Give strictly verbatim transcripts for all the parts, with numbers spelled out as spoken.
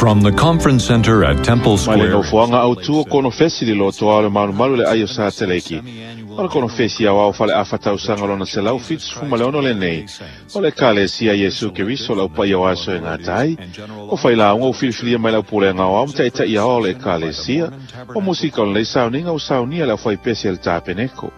From the conference center at Temple Mai le Square. nofoaga autū o konofesi le lotoa o le malumalu le ai o Sateleki. O le konofesi au au fale afa tausaga lona selau fitusefulu ma le ono lenei. O le Ekalesia Iesu Keriso le aupaia o aso e gata ai. O failauga ua filifilia mai le aupulega o ao ma taʻitaʻi ao o le Ekalesia. O musika o lenei sauniga ua saunia le aufaipese a le Tapeneko.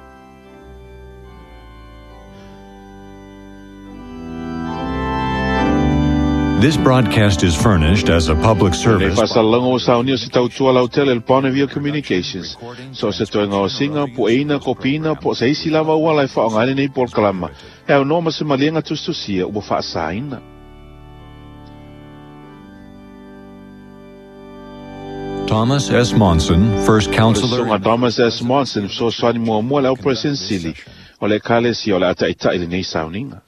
This broadcast is furnished as a public Lenei service. faasalalauga ua saunia o se tautua lautele le Bonneville Communications. So se toega o singa, po eina, kopina, po se isi lava ua lai whaonga ai lenei polokalama. E au noa ma se maliega tusitusia ua faasaina. Thomas S. Monson, first counselor. Susuga Thomas S. Monson, fesoasoani muamua le au Sili o le Ekalesia o le a taʻitaʻi lenei sauniga.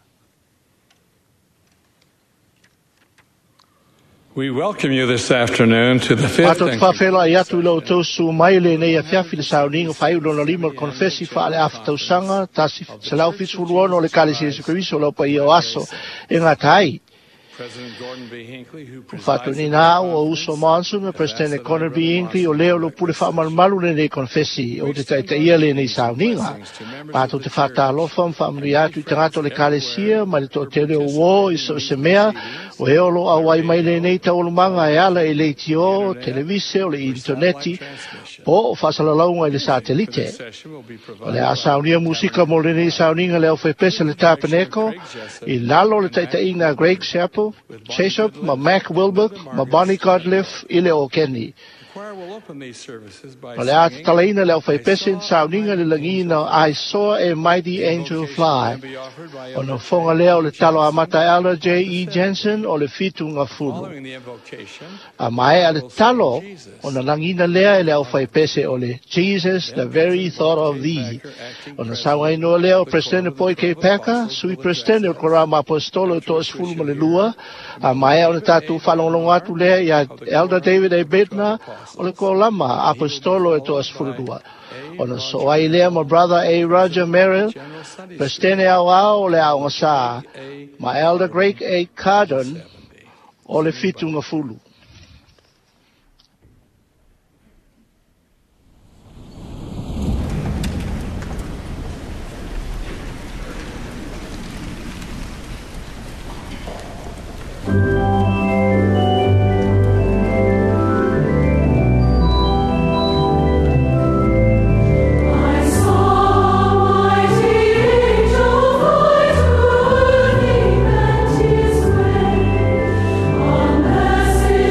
We welcome you this afternoon to the fifth Matou te and faafeiloai atu i lo outou su mai lenei afiafi le sauniga faaiu lona lima o le konofesi faaleafa tausaga tasi selau fitusefulu ono o le Ekalesia Iesu Keriso o le aupaia o aso e gata ai. President Gordon B. Hinckley, who presides Faatonuina au o uso Monson ma Presidente Gordon B. Hinckley o lea o lo pule faamalumalu lenei konofesi o te taʻitaʻia lenei sauniga. Matou te faatalofa ma faamanuia atu i tagata o le Ekalesia ma le toatele o uō i so o se mea o e o lo auai mai lenei taualumaga e ala i le leitio, televise o le interneti po o faasalalauga i le satelite. O le a saunia musika mo lenei sauniga le aufaipese le Tapeneko i lalo o le taʻitaʻiga a Greg Chappell, Chesop ma Mac Wilbur ma Bonnie Godliff i le Okeni. choir will open these services by O le a singing tatalaina le aufaipese i sauniga le lagiina o I Saw a Mighty Angel Fly. be offered by O na foga lea o le talo amata e ala J E. Jensen o le fitu gafulu. Following the invocation, A mae a le talo o na lagina lea e le aufaipese o le Jesus, the very thought of thee. O na sauainoa lea o Presidente Boyd K. Packer, sui Presidente o Korama Apostolo o toasefulu ma le lua, a maea o le tatou faalogologo atu lea ia Elder David A. Bednar o le Kolama Apostolo e toasefulu lua. O na so ai lea ma Brother A. Roger Merrill, Presidente au ao o le aoga sa, ma Elder Greg A. Cardon o le fitu gafulu. I saw a mighty angel fly to earth, he bent his way, a message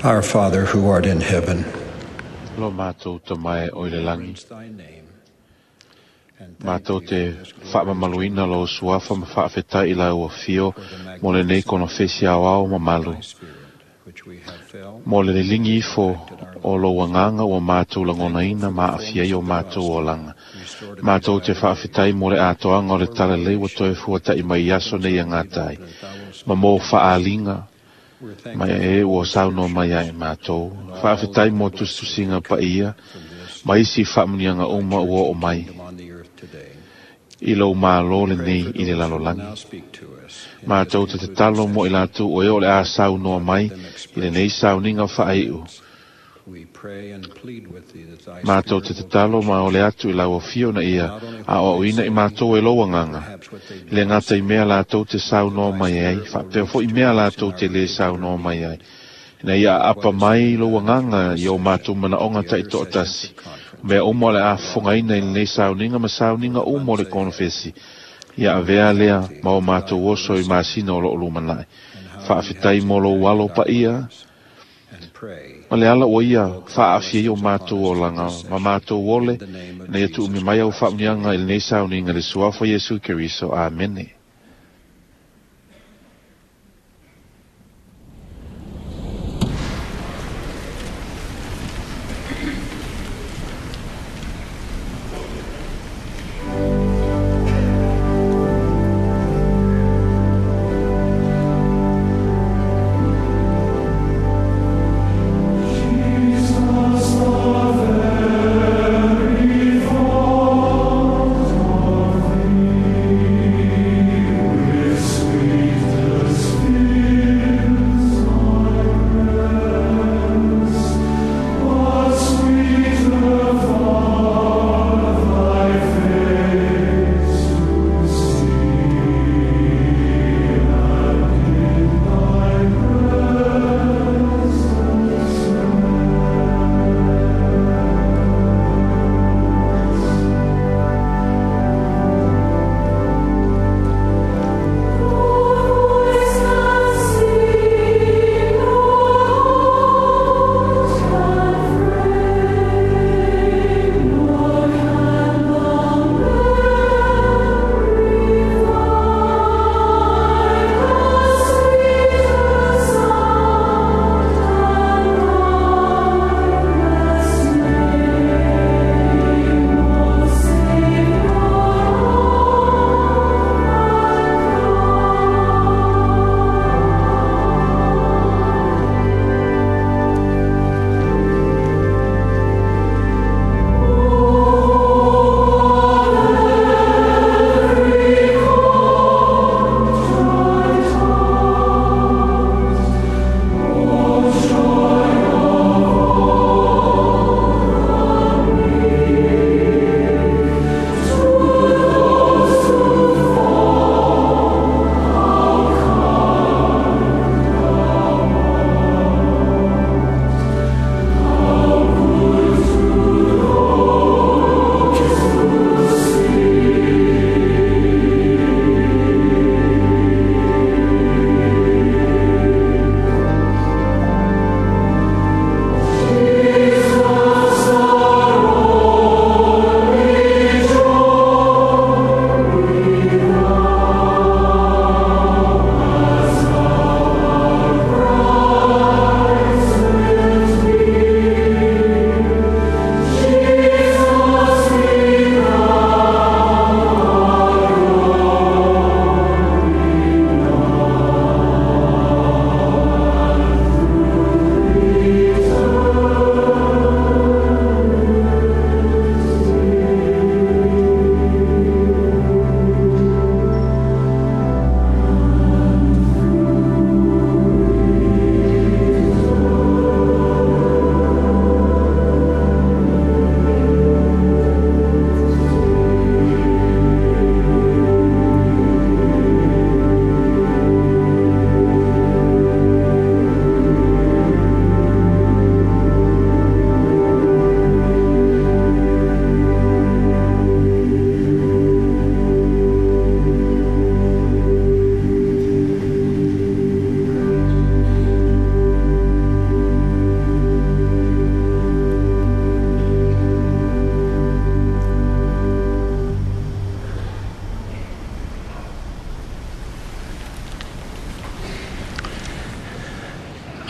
Our Father who art in heaven, Lo mātou ta mai o ile langi. thy name. Mātou te whaamamaluina lo suafa ma whaafetai i la ua fio mo le nei kono fesi au au mamalu. Which we have felt Mo le lingi ifo o lo wanganga ua mātou langona ina ma afia i o mātou o langa. Mātou te whaafetai mo le atoanga o le tala lei ua toe fuatai mai aso nei a ngātai. Ma mō whaalinga mai e ua sauno mai ai mātou. Whaafetai mo tustusinga pa ia, ma isi whaamunianga uma ua o mai. on the earth today. I lau mālo le nei i le lalolangi. Now speak to us. Mātou te te talo mo i lātou o e o le a saunoa mai i le nei sauninga whaaiu. We pray and plead with thee that thy Mātou te te talo ma o le atu i lau o fio na ia a o ina i mātou e loa nganga. I le ngata i mea lātou te saunoa mai ai, whapea fo i mea lātou te le saunoa mai ai. Ina ia apa mai loa nganga i o mātou mana onga ta i to'atasi. Mea umo le a whangaina i nei sauninga ma sauninga umo le konofesi. Ia avea lea ma o mātou oso i māsina o lo olumanai. Whaafetai mo lo walo pa ia, and pray ma le ala o ia whaafia i o mātou o langa, ma mātou ole, na ia tuumi mai au whaamnianga i lenei sauninga le suafa Iesu Keriso. Amene. Jesus, the very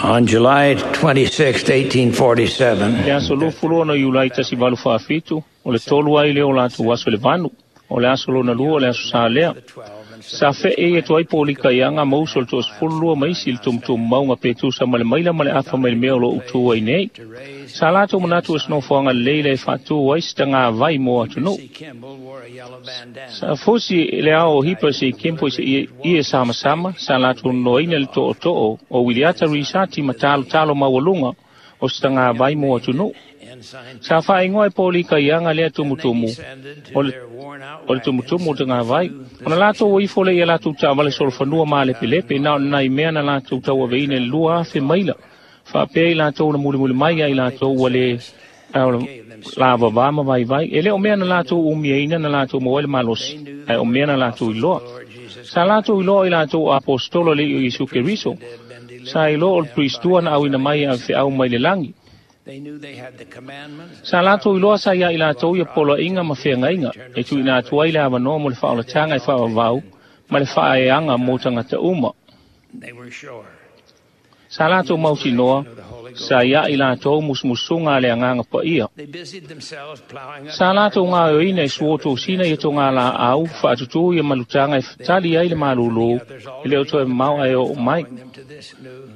On July twenty-sixth, eighteen forty-seven, Le aso lufulo na Iulai tasi valu faafitu, o le tolu ai lea o latou aso le vanu, o le aso lona lua o le aso sa lea. Sa feʻe atu ai polika ianga ma uso le toasefulu lua ma isi i le tumutumumauga pe tusa ma le maila ma le afa mai le mea o loo utū ai nei. Sa latou manatu o se nofoaga lelei le e faatū ai se tagavai mo atunuu. Sa fosi le ao o hipa se i kempo i se ie samasama, sa latou nonoaina le tootoo o Wiliata Risati ma talotalo maualuga o se tagavai mo atunuu. Sa faaigoa e polika ianga lea tumutumu o le o le tumutumu o tagavai. Ona latou ifo le ia latou taavale solofanua ma lepelepe na o nai mea na latou tauaveina i le lua afe maila. Faapea i latou na mulimuli mai ai latou ua le lavavā ma vaivai. E le o mea na latou umiaina na latou maua ai le malosi, ae o mea na latou iloa. Sa latou iloa i latou apostolo le i o Iesu Keriso. Sa iloa o le Pristua na auina mai e avefeau mai le lagi. Sa latou iloa sa ia i latou ia poloaiga ma feagaiga e tuuina atu ai le avanoa mo le faaolataga e faavavau ma le faaeaga mo tagata uma. Sa latou mautinoa sa ia i latou musumusuga a le agaga paia. Sa latou gaoioina e suotosina ia toga laau faatutū ia malutaga e fatali ai le malūlū e le o toe mamao ae oo mai.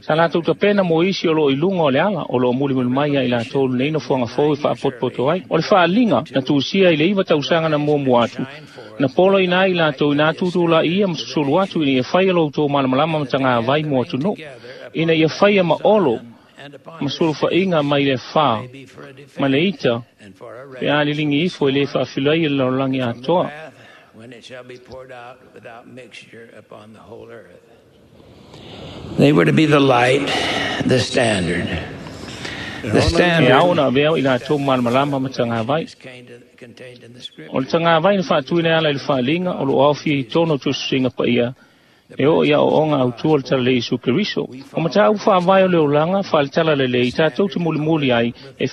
Sa latou tapena mo isi o loo i luga o le ala o loo mulimuli mai ia i latou lenei nofoaga fou e faapotopoto ai. O le faaliga na tusia i le iva tausaga na muamua atu na poloina ai i latou ina tutula'i ia ma susulu atu ina ia faia lo outou malamalama ma tagavai mo atunuu, ina ia faia ma olo ma sulufaiga mai le afa ma le ita pe a liligi ifo e lē faafilai e le lalolagi atoa. They were to be the light, the standard. The standard. E ao na avea i latou malamalama ma tagavai. O le tagavai na faatuina e ala i le faaliga o loo aofia i tonu o tusitusiga paia e oo ia ooga autua le talalei Iesu Keriso. O mataupu faavae o le olaga faaletala lelei tatou te mulimuli ai e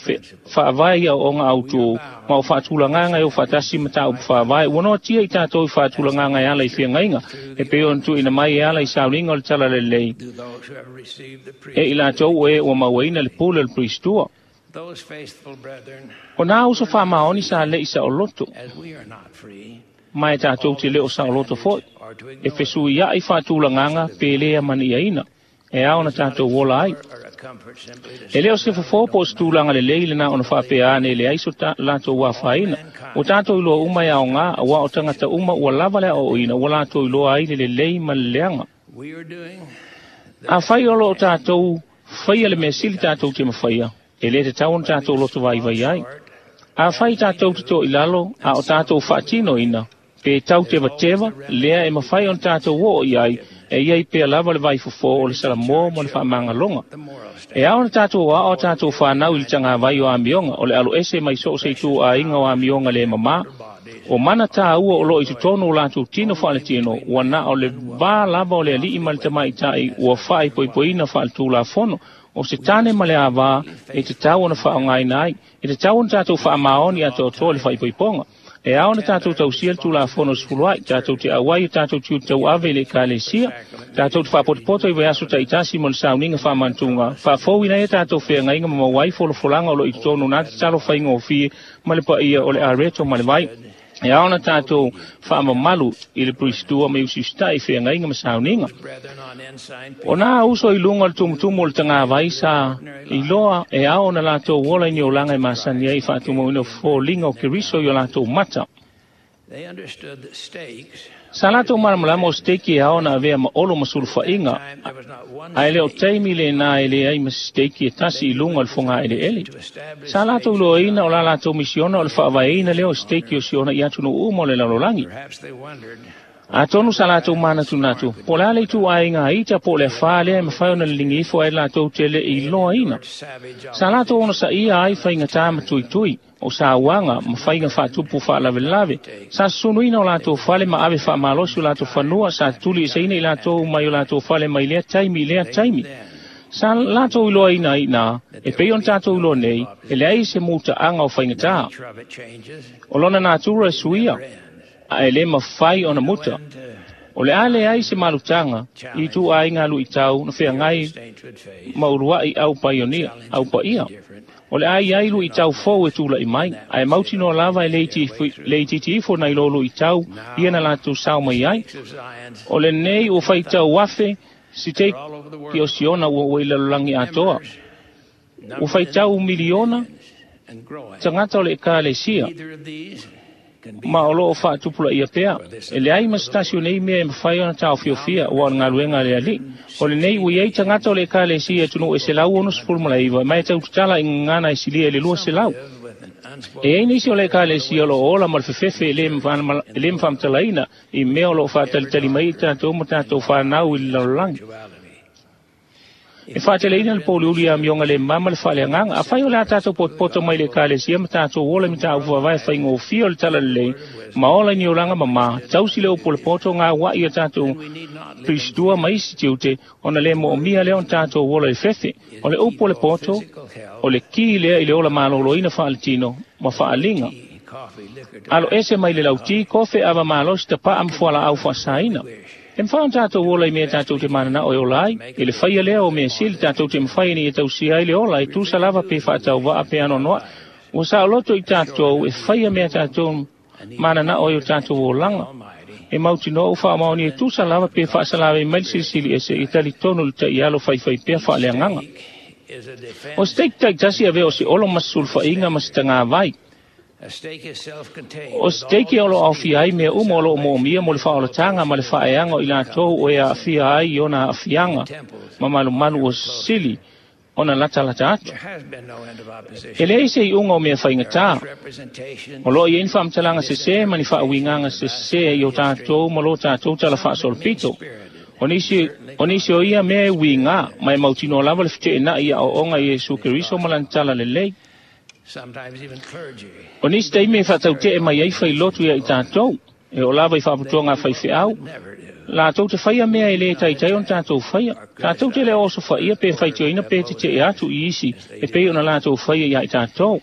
faavae ia ooga autū ma o faatulagaga e o faatasi mataupu faavae ua noatia i tatou i faatulagaga e ala i feagaiga e pei ona tuuina mai e ala i sauliga o le talalelei e i latou e ua mauaina le pule o le Pristua. O nā uso faamaoni sa le'i saoloto ma e tatou te le o saoloto foi e fesuia'i faatulagaga pe lē amaniaina e ao na tatou ola ai. E le o se fofo po o se tulaga lelei lena ona faapea ane leai so latou afaina. Ua tatou iloa uma e aogā auā o tagata uma ua lava le aoaoina ua latou iloa ai le lelei ma le leaga. Afai o loo tatou faia le mea sili tatou te mafaia, e lē tatau ona tatou loto vaivai ai. Afai tatou te toʻi lalo a o tatou faatinoina pe tau tevateva lea e mafai ona tatou oo i ai e iai pea lava le vaifofō o le salamō ma le faamagaloga. E ao ona tatou aao a tatou fanau i le tagavai o amioga o le aloese mai so o se itu aiga o amioga lē mamā. O mana tāua o loo i totonu o latou tino faaletino ua na o le vā lava o le ali'i ma le tamaita'i ua faaipoipoina faaletulafono o se tane ma le avā e tatau ona faaaogaina ai. E tatau ona tatou faamaoni atoatoa le faaipoipoga. E ao ona tatou tausia le tulafono sefulu ai, tatou te auai o tatou tiute tauave i le ekalesia, tatou te faapotopoto i vaiaso taitasi mo le sauniga faamanatuga, faafouina ai a tatou feagaiga ma maua ai folafolaga o loo i totonu na tatalo faigofie ma le paia o le areto ma le vai. E ao ona tatou faamamalu i le Pristua ma usiusita'i i feagaiga ma sauniga. O nā uso i luga o le tumutumu o le tagavai sa iloa e ao ona latou ola i ni olaga e masani ai i faatumauina o foliga o Keriso i o latou mata. Sa latou malamalama o steiki e ao ona avea ma olo ma sulufaiga, ae le o taimi lenā e leai ma se steiki e tasi i luga o le fogaeleele. Sa latou iloaina o la latou misiona o le faavaeina lea o steiki o siona i atunuu uma o le lalolagi. Atonu sa latou manatunatu, po o le a le ituaiga ita po o le afā lea e mafai ona liligi ifo ai latou te le'i iloaina. Sa latou onosaia ai faigatā ma tuitui, o sauaga ma faiga faatupu faalavelave. Sa susunuina o latou fale ma ave faamalosi o latou fanua, sa tuliꞌiseina i latou mai o latou fale mai lea taimi i lea taimi. Sa latou iloaina ai iinā, e pei ona tatou iloa nei, e leai se mutaaga o faigatā. O lona natura e suia, ae lē mafai ona muta. O le a leai se malutaga i ituaiga luitau na feagai ma uluai au paionia au paia. O le a iai luitau fou e tula'i mai, ae mautinoa lava e le itiiti ifo nai lo luitau ia na latou sao mai ai. O lenei ua faitau afe siteki o Siona ua ua i lalolagi atoa. Ua faitau miliona tagata o le ekalesia ma o loo faatupulaia pea. E leai ma se tasi o nei mea e mafai ona taofiofia ua o le galuega a le Alii. O lenei ua iai tagata o le ekalesia i atunuu e selau onosefulu ma le iva, ma e tautatala i gagana e silia i le lua selau. E ai nisi o le ekalesia o loo ola ma le fefefe e le mafaamatalaina i mea o loo faatalitali mai i tatou ma tatou fanau i le lalolagi. E faateleina le pouliuli ia amioga le mama le faaleagaga. Afai o le a tatou potopoto mai le ekalesia ma tatou ola i mataupu faavae faigofie o le talalelei ma ola i ni olaga mamā, tausi le upu o le poto gaua'i ia tatou pilistua ma isi tiute ona le mo'omia lea ona tatou ola i fefe. O le upu o le poto, o le ki lea i le ola malōlōina faaletino ma faaliga. Alo ese mai le lautī, kofe ava malosi tapa'a ma fualaau faasaina. E mafai ona tatou ola i mea tatou te mananao e ola ai, i le faia lea o mea sili tatou te mafai ina ia tausia ai le ola e tusa lava pe faatauva'a pe anoanoa'i. Ua saoloto i tatou e faia mea tatou mananao i o tatou olaga. E mautinoa ua faamaonia e tusa lava pe faasalavei mai le silisili ese i talitonu i le taialo faifaipea faaleagaga. O se teiki taitasi avea o se olo ma se sulufaiga ma se tagavai. O se teiki o loo aofia ai mea uma o loo moomia mo le faaolataga ma le faaeaga o i latou o e aafia ai i ona aafiaga ma malumalu ua sili ona latalata atu. E leai se iuga o mea faigatā. O loo iai ni faamatalaga sesē ma ni faauigaga sesē i o tatou ma lo tatou tala faasolopito. O nisi, o nisi o ia mea e uigā, ma e mautinoa lava le feteenai i aoaoga i Iesu Keriso ma lana tala lelei. O nisi taimi e faataute'e mai ai failotu ia i tatou, e oo lava i faaputuaga a faifeau, latou te faia mea e lē taitai ona tatou faia. Tatou te le osofaia pe faitioina pe tete'e atu i isi e pei ona latou faia iā i tatou.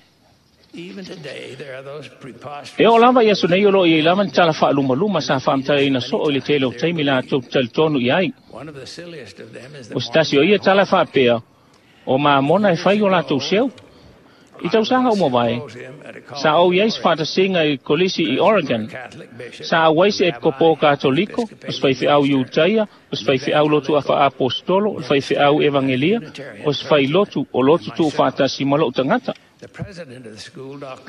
E oo lava i aso nei o loo iai lava ni tala faalumaluma sa faamatalaina soo i le tele o taimi latou te talitonu i ai. O se tasi o ia tala faapea, o mamona e fai o latou seu. I tausaga uma vae, sa ou iai se faatasiga i kolisi i Oregon. Sa auai se epikopo katoliko, o se faifeau Iutaia, o se faifeau lotu afaapostolo, o le faifeau evangelia, o se failotu o lotu tuufaatasi ma lou tagata.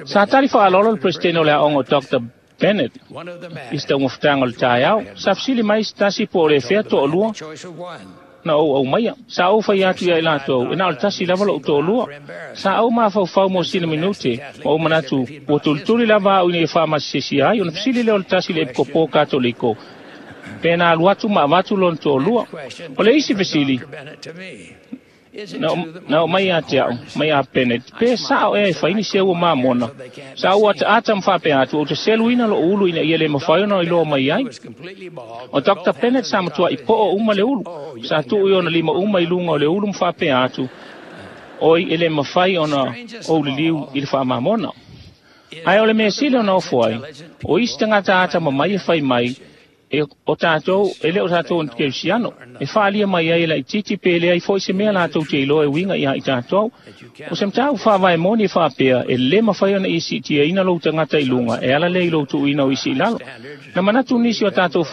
Sa tali faaaloalo le peresetene o le aoga o Doctor Bennett i se taugafataga o le taeao. Sa fesili mai se tasi po o le fea toalua na ou aumaia. Sa ou fai atu ia i latou, e na o le tasi lava lou toalua. Sa ou mafaufau mo sina minute, ma ou manatu, ua tulituli lava au ina ia faamasisisia ai, ona fesili lea o le tasi le epikopo katoliko, pe na alu atu ma avatu lona toalua. O le isi fesili, na, na o mai ia te au, mai a Bennett, pe sao ea e fai ni seu o mamona. Sa ou ataata ma faapea atu, ou te seluina lou ulu ina ia le mafai ona iloa mai ai. O Doctor Bennett sa matuai po'o uma le ulu. Sa tuu i ona lima uma i luga o le ulu ma faapea atu, oi e le mafai ona ou liliu i le faamamona. Ae o le mea sili ona ofo ai, o isi tagata ata mamai e fai mai, e o tatou, e le o tatou ni kerisiano, e faalia mai ai e laitiiti pe leai fo'i se mea latou te iloa e uiga iā i tatou. O se mataupu faavae moni e faapea, e lē mafai ona e siitiaina lou tagata i luga, e ala lea i lou tuuina o isi i lalo. Na manatu nisi o tatou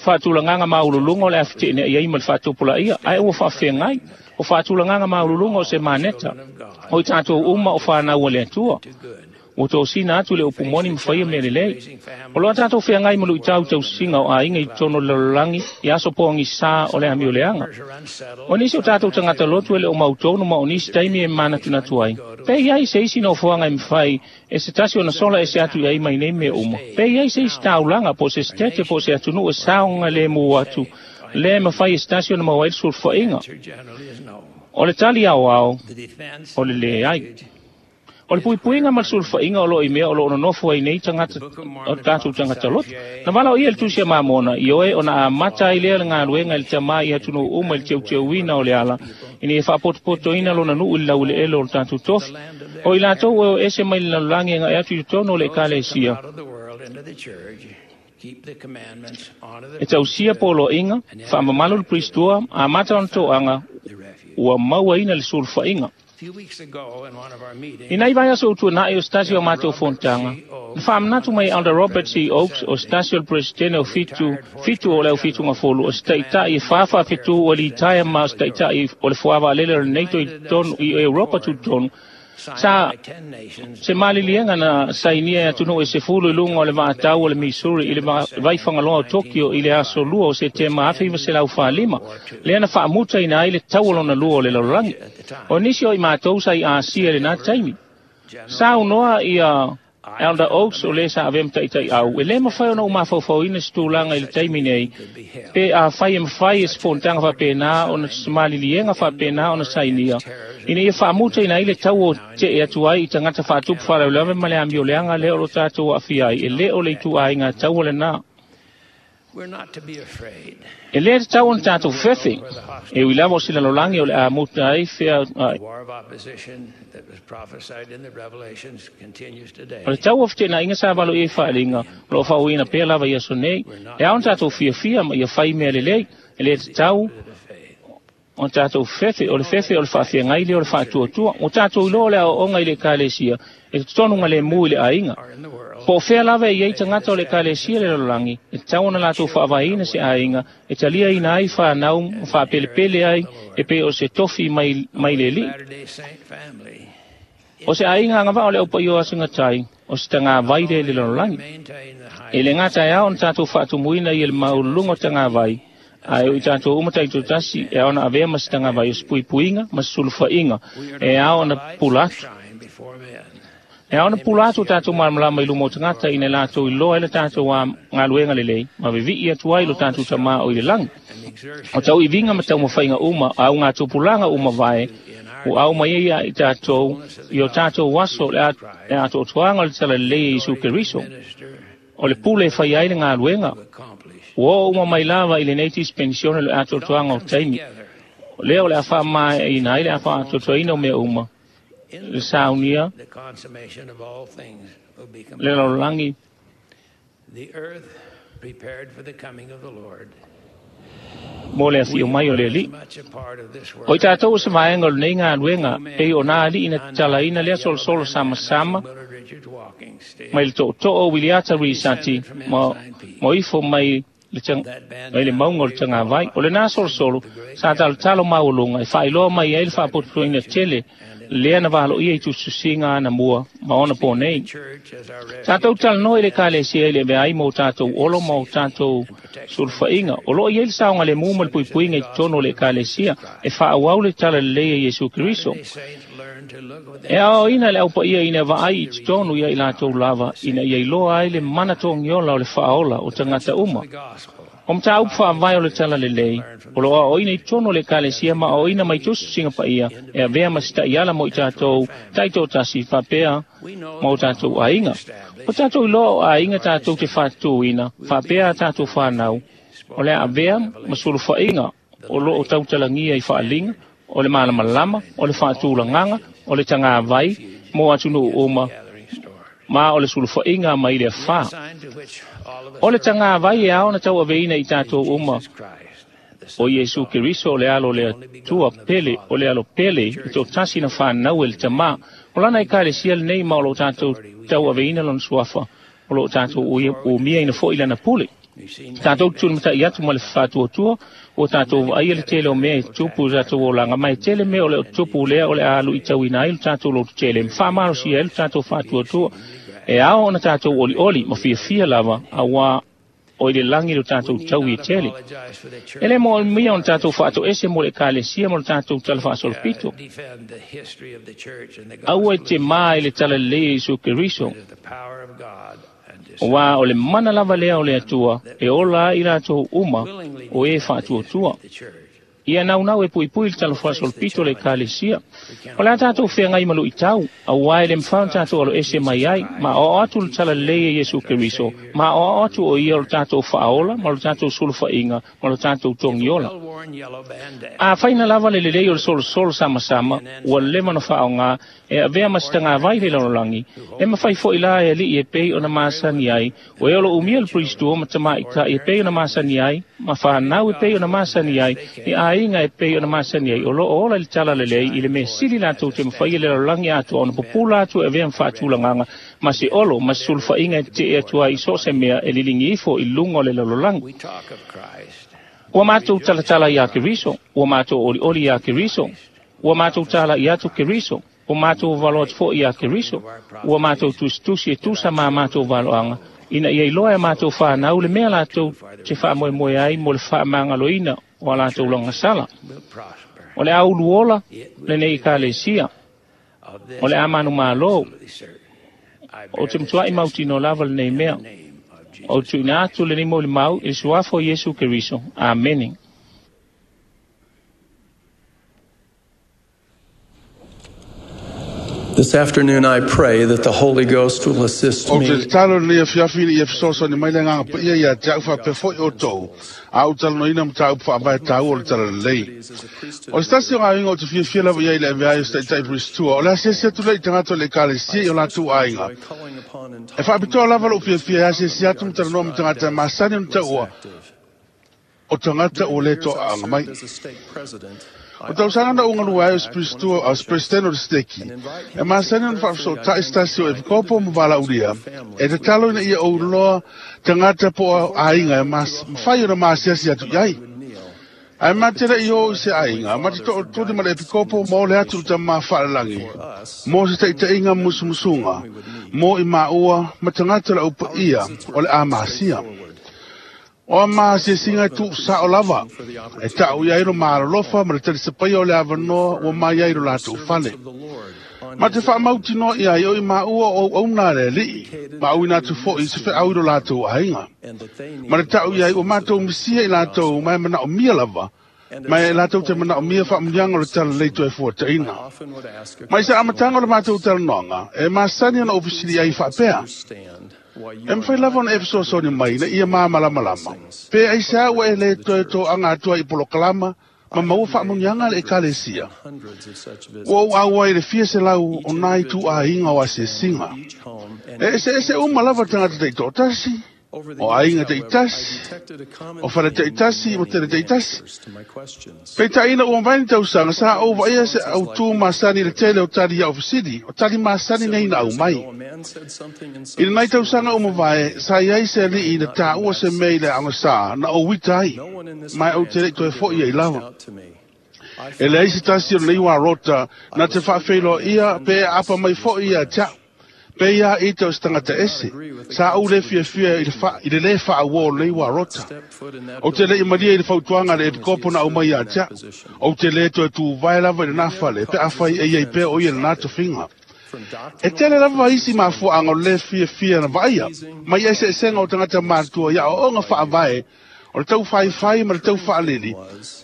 faatulagaga maululuga o le a feteena'i ai ma le faatupulaia, ae ua faafeagai. O faatulagaga maululuga o se maneta, o i tatou uma o fanau a le Atua. Ua tosina atu le upu moni ma faia mea lelei. O loa tatou feagai ma luitau tausiga o aiga i totonu o le lalolagi i aso poagisā o le amioleaga. O nisi o tatou tagata lotu e le o mautonu ma o nisi taimi e manatunatu ai. Pe iai se isi nofoaga e mafai e se tasi ona sola ese atu i ai mai nei mea uma. Pe iai se isi taulaga po o se setete po o se atunuu e saoga lemu atu le mafai e se tasi ona maua ai le sulufaiga. O le tali aoao, o le leai. O le puipuiga ma le sulufaiga o loo i mea o loo nonofo ai nei tagata o tatou tagata lotu. Na valaoia le tusi a Mamona, ioe ona amata ai lea le galuega i le tamā i atunuu uma i le teuteuina o le ala, ina ia faapotopotoina lona nuu i le laueleele o le tatou tofi. O i latou e o ese mai le lalolagi e aga'i atu i totonu o le ekalesia. E tausia poloaiga, faamamalu le Pristua, amata ona toaga, ua mauaina le sulufaiga. I nai vaiaso utuana'i o se tasi o matou fonotaga, na faamanatu mai Elder Robert C. Oaks o se tasi o le Peresetene o fitu, fitu o le aufitugafolu o se taʻitaʻi e fa faafetū ua litaea ma o se taʻitaʻi o le fuavaalele o le NATO i totonu i Europa tutotonu, sa se maliliega na sainia e atunuu e sefulu i luga o le vaatau o le Missouri i le vaifagaloa o Tokyo i le aso lua o Setema afe iva selau falima, lea na faamutaina ai le tau o lona lua o le lalolagi. O nisi o i matou sa i Asia i lenā taimi. Sa unoa ia Elder Oaks o lē sa avea ma taʻitaʻi au, e lē mafai ona ou mafaufauina se tulaga i le taimi nei, pe afai e mafai e se fonotaga faapena ona se maliliega faapena ona sainia, ina ia faamutaina ai le tau o teʻe atu ai i tagata faatupu faalavelave ma le amioleaga lea o lo tatou aafia ai, e lē o le ituaiga tau o lenā. E lē tatau ona tatou fefefe, e ui lava o se lalolagi o le a muta ai fea. O le tau o fetenaiga sa valoia i faaliga o loo faauiina pea lava i aso nei, e ao ona tatou fiafia ma ia fai mea lelei. E lē tatau ona tatou fefe, o le fefe o le faafeagai lea o le faatuatua. Ua tatou iloa o le aoaoga i le ekalesia e totonu galemu i le aiga. Po o fea lava e iai tagata o le ekalesia le lalolagi, e tatau ona latou faavaeina se aiga e taliaina ai fanau ma faapelepele ai e pei o se tofi mai, mai le alii. O se aiga agavaa o le aupaia o asagatai, o se tagavai lea i le lalolagi. E le gata e ao ona tatou faatumuina ia le maululuga o tagavai, ae o i tatou uma taitotasi e ao ona avea ma se tagavai o se puipuiga ma se sulufaiga e ao ona pula atu. E ao ona pula atu o tatou malamalama i luma o tagata ina latou iloa ai le tatou galuega lelei ma vevii atu ai lo tatou tamā o i le lagi. O tauiviga ma taumafaiga uma a augatupulaga uma vae ua au mai ai ia i tatou i o tatou aso le atoatoaga o le talalelei e Iesu Keriso. O le pule e fai ai le galuega. Ua oo uma mai lava i lenei dispensione le atoatoaga o taimi. Lea o le a faamaeaina ai le a faaatoatoaina o mea uma, le saunia, le lalolagi, mo le afio mai o le alii. O i tatou o se vaega o lenei galuega, pei o nā alii na tatalaina lea solosolo samasama mai le tootoo o Wiliata Risati ma, ma ifo mai le, tang, mai le mauga o le tagavai. O lenā solosolo sa talotalo maualuga e faailoa mai ai le faapotopotoina tele lea na valoia i tusitusiga ana mua ma ona po nei. Tatou talanoa i le ekalesia i le avea ai ma o tatou olo ma o tatou sulufaiga. O loo i ai le saogalemu ma le puipuiga i totonu o le ekalesia e faaauau le talalelei a Iesu Keriso. E aoaoina le aupaia ina vaai i totonu ia i latou lava ina ia iloa ai le mana togiola o le faaola o tagata uma. O mataupu faavae o le talalelei, o loo aoaoina i totonu o le ekalesia ma aoaoina mai tusitusiga paia e avea ma se taʻiala mo i tatou taitoatasi faapea ma o tatou aiga. O tatou iloa o aiga tatou te faatutūina faapea a tatou fanau, o le avea ma sulufaiga o loo tautalagia i faaliga, o le malamalama, o le faatulagaga, o le tagavai mo atunuu uma, ma o le sulufaiga mai le afā. O le tagavai e ao ona tauaveina i tatou uma, o Iesu Keriso o le alo o le Atua pele, o le alo pele i toatasi na fanau e le tamā. O lana ekalesia lenei ma o loo tatou tauaveina lona suafa, o loo tatou umiaina foi lana pule. Tatou tulimataʻi atu ma le faatuatua, ua tatou vaaia le tele o mea e tupu i tatou olaga, ma e tele mea o le o tupu lea o le a luitauina ai lo tatou lototele ma faamalosia ai lo tatou faatuatua. E ao ona tatou olioli ma fiafia lava, auā o i le lagi lo tatou taui e tele. E lē moomia ona tatou faatoese mo le ekalesia ma lo tatou tala faasolopito. Aua e te mā i le talalelei e Iesu Keriso, auā o le mana lava lea o le Atua e ola ai i latou uma o e faatuatua. Ia naunau e puipui le talafuaso o le pito o le ekalesia. O le a tatou feagai ma luʻitau, auā e le mafai ona tatou aloese mai ai, ma aoao atu le talalelei e Iesu Keriso, ma aoao atu o ia o le tatou faaola ma lo tatou sulufaʻiga ma lo tatou togiola. Afai na lava le lelei o le solosolo samasama, ua leva ona faaogā e avea ma se tagavai le lalolagi, e mafai foʻi la e aliʻi e pei ona masani ai, o e o lo umia le pulistua ma tamaʻitaʻi e pei ona masani ai, ma fanau e pei ona masani ai, i aiga e pei ona masani ai, o loo ola i le talalelei i le mea sili latou te mafaia le lalolagi atoa ona pupula atu e avea ma faatulagaga ma se olo ma se sulufaʻiga e teteʻe atu ai i so o se mea e liligi ifo i luga o le lalolagi. Ua matou talatala iā Keriso, ua matou olioli iā Keriso, ua matou talaʻi atu Keriso, ua matou valo atu foʻi iā Keriso, ua matou tusitusi e tusa ma matou valoaga, ina ia iloa e matou fanau le mea latou te faamoemoe ai mo le faamagaloina o a latou lagasala. O le a uluola lenei ekalesia, o le a manumālō, o te matuaʻi mautino lava lenei mea. O tuuina atu lenei molimau i le suafa o Iesu Keriso. Amene. This afternoon I pray that the Holy Ghost will assist O me te tatalo lenei afiafi ina ia fesoasoani mai le agaga paia ia te a'u faapea foʻi outou, a ou talanoaina mataupu faavae taua o le talalelei. O se tasi o gaoiga o te fiafia lava i ai le avea ai o se taʻitaʻi pulistua, o le asiasi atu lea i tagata o le ekalesia i o latou aiga. E faapitoa lava loʻu fiafia e asiasi atu ma talanoa ma tagata e masani ona taua o tagata ua lē toaʻaaga mai. O tausaga na ou galue ai o se pulistua o se peresetene o le seteki, e masani ona faafesootaʻi se tasi o epikopo ma valaaulia, e tatalo ina ia ou loa tagata po o aiga e mafai ona masiasi atu i ai. Ae ma te leʻi o i se aiga, ma te toʻotuli ma le epikopo ma ole atu i tamā faalelagi, mo se taʻitaʻiga musumusuga, mo i maua ma tagata o le aupaia o le a masia. O a masiasiga e tuusaʻo lava, e taʻu i ai lo malolofa ma le talisapaia o le avanoa ua mai ai lo latou fale. Ma te faamautinoa i ai o i maua o auauna a le aliʻi, ma auina atu foʻi i se feʻau i lo latou aiga. Ma le taʻu i ai ua matou misia i latou ma e manaʻomia lava, ma e latou te manaʻomia faamuliaga o le talalelei toe fuataʻina. Mai se amataga o le matou talanoaga, e masani ona ou fesili ai faapea, E mafai lava ona e fesoasoani mai ina ia māmalamalama, pe aisea ua e lē toe toaga atu ai i polokalama ma maua faamuniaga a le ekalesia. Ua ou auai i le fia selau o nā ituaiga o asiasiga. E eseese uma lava tagata taitoatasi, o aiga taitasi, o fale taitasi ma tele taitasi. Peitaʻi ina ua mavae ni tausaga, sa ou vaaia se autū masani i le tele o tali ia ofisili, o tali masani nei na aumai. I lenai tausaga ua mavae, sa iai se aliʻi na taua se mea i le aogasā na ou uita ai, ma e ou te leʻi toe foʻi ai lava. E leai se tasi o lenei uarota na te faafeiloaʻia pe e aapa mai foʻi ia te aʻu. Pe ia ita o se tagata ese, sa ou lē fiafia i le fa, i le lē faauō o lenei uarota. Ou te leʻi malia i le fautuaga a le epikopo na aumai ia te aʻu. Ou te lē toe tuvae lava i lenā fale, pe afai e iai pea o ia lenā tofiga. E tele lava isi mafuaaga o le lē fiafia na vaaia, mai eseesega o tagata matutua i aoaoga faavae, o le taufaifai ma le taufaalili,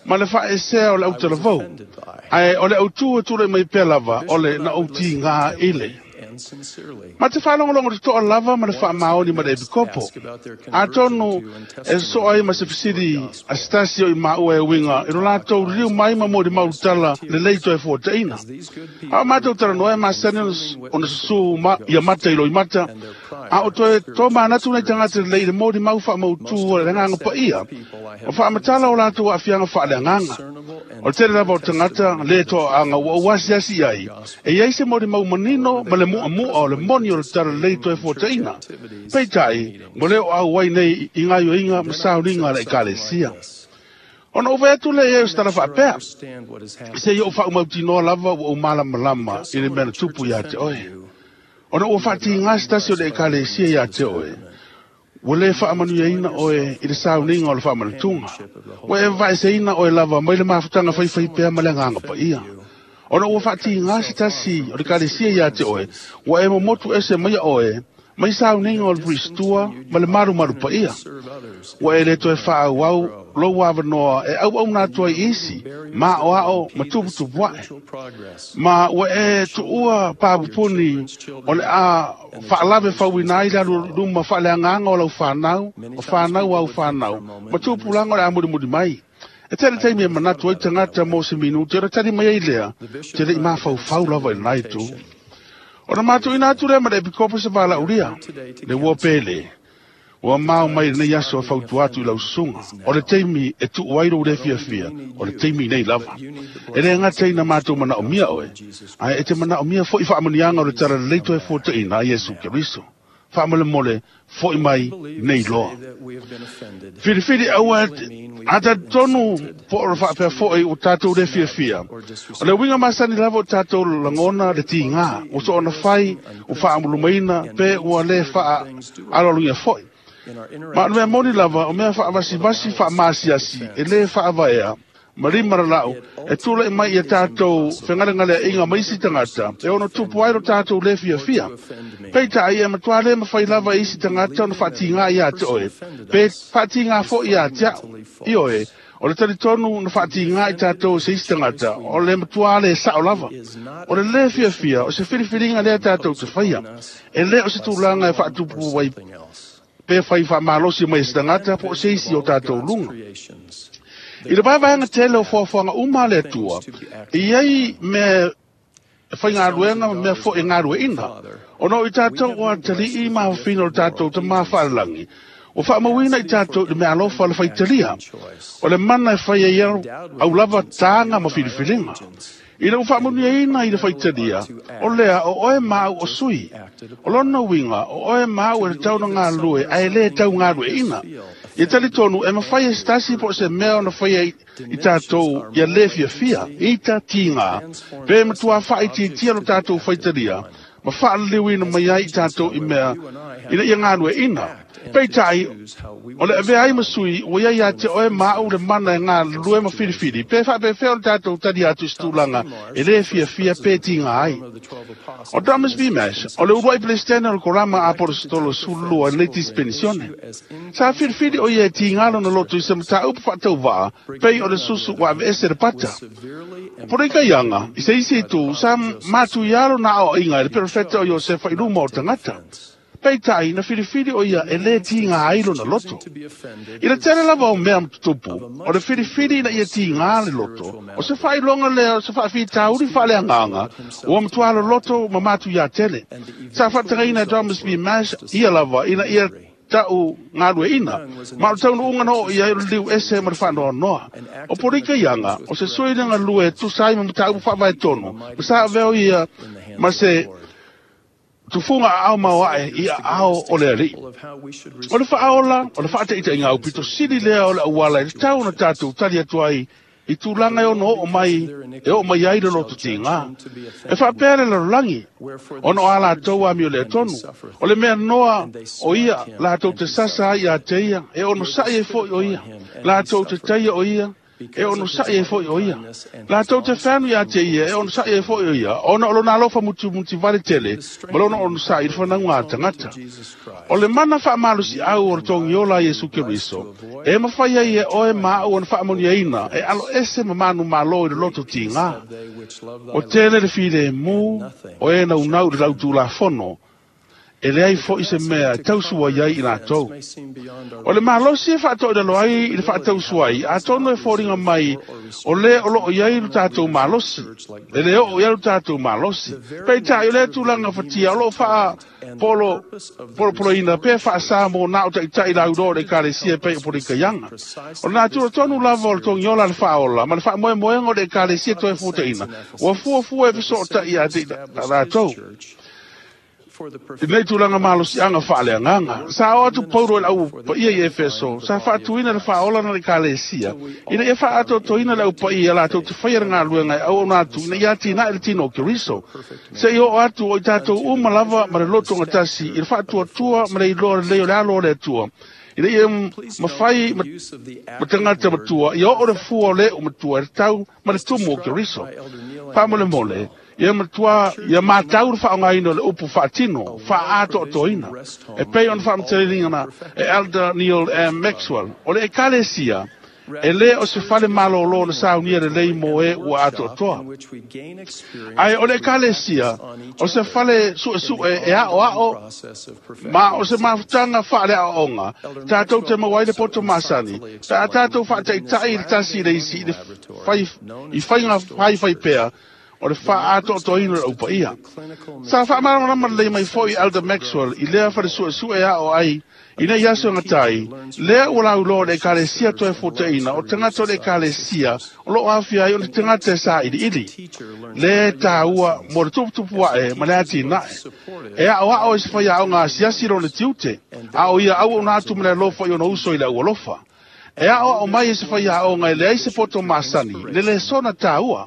ma le faaesea o le autalavou. Ae o le autū e tulaʻi mai pea lava o le na ou tigā ile. Ma te faalogologo totoa lava ma le faamaoni ma le epikopo. Atonu e sosoo ai ma se fesili a se tasi o i maua e uiga i lo latou liliu mai ma molimau tala lelei toe fuataʻina. A o matou talanoa e masani ona susū ma ia mata i loimata, a o toe tomanatu nai tagata lelei i le molimau faamautū o le agaga paia, o faamatala o latou aafiaga faaleagaga. O le tele lava o tagata lē toaʻaga ua ou asiasi i ai, e iai se molimau manino ma le muʻamuʻa o le moni o le talalelei toe fuataʻina. Peitai, ua le o auai nei i gaoioiga ma sauniga a le ekalesia. Ona ou vaai atu lea i ai o se tala faapea, se i ou faaumautinoa lava ua ou malamalama i le mea na tupu iā te oe. Ona ua faatigā se tasi o le ekalesia iā te oe, ua lē faamanuiaina oe i le sauniga o le faamanatuga. Ua e vaeseina oe lava mai le mafutaga faifai pea ma le agaga paia. Ona ua faatigā se tasi o le ekalesia iā te oe, ua e momotu ese maia oe Mai sauniga o le puisitua ma le malumalu paia. Ua e le toe faaauau lou avanoa e auauna atu ai isi, maoao ma tuputupu ae. Ma ua e tuua papupuni o le a faalave fauina ai le alu luma faaleagaga o lau fanau, o fanau au fanau, ma tupulaga o le a mulimuli mai. E tele taimi e manatu ai tagata mo se minute, ona tali mai ai lea, te le'i mafaufau lava i lenā itu. Ona matuina atu lea ma le epikopo se valaulia, le ua pele, ua mao mai lenei aso e fautua atu i lau susuga. O le taimi e tuu ai lou le fiafia, o le taimi nei lava. E le gata ina matou manaomia oe, ae e te manaomia fo'i faamuniaga o le talalelei toe fuataʻina a Iesu Keriso. Faamolemole fo'i mai nei loa. Filifili aua a talitonu po o le faapea fo'i ua tatou le fiafia. O le uiga masani lava o tatou lagona le tigā, ua soona fai, ua faamulumaina, pe ua le faaaloalogia fo'i. Ma o le mea moni lava, o mea faavasivasi faamasiasi, e lē faavaea, ma lima lalau, e tulaʻi mai ia tatou fegalegaleaʻiga ma isi tagata, e ono tupu ai lo tatou lē fiafia. Peitai e matuā lē mafai lava e isi tagata ona faatigā iā te oe, pe faatigā foʻi iā te aʻu. Ioe, o le talitonu na faatigā i tatou se isi tagata, o le matuā le saʻo lava. O le lē fiafia, o se filifiliga lea tatou te faia, e lē o se tulaga e faatupu ai pe fai faamalosi mai e se tagata po o se isi o tatou luga. I le vaevaega tele o foafoaga uma a le Atua, e iai mea e faigaluega ma mea fo'i e galueʻina. Ona o i tatou ua atalii ma afafina o le tatou tamā faalelagi, ua faamauina i tatou i le meaalofa le faitalia, o le mana e fai ai au lava taga ma filifiliga. Ina ua faamanuiaina i le faitalia, o lea o oe ma au o sui. O lona uiga, o oe ma au e tatau ona galulue ae lē tau galueʻina. Ia talitonu e mafai e se tasi po o se mea ona faia i tatou ia lē fiafia, ita tigā, pe matuā faaitiitia lo tatou faitalia, ma faaliliuina mai ai i tatou i mea ina ia galueʻina. Peitai, o le avea ai ma sui, ua iai ia te oe ma au le mana e galulue ma filifili, pe faapefea o le tatou tali atu i se tulaga e lē fiafia pe tigā ai. O Thomas B. Mash, o le uluai Peresetene o le Korama Apolesetolo sefululua i lenei tisipenisione. Sa filifili o ia e tigā lona loto i se mataupu faatauvaa, pei o le susu ua aveese le pata. O Polikaiaga, i se isi itu, sa matuiā lona aoaiga e le perofeta o Iosefa i luma o tagata. Peitai, na filifili o ia e lē tigā ai lona loto. I le tele lava o mea matutupu, o le filifili ina ia tigā le loto, o se faailoga lea o se faafitauli faaleagaga, ua matuā loloto ma matuiā tele. Sa faatagaina e Thomas B. Mash ia lava ina ia ta'u galueʻina, ma o le taunuuga na oo i ai o le liu ese ma le faanoanoa. O Polikaiaga, o se sui le galue e tusa ai ma mataupu faavaetonu, ma sa avea o ia ma se tufuga aao maoaʻe i aao o le alii. O le faaola, o le faataʻitaʻiga aupito sili lea o le auala e tatau ona tatou tali atu ai i tulaga e ono oo mai e oo mai ai le loto tigā. E faapea le lalolagi, ona o a latou amio lea tonu. O le mea noa o ia latou te sasa ai iā te ia, e onosaʻi ai foʻi o ia. Latou te taia o ia, e onosaʻi ai foʻi o ia. Latou te feanu iā te ia, e onosaʻi ai foʻi o ia, ona o lona alofa mutimutivale tele, ma lona onosaʻi i le fanauga a tagata. O le mana faamalosiʻau o le togiola a Iesu Keriso, e mafai ai e oe ma aʻu ona faamanuiaina, e alo ese ma manumalo i le loto tigā. O tele le filemu, o e naunau i le lautulafono, e leai foʻi se mea e tausua ai i latou. O le malosi e faatoʻilalo ai i le faatausu ai, atonu e foliga mai o lē o loo i ai lo tatou malosi, e lē oo i ai lo tatou malosi. Peitai o lea tulaga fatia o loo faa polo polopoloina pe faasā mo na o taʻitaʻi lauloa o le ekalesia e pei o Polikaiaga. O le natura tonu lava o le togiola le faaola ma le faamoemoega o le ekalesia toe fuataʻina, ua fuafua e fesootaʻi iā te latou. I lenei tulaga malosiaga faaleagaga, sa oo atu Paulo i le au paia i Efeso, sa faatuina le faaola na le ekalesia, ina ia faaatoatoina le au paia latou te faia le galuega e auauna atu ina ia atinae le tino o Keriso. Seia oo atu o i tatou uma lava ma le lotogatasi i le faatuatua ma le iloa lelei o le alo o le Atua, Ina ia mawhai ma tangata matua, ia o le fua o le o matua, e tau ma le tumu o Keriso. Whaamole mole, ia matua, ia mātau le whaongaina o le upu whaatino, whaato o toina. E pei on whaamatelinga e Elder Neil M. Maxwell, o le ekalesia, e le o se fale malolo na saunia le lei mo e ua atoatoa. Ai o le ekalesia, o se fale sue sue e ao ao, ma o se mafutanga whaale aonga, tātou te mawai le poto masani, tā tātou whaataitai le tasi le isi i whai, i whainga whai whai pea, o le whaatoatoina le upa ia. Sa whaamarama le mai foi Elder Maxwell i lea whare sue sue ao ai, ina ia so ngatai, lea ua lauloa le ekalesia toe foteina, o tangata o le ekalesia, o loo afia ai o le tangata sa ili ili. Le tāua mo le tuputupu ae ma le ati nae. E ao ao e se whai ao ngā siasi lo le tiute, ao ia au o nā atu ma le alofa i ona uso i le ualofa. E ao ao mai e se whai ao ngai le ai se poto masani, le le sona tāua.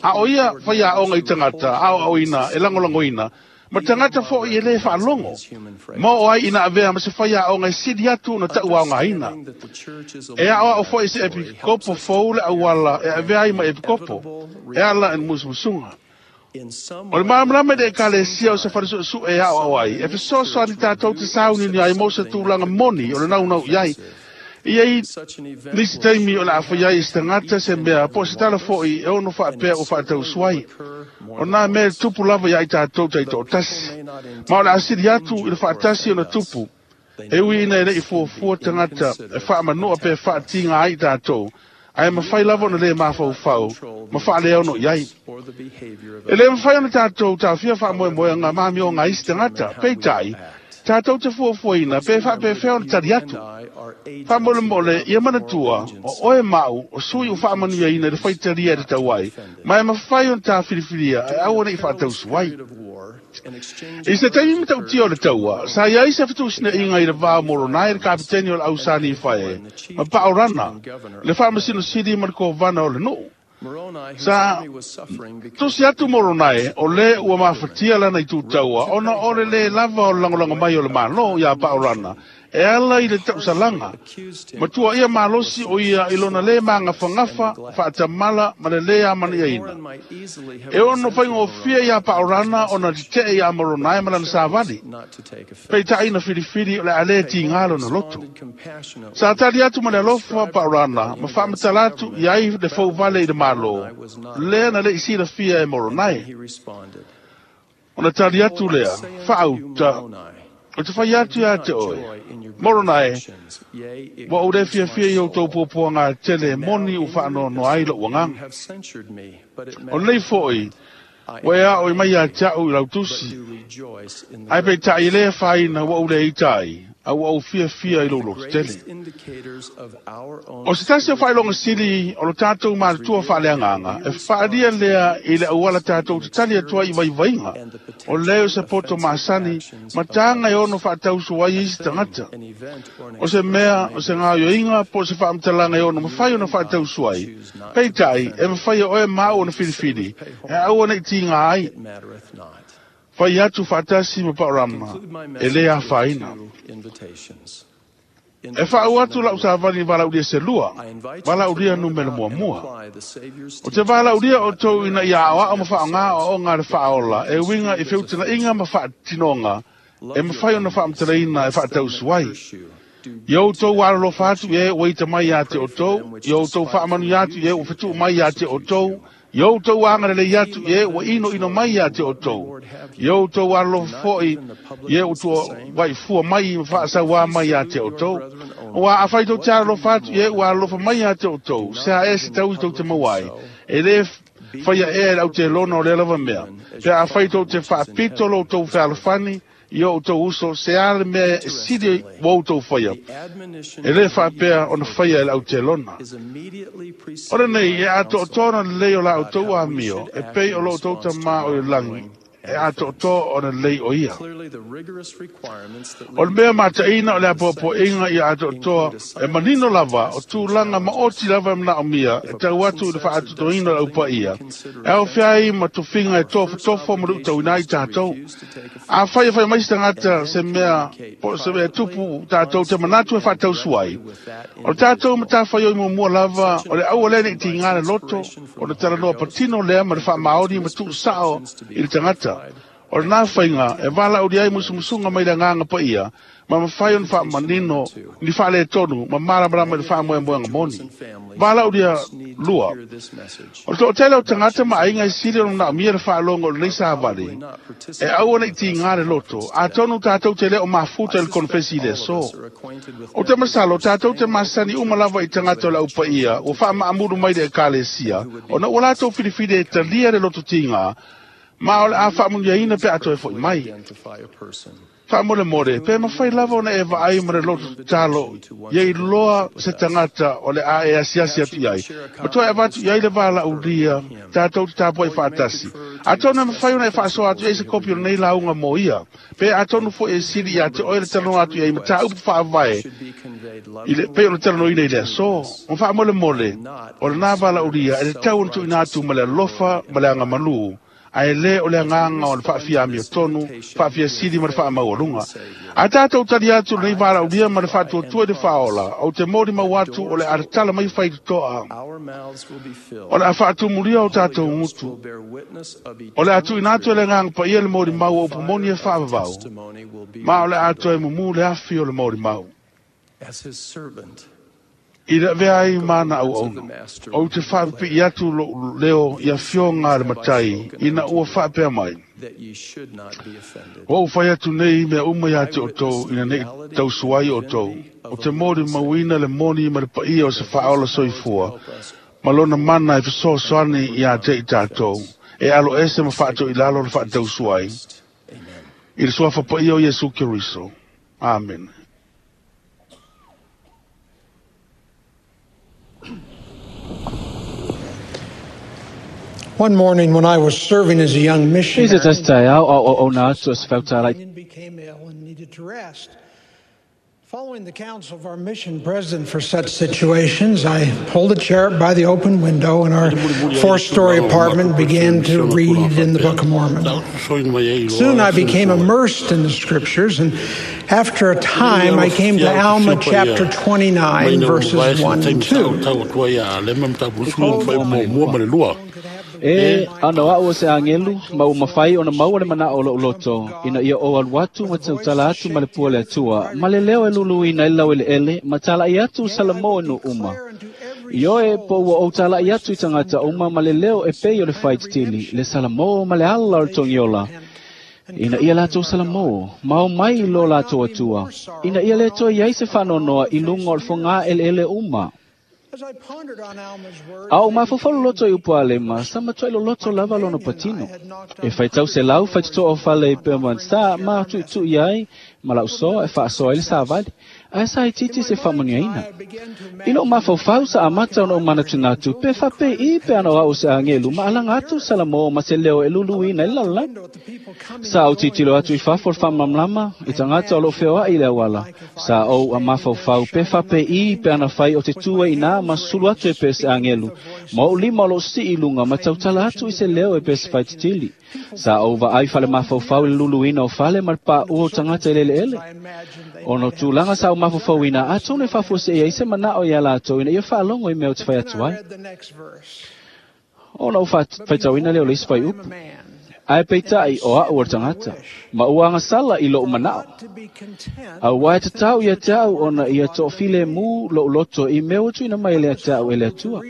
Ao ia whai ao ngai tangata, ao ao ina, e langolango ina, ma tangata fo i e le whaalongo. Mo o ai ina avea ma se whai ao ngai sidi atu na tau ao ngā ina. E ao ao fo i se epikopo fou le awala, e avea ai ma epikopo, e ala en musmusunga. O le maamlama de ekalesia o se whare su e ao ao ai, e fesoso ani tātou te sauni ni ai mo se tūlanga moni o le nau nau iai. Ia i nisi taimi o le awhai ai se tangata se mea, po se tala foi e ono whaapea o whaatau suai. O nā mea tupu lava ia i tātou tai tō tasi. Ma o le asiri atu i le whaatasi o na tupu. E ui ina e lei fuafua tangata e whaamanoa pe whaatinga ai tātou. Ai mawhai lava ona le mawhauwhau, ma whaalea ono iai. E le mawhai ona tātou tāwhia whaamoemoe ngā mami o ngā isi tangata, peitai, tātou te fuafuaina, pe whaape whea ona tari atu. Whaamole mole, ia manatua, o oe mau, o sui o whaamanuia ina le whaitaria e te tauai, ma e mawhai ona tā whiriwhiria, e au ona i whaatausuai. I se taimi matautia o le taua, sa iai se whatusina inga i le vā moronai le kapiteni o le ausani i whae, ma paorana, le whaamasino siri ma le kōvana o le nuu. Sa tusi atu moronai o le ua mafatia lana i tūtaua, ona o le le lava o le langolanga mai o le mālo ia paorana, e ala i le tausalanga. Matua ia malosi o ia i lona le maangafagafa, faatamala ma le le amania ina. E ono whaingofia ia paorana ona te ia moronai ma lana savali. Peitai na whiriwhiri o le ale tingalo na loto. Sa tali atu ma le alofa paorana, ma whaamatala atu i ai le fauvale i le malo. Lea na le isi la fia e moronai. Ona tali atu lea, whaauta, o te whai atu ia te oe. Moronai, wa o le fia fia i o tau pōpō ngā tele moni u whaanono ai lo uanganga. O lei foi, wa e ao i mai a te au i lautusi. Ai pe tai le whaina wa o le itai, au au fia fia i lolo tele. O se tasi o whailonga sili o lo tātou mātua whaaleanganga, e whaaria lea i le auala tātou te tali atua i vaivainga, o leo se poto masani, ma tānga e ono whaatausu ai isi tangata. O se mea, o se ngā yoinga, po se whaamtalanga e ono, mawhai ona whaatausu ai. Peitai, e mawhai o e mau ona whiriwhiri, e au ona i tinga ai. Whai atu whaatasi ma paorama, e lea whaina. E whaau atu lau sāvani walauria se lua, walauria numere mua mua. O te walauria o tau ina ia ao ma whaongā o ngā le whaola, e winga i whiutana inga ma whaatinonga, e mawhai ona whaamtaleina e whaatausuai. I o tau waralofa atu e o ita mai a te o tau, i o tau whaamanu atu e o whetu mai a te o tau, i o tau angarele atu e ua ino ino mai a te o tau. I o tau aralofa foi e o tua waifua mai ma whaasauā mai a te o tau. Ua a whai tau te aralofa atu e ua aralofa mai a te o tau. Se a e se tau i tau te mawai. E le whaia e au te lona o le lava mea. Pe a whai tau te whaapito lo tau whealofani, i o tau uso, se ale mea e siri wau tau whaia. E le whaapea ona whaia e lau te lona. Ora nei, e ato o tōna lei o lau tau a mio, e pei o lo tau tamā o i langi, e atoatoa ona lelei o ia. O le mea mataina o le apoapoaiga ia atoatoa e manino lava o tulaga maoti lava e manaomia e tau atu i le faaatoatoaina o le aupaia e aofia ai ma tofiga e tofotofo ma luitauina ai tatou. Afai e fai mai se tagata se mea po o se mea e tupu tatou te manatu e faatausu ai, o le tatou matafaioi muamua lava o le aua lea nei tiga le loto o le talanoa patino lea ma le faamaoni ma tuusao i le tagata. O lena faiga e valaaulia ai musumusuga mai le agaga paia ma mafai ona faamanino ni faaletonu ma malamalama i le faamoemoega moni. Valaaulia lua. O le toatele o tagata ma aiga e sili ona manaomia le faalogo o lenei savali e aua nei tiga le loto, atonu tatou te le o mafuta i le konofesi i le aso. O te masalo tatou te masani uma lava i tagata o le aupaia ua faamaamulu mai le ekalesia ona ua latou filifili e talia le loto tiga ma o le a faamuniaina pe a toe fo'i mai. Faamolemole, pe mafai lava ona e vaai ma le loto tatalo ia iloa se tagata o le a e asiasi atu i ai ma toe avatu i ai le valaulia tatou te tapuai faatasi. Atonu e mafai ona e faasoa atu i ai se kopi o lenei lauga mo ia, pe atonu foi e sili ia te oe le talanoa atu i ai mataupu faavae i le pei ona talanoaina i le aso. Ma faamolemole, o lena valaulia e tatau ona tuuina atu ma le alofa ma le agamalū, ae lē o le agaga o le faafiamio tonu, faafiasili ma le faamaualuga. A tatou tali atu lenei valaulia ma le faatuatua i le faaola, ou te molimau atu o le a tatala mai faitotoa, o le a faatumulia o tatou gutu, o le a tuuina atu e le agaga paia le molimau o upu moni e faavavau, ma o le a toe mumu le afi o le molimau. I le avea ai mana auauna, ou te faapipii atu lou leo i afioga a le matai ina ua faapea mai. Ua ou fai atu nei mea uma ia te outou ina nei tausu ai outou, o te molimauina le moni ma le paia o se faaola soifua, ma lona mana e fesoasoani ia te i tatou, e alo ese ma faatoilalo le faatausu ai. I le suafa paia o Iesu Keriso. Amen. One morning when I was serving as a young missionary, became ill and needed to rest. Following the counsel of our mission president for such situations, I pulled a chair up by the open window in our four-story apartment and began to read in the Book of Mormon. Soon I became immersed in the scriptures, and after a time I came to Alma chapter twenty-nine, verses one and two. E ana au se angelu ma o mafai ona maua le manao o lou loto ina ia o alu atu ma tautala atu ma le pua le Atua ma le leo e luluina i lau eleele ma tala'i atu Salamo e nuu uma. Ioe po ua ou tala'i atu i tagata uma ma le leo e pei o le faititili le Salamo ma le ala o le togiola. Ina ia latou Salamo, ma o mai i lo latou Atua, ina ia le toe iai se faanoanoa i luga o le fogā eleele uma. A o mafaufau loto i upu a Alema, sa matuai loloto lava lona patino. E faitau se lau faitotoa o fale i Belmont Star ma tuitui ai ma lau soa e faasoa ai le savali, ae sa itiiti se faamanuiaina. I lou mafaufau sa amata ona ou manatunatu pe faapei pe ana o au se agelu ma alaga atu Salamo ma se leo e luluina i le lalolagi. Sa ou tilotilo atu i fafo o le faamalamalama i tagata o loo feoai i le auala. Sa ou a mafaufau pe faapei pe ana fai o te tu ai inā ma sulu atu e pe se agelu, ma ou lima o loo sii i luga ma tautala atu i se leo e pe se faititili. Sa ou vaai fale mafaufau i le luluina o fale ma le paua o tagata i le eleele. Ona o tulaga sa ou mafaufauina, atonu e faafuasei ai se manao ia latou ina ia faalogo i mea o te fai atu ai. Ona ou faitauina lea o le isi faiupu. Ae peitai o au o le tagata, ma ua agasala i lou manao. Auā e tatau ia te au ona ia toofilemu lou loto i mea ua tuuina mai e le te au e le Atua.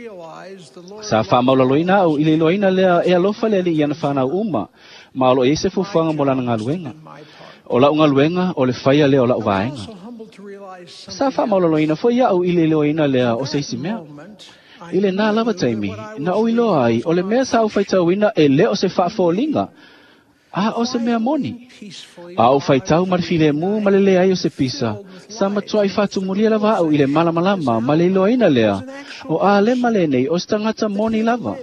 Sa faamaulaloina au i le iloaina lea e alofa le Alii i ana fanau uma, ma o loo i ai se fuafuaga mo lana galuega. O lau galuega o le faia lea o lau vaega. Sa faamaulaloina foi au i le iloaina lea o se isi mea. I lenā lava taimi, na ou iloa ai o le mea sa ou faitauina e le o se faafoliga, a o se mea moni. A ou faitau ma le filemu ma le leai o se pisa, sa matuai faatumulia lava au i le malamalama ma le iloaina lea, o Alema lenei o se tagata moni lava.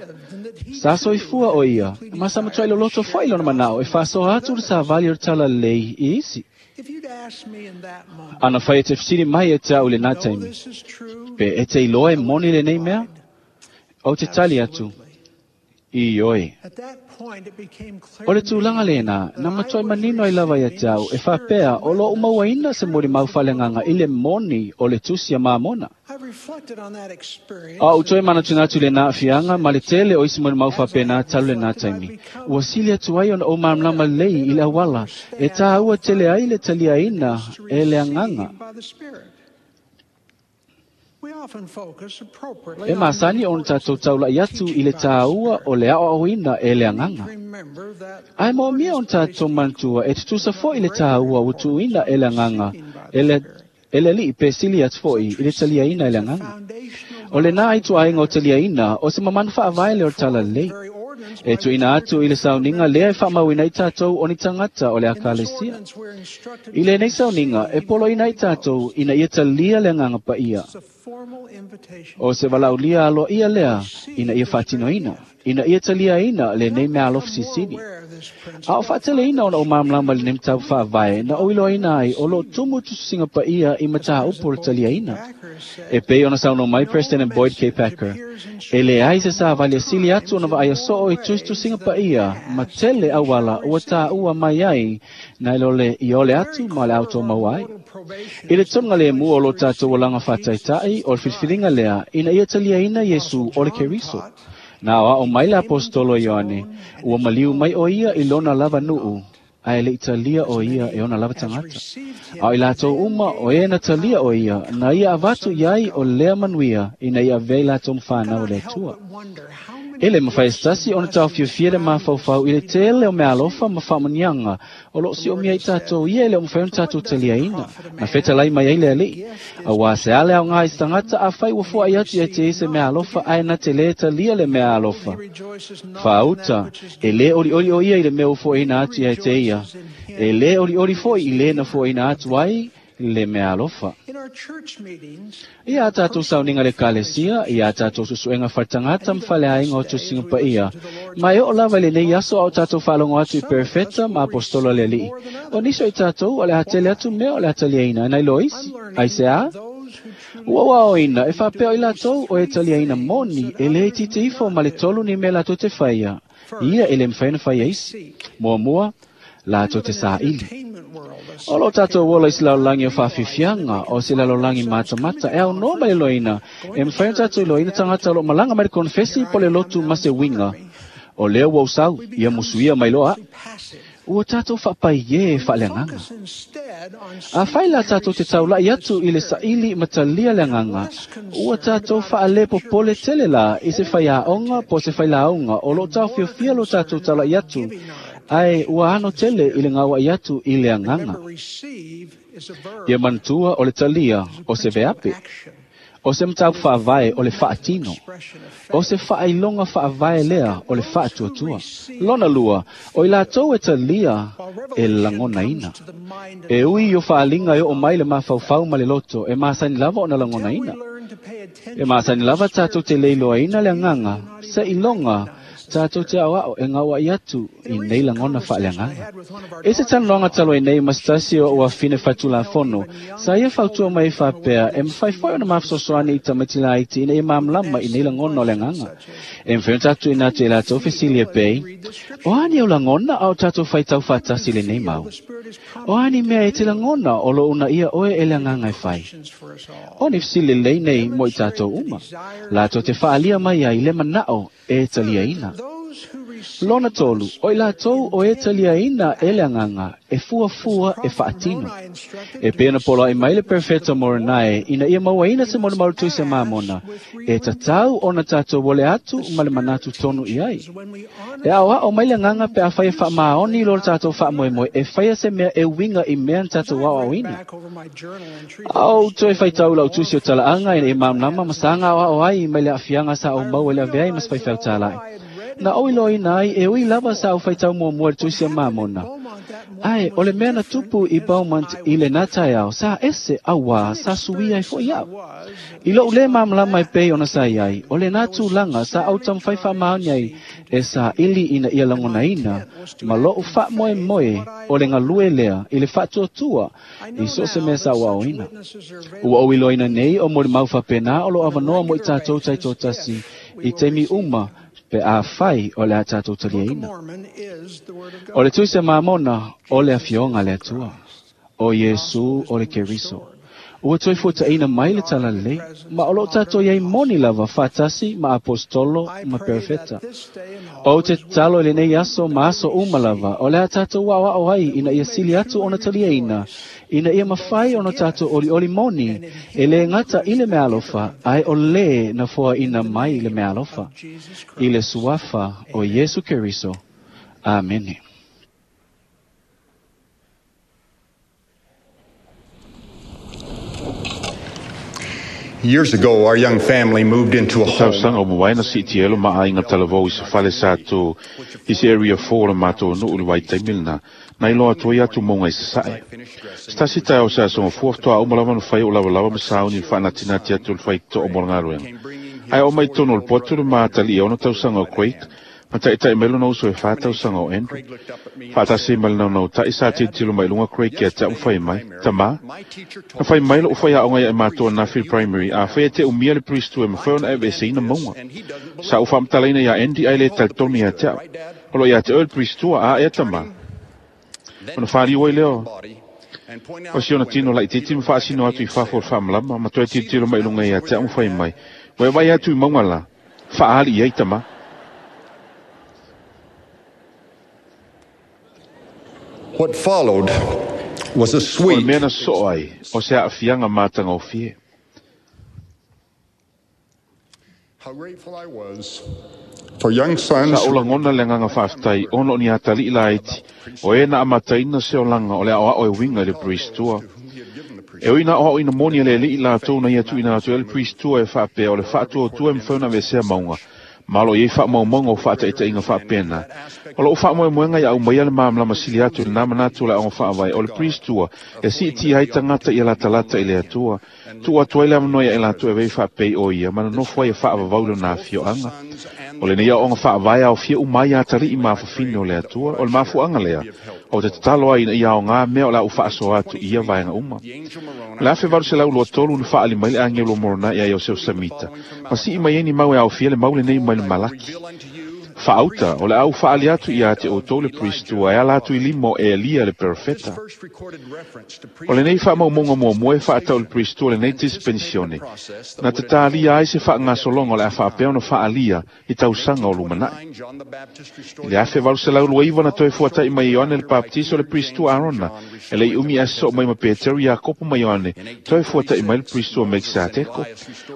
Sa soifua o ia, ma sa matuai loloto fo'i lona mana'o e fa'asoa atu le savali o le talalelei i isi. Ana fai e te fesili mai ia te a'u i lenā taimi, pe e te iloa e moni lenei mea? Ou te tali atu, ioe. O le tulaga lenā, na matuai manino ai lava ia te a'u e faapea o lo'u mauaina se molimau faaleagaga i le moni o le tusi a Mamona. A ou toe manatunatu i lenā aafiaga ma le tele o isi molimau faapena talu lenā taimi, ua sili atu ai ona ou malamalama lelei i le auala e tāua tele ai le taliaina e le agaga. E masani ona tatou taula'i atu i le tāua o le aoaoina e le agaga. Ae moomia ona tatou manatua e tutusa fo'i le tāua ua tuuina e le agaga e le e le ali'i pe sili atu fo'i i le taliaina e le agaga. O lenā ituaiga o taliaina o se mamanu faavae lea o le talalelei. E tuuina atu i le sauniga lea e faamauina ai tatou o ni tagata o le Ekalesia. I lenei sauniga e poloina ai tatou ina ia talia le agaga paia. O se valaaulia aloaia lea ina ia faatinoina, ina ia taliaina lenei meaalofa silisili. A o faateleina ona ou malamalama i lenei mataupu faavae na ou iloaina ai o loo tumu tusitusiga paia i mataupu o le taliaina. E pei ona saunoa mai President Boyd K. Packer, e leai se savali e sili atu ona vaaia soo i tusitusiga paia ma tele auala ua tāua mai ai nai lo le iole atu ma le automaua ai. I le tonuga lemu o lo tatou olaga faataita'i o le filifiliga lea ina ia taliaina Iesu o le Keriso. Na aoao mai le aposetolo Ioane, ua maliu mai o ia i lona lava nuu, ae le'i talia o ia e ona lava tagata. A o i latou uma o e na talia o ia, na ia avatu i ai o lea manuia ina ia avea i latou ma fanau a le Atua. E le mafai e se tasi ona taofiofia le mafaufau i le tele o meaalofa ma faamanuiaga o loo siomia ai tatou ia e le o mafai ona tatou taliaina, na fetalai mai ai le Alii. Auā se a le aogā i se tagata afai ua foai atu ia te ia se meaalofa ae na te lē talia le meaalofa. Faauta, e lē olioli o ia i le mea ua foaina atu ia te ia, e lē olioli fo'i i lē na foaina atu ai le meaalofa. Ia a tatou sauniga le Ekalesia, ia a tatou suesuega faletagata ma faleaiga o tusiga paia, ma e oo lava i lenei aso a o tatou faalogo atu i perofeta ma aposetolo a le Alii. O nisi o i tatou o le a tele atu mea o le a taliaina nai lo isi. Aiseā? Ua ou aoaoina e faapea o i latou o e taliaina moni e lē itiiti ifo ma le tolu ni mea latou te faia, ia e lē mafai ona faia isi. Muamua, latou te saili. O lo tatou ola i se lalolagi o faafiafiaga, o se lalolagi matamata e aunoa mai le loina, e mafai ona tatou iloaina tagata o loo malaga mai le konefesi po le lotu ma se uiga. O lea ua ou sau, ia musuia mai loa a'u. Ua tatou faapaiē faaleagaga. Afai la tatou te taula'i atu i le saili ma talia le agaga, ua tatou faalepopole tele la i se faiaoga po o se failauga o loo taofiofia lo tatou taula'i atu, ae ua ano tele i le gaua'i atu i le agaga. Ia manatua o le talia o se veape, o se mataupu faavae o le faatino, o se faailoga faavae lea o le faatuatua. Lona lua, o i latou e talia e lagonaina. E ui i o faaliga e oo mai le mafaufau ma le loto, e masani lava ona lagonaina. E masani lava tatou te le iloaina le agaga, se iloga tatou te aoao e gaua'i atu i nei lagona faaleagaga. I se talanoaga talu ai nei ma se tasi o o'u afine faitulafono, sa ia fautua mai ai faapea e mafai fo'i ona mafesoasoani i tamaiti laiti ina ia malamalama i nei lagona o le agaga. E mafai ona tatou tuuina atu i latou fesili e pei, O a ni au lagona a o tatou faitau faatasi i lenei mau? O a ni mea e te lagona o loo uunaia oe e le agaga e fai? O ni fesili lelei nei mo i tatou uma, latou te faaalia mai ai le mana'o e taliaina. Lona tolu, o i latou o e taliaina e le agaga, e fuafua e faatino. E pei ona poloa'i mai le perofeta Moronae ina ia mauaina se molimau le tusi a Mamona, e tatau ona tatou ole atu ma le manatu tonu i ai. E aoao mai le agaga pe afai e faamaoni i lo le tatou faamoemoe e faia se mea e uiga i mea na tatou aoaoina. A ou toe faitau i lau tusi o talaaga ina ia malamalama ma saga aoao ai mai le aafiaga sa ou maua i le avea ai ma se faifeau tāla'i. Na ou iloaina ai e ui lava sa ou faitau muamua i le tusi a Mamona, Ae o le mea na tupu i Beaumont i lenā taeao sa ese auā sa suia ai foʻi aʻu. I loʻu lē malamalama e pei ona sa iai, o lenā tulaga sa ou taumafai faamaoni ai e saʻili ina ia lagonaina ma loʻu faamoemoe o le galue lea i le faatuatua i so o se mea sa uaoina. Ua ou iloaina nei o molimau faapenā o loo avanoa mo i tatou taitoatasi i taimi uma pe afai o le a tatou taliaina. O le Tusi a Mamona o le afioga a le Atua, o Iesu o le Keriso. Ua toe fuataʻina mai le talalelei, ma o loo tatou iai moni lava faatasi ma apostolo ma perofeta. Ou te tatalo i lenei aso ma aso uma lava, o le a tatou aoao ai ina ia sili atu ona taliaina, ina ia mafai ona tatou olioli moni, e lē gata i le meaalofa, ae o lē na foaʻina mai le meaalofa. I le suafa o Iesu Keriso. Amene. Years ago, our young family moved into a home. Tausaga o mavae na siitia ai lo maaiga talavou i se fale sa tū i se Area four o le matou nuu i le vaitaimi lenā, na iloa atu ai atu mauga i sasae. Se tasi taeao sa asogafua faatoa uma lava ona fai o lavalava ma sauni i le faanatinati atu o le faitoo mo le galuega. Ae oo mai totonu o le potu le matalii e ono tausaga o Craig, ma taʻitaʻi mai lona uso e fa tausaga o Andrew. Faatasi ma le naunautai sa tilotilo mai luga Craig ia te au fai mai, tamā. Na fai mai loʻu faiaoga ia e matou anafi primary, afai e te umia le priesthood e mafai ona aveeseina mauga. Sa ou faamatalaina iā Andy ae lē talitonu iā te au. O loo iā te oe le priesthood a ea tamā. Ona faliu ai lea o si ona tino laitiiti ma faasino atu i fafo o le faamalama, ma toe tilotilo mai luga iā te au ma fai mai. Ua e vai atu i mauga la, faaali i ai tamā. What followed was a O le sweet mea na soo ai, o se aafiaga matagofie. How grateful I was for young sons Sa ou lagona le agaga faafetai ona o ni atalii laiti, o e na amataina se olaga o le aoao e uiga i le priestua. E ui na aoaoina moni e le alii latou na ia tuuina atu ai le priestua e faapea o le faatuatua e mafai ona aveesea mauga, ma o loo iai faamaumauga o faataʻitaʻiga faapena. O loo faamoemoega ia aumaia le malamalama sili atu i lenā manatu o le aoga faavae o le priestua e siitia ai tagata ia latalata i le Atua. Tuu atu ai le avanoa ia e latou e avea i faapei o ia ma nonofo ai e faavavau i lona afioaga. O lenei aoaoga faavae aofia uma ai atalii ma afafine o le Atua, o le mafuaaga lea o te tatalo ai ina ia aogā mea o le a ou faasoa atu i ia vaega uma. O le afe valu selau lua tolu na faaali mai le agelu o Moronai ia Iosefo Samita, ma sii mai ai ni mau e aofia le mau lenei mai le Malaki. Faauta, o le a ou faaali atu ia te outou le priestua e ala atu i lima o Elia le perofeta. O lenei faamaumauga muamua e faatau i le priestua lenei dispensione, na tatalia ai se faagasologa o le a faapea ona faalia i tausaga o lumanaʻi. I le afe valu selau lua iva na toe fuataʻi mai e Ioane le Bapetiso le priestua Arona, e leʻi umi ae sosoo mai ma Petero Iakopo ma Ioane, toe fuataʻi mai le priestua Melkiseteko.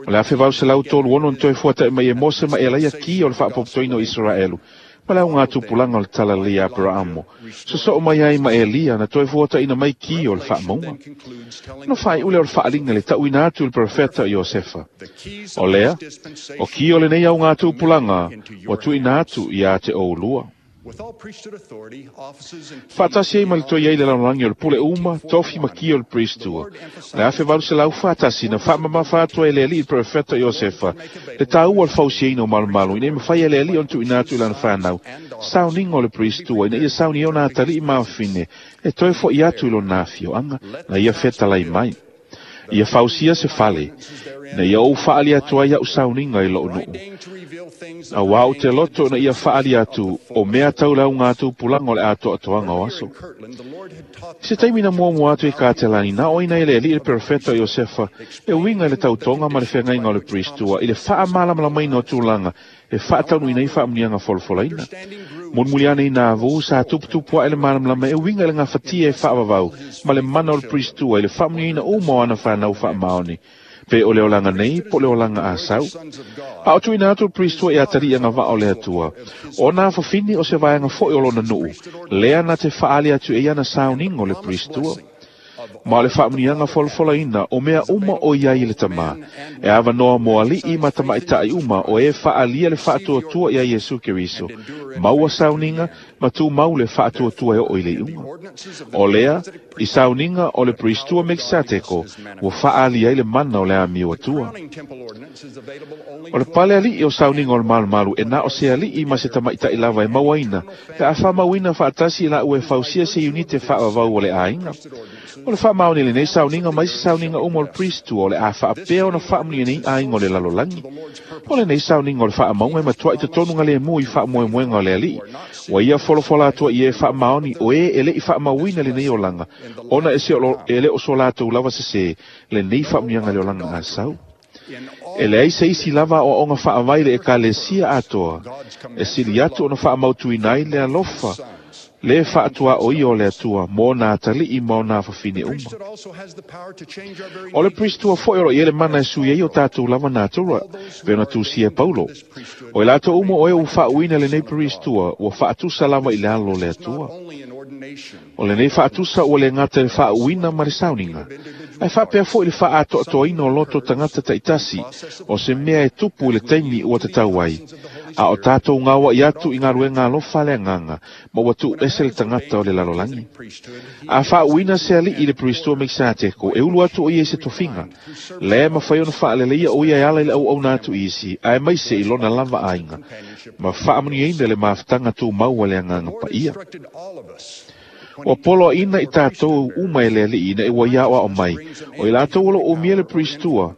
O le afe valu selau tolu ono na toe fuataʻi mai e Mose ma Elaia ki o le faapopotoina o Iseraelu, ma le aoga tupulaga o le talalelei a Aperaamo. Sosoo mai ai ma Elia na toe fuataʻina mai ki o le faamauga. No faaiʻu lea o le faaliga le taʻuina atu i le profeta o Iosefa. O lea, o ki o lenei aoga tupulaga ua tuuina atu iā te oulua. Faatasi ai ma le toe ai le lalolagi o le pule uma, tofi ma ki o le priestua. O le afe valu selau faatasi na faamamafa atu ai e le alii le profeta Iosefa, le taua o le fausiaina o malomalo, ina ia mafai e le alii ona tuuina atu i lana fanau, sauniga o le priestua, ina ia sauni ai ona atalii ma afafine, e toe foʻi atu i lona afioaga, na ia fetalai mai. Ia fausia se fale, na ia ou faali atu ai au sauniga i loo nuu. Auā ou te loto na ia faali atu o mea tau le auga tupulaga o le atoatoaga o aso. I se taimi na muamua atu i Katelani, na oina e le alii le perofeta o Iosefa, e uiga i le tautoga ma le feagaiga o le priestua i le faamalamalamaina o tulaga e faataunuuina ai faamuniaga folafolaina. Mulimuli ane i nā vu, sa tuputupu aʻe le malamalama e uiga i le gafatia e faavavau ma le mana o le priestua i le faamuniaina uma o ana fanau faamaoni, pe o le olaga nei po o le olaga asau. A o tuuina atu le priestua i atalii agavaa o le Atua, ona afafine o se vaega foʻi o lona nuu, lea na te faaali atu e ia na sauniga o le priestua. Ma o le faamuniaga folafolaina o mea uma o i ai i le Tamā, e avanoa mo ali'i ma tamaʻitaʻi uma o e faaalia le faatuatua iā Iesu Keriso, maua sauniga ma tumau le faatuatua e oo i le iuga. O lea, i sauniga o le Pristua Mekisateko, ua faaalia ai le mana o le amio atua. O le pale ali'i o sauniga o le malumalu e na o se ali'i ma se tamaʻitaʻi lava e mauaina, pe a faamauina faatasi i laua e fausia se iunite faavavau o le aiga. O le faamaoni lenei sauniga mai se sauniga uma o le Pristua o le a faapea ona faamunia nei aiga o le lalolagi. O lenei sauniga o le faamauga e matuaʻi totonu galemu i faamoemoega o le ali'i. Ua ia folafola atua i e faamaoni o e e leʻi faamauina lenei olaga, ona e, se o, e le o so latou lava sesē lenei faamuniaga le olaga asau. E leai se isi lava aoaoga faavai le ekalesia atoa, e sili atu ona faamautuina ai le alofa le faatuaʻo ia o le Atua mo ona ataliʻi ma ona afafine uma. O le Pristua foʻi o lo i ai le mana e sui ai o tatou lava natura, pe ona tusia e Paulo. O i latou uma o e ua faauuina lenei Pristua, ua faatusa lava i le alo o le Atua. O lenei faatusa ua le gata i le faauuina ma le sauniga, ae faapea foʻi le faaatoatoaina o loto tagata taʻitasi, o se mea e tupu i le taimi ua tatau ai. A o tatou gaoaʻi atu i galuega alofa le agaga, ma ua tuu ese le tagata o le lalolagi. A faauuina se aliʻi i le Pristua Mekisateko, e ulu atu o ia i se tofiga. Lea e mafai ona faaleleia o ia e ala i le auauna atu i isi, ae maise i lona lava aiga, ma faamanuiaina le mafutaga tumau a le agaga paia. Ua poloaʻina i tatou uma e le aliʻi ina ua ia aʻoaʻo mai, o i latou o loo umia le Pristua,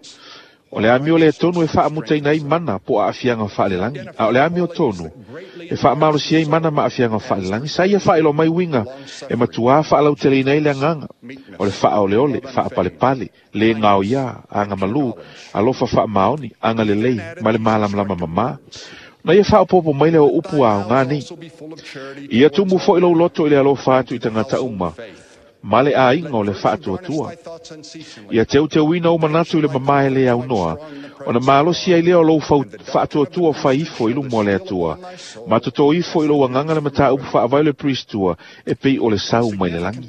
o le amio lea tonu e faamutaina ai mana po o aafiaga faalelagi, a o le amio tonu e faamalosi ai mana ma aafiaga faalelagi. Sa ia faailoa mai uiga e matuā faalauteleina ai le agaga, o le faaoleole, faapalepale, le gaoiā, agamalū, alofa faamaoni, agalelei ma le malamalama mamā. Na ia faaopoopo mai lea o upu aogā nei. Ia tumu foʻi lou loto i le alofa atu i tagata uma, ma le aiga o le faatuatua. Ia teuteuina ou manatu i le mamā e lē aunoa, ona malosi ai lea o lou faatuatua fai ifo i luma o le Atua, ma totō ifo i lou agaga le mataupu faavae o le Pristua e pei o le sau mai le lagi.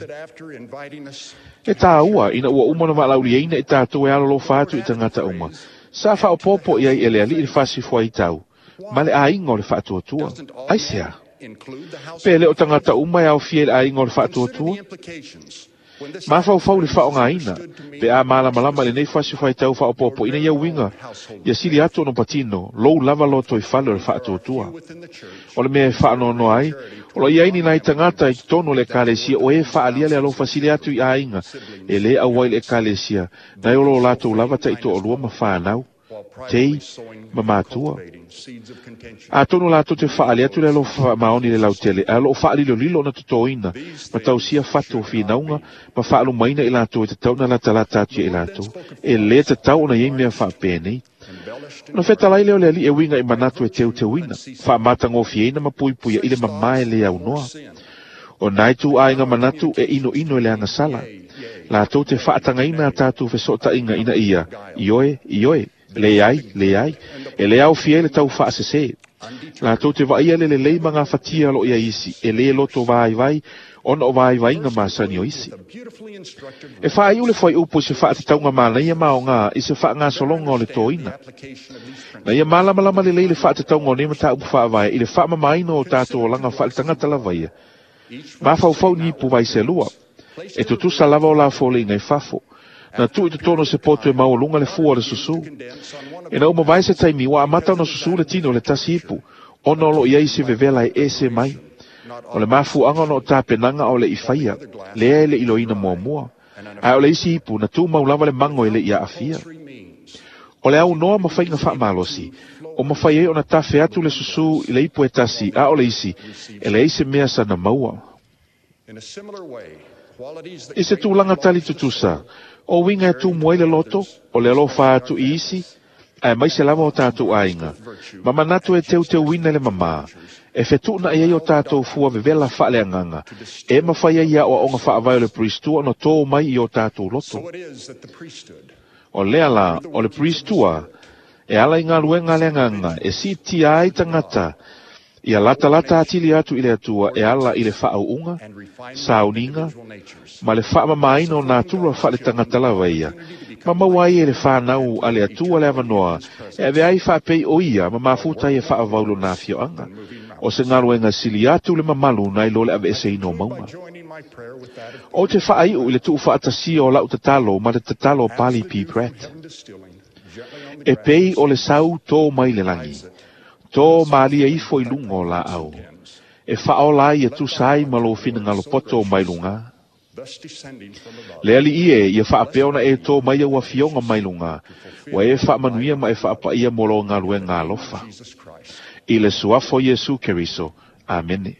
E tāua ina ua uma ona valaauliaina i tatou e alolofa atu i tagata uma, sa faaopoopo i ai e le aliʻi le fasifuaitau, ma le aiga o le faatuatua. Aisea? Pe le o tagata uma e aofia i le aiga o le faatuatua? Mafaufau le faaaogaina, pe a malamalama lenei fasifuaitau faaopoopoina ia uiga, ia sili atu ona patino, lou lava loto i fale o le faatuatua. O le mea e faanoanoa ai, o lo i ai ni nai tagata i totonu o le ekalesia o e faalia le alofa sili atu i aiga, e lē auai i le ekalesia, nai o lo latou lava taitoalua ma fanau, tei ma matua. Atonu latou te faali atu le alofa faamaoni le lautele, ae o loo faalilolilo ona totoina, ma tausia fatu o finauga, ma faalumaina i latou e tatau na latalata atu ia i latou. E lē tatau ona iai mea faapenei. Ona fetalai lea o le aliʻi e uiga i manatu e teuteuina, faamatagofieina ma puipuia i le mamā e lē aunoa. O nai tuaiga manatu e inoino i le agasala. Latou te faatagaina a tatou fesootaiga ina ia, ioe, ioe, leai, leai, e le aofia ai le tau faasesē. Latou te vaaia le lelei ma gafatia lo ia isi, e lē loto vaivai, ona o vaivaiga masani o isi. E faaiu le fuaiupu i se faatatauga manaia ma aogā i se faagasologa o le toina. Na ia malamalama lelei le faatatauga o nei mataupu faavae i le faamamaina o tatou olaga faaletagata lava ia. Mafaufau ni ipu vaiselua, e tutusa lava o la foliga i fafo. Na tuu i totonu o se poto e maualuga le fua o le susū. Ina uma vae se taimi, ua amata ona susū le tino o le tasi ipu, ona o loo i ai se vevela e ese mai. O le mafuaga ona o tapenaga o le i faia, lea e le iloina muamua. Ae o le isi ipu, na tumau lava le mago e le i aafia. O le aunoa ma faiga faamalosi, o mafai ai ona tafe atu le susū i le ipu e tasi, a o le isi, e leai se mea sana maua. I se tulaga tali tutusa, o uiga e tumu ai le loto, o le alofa atu i isi, ae maise lava o tatou aiga, ma manatu e teuteuina le mamā, e fetuunaʻi ai o tatou fua vevela faaleagaga, e mafai ai aoaoga faavae o le Pristua ona tō mai i o tatou loto. O lea la, o le Pristua, e ala i galuega a le agaga, e siitia ai tagata, Ia latalata atili atu i le Atua e ala i le faauuga, sauniga, ma le faamamaina o natura faaletagata lava ia, ma maua ai e le whanau a le Atua le avanoa, e ave ai faapei o ia ma mafuta ia faavau lona afioaga. O se galuega sili atu le mamalu nai lo le aveeseina o mauga. O te faaiu i le tuufaatasia o lau tatalo ma le tatalo o Pali P. Pratt. E pei o le sau tō mai le lagi, tō malia ifo i lunga o laau, e whaola ai e tusa ai ma lou finagalo poto o mai luga. Le ali ie ia whaapea ona e tō mai au afioga mai luga, ua e faamanuia ma e faapaia mo lo galuega alofa. I le suafo Iesu Keriso. Amene.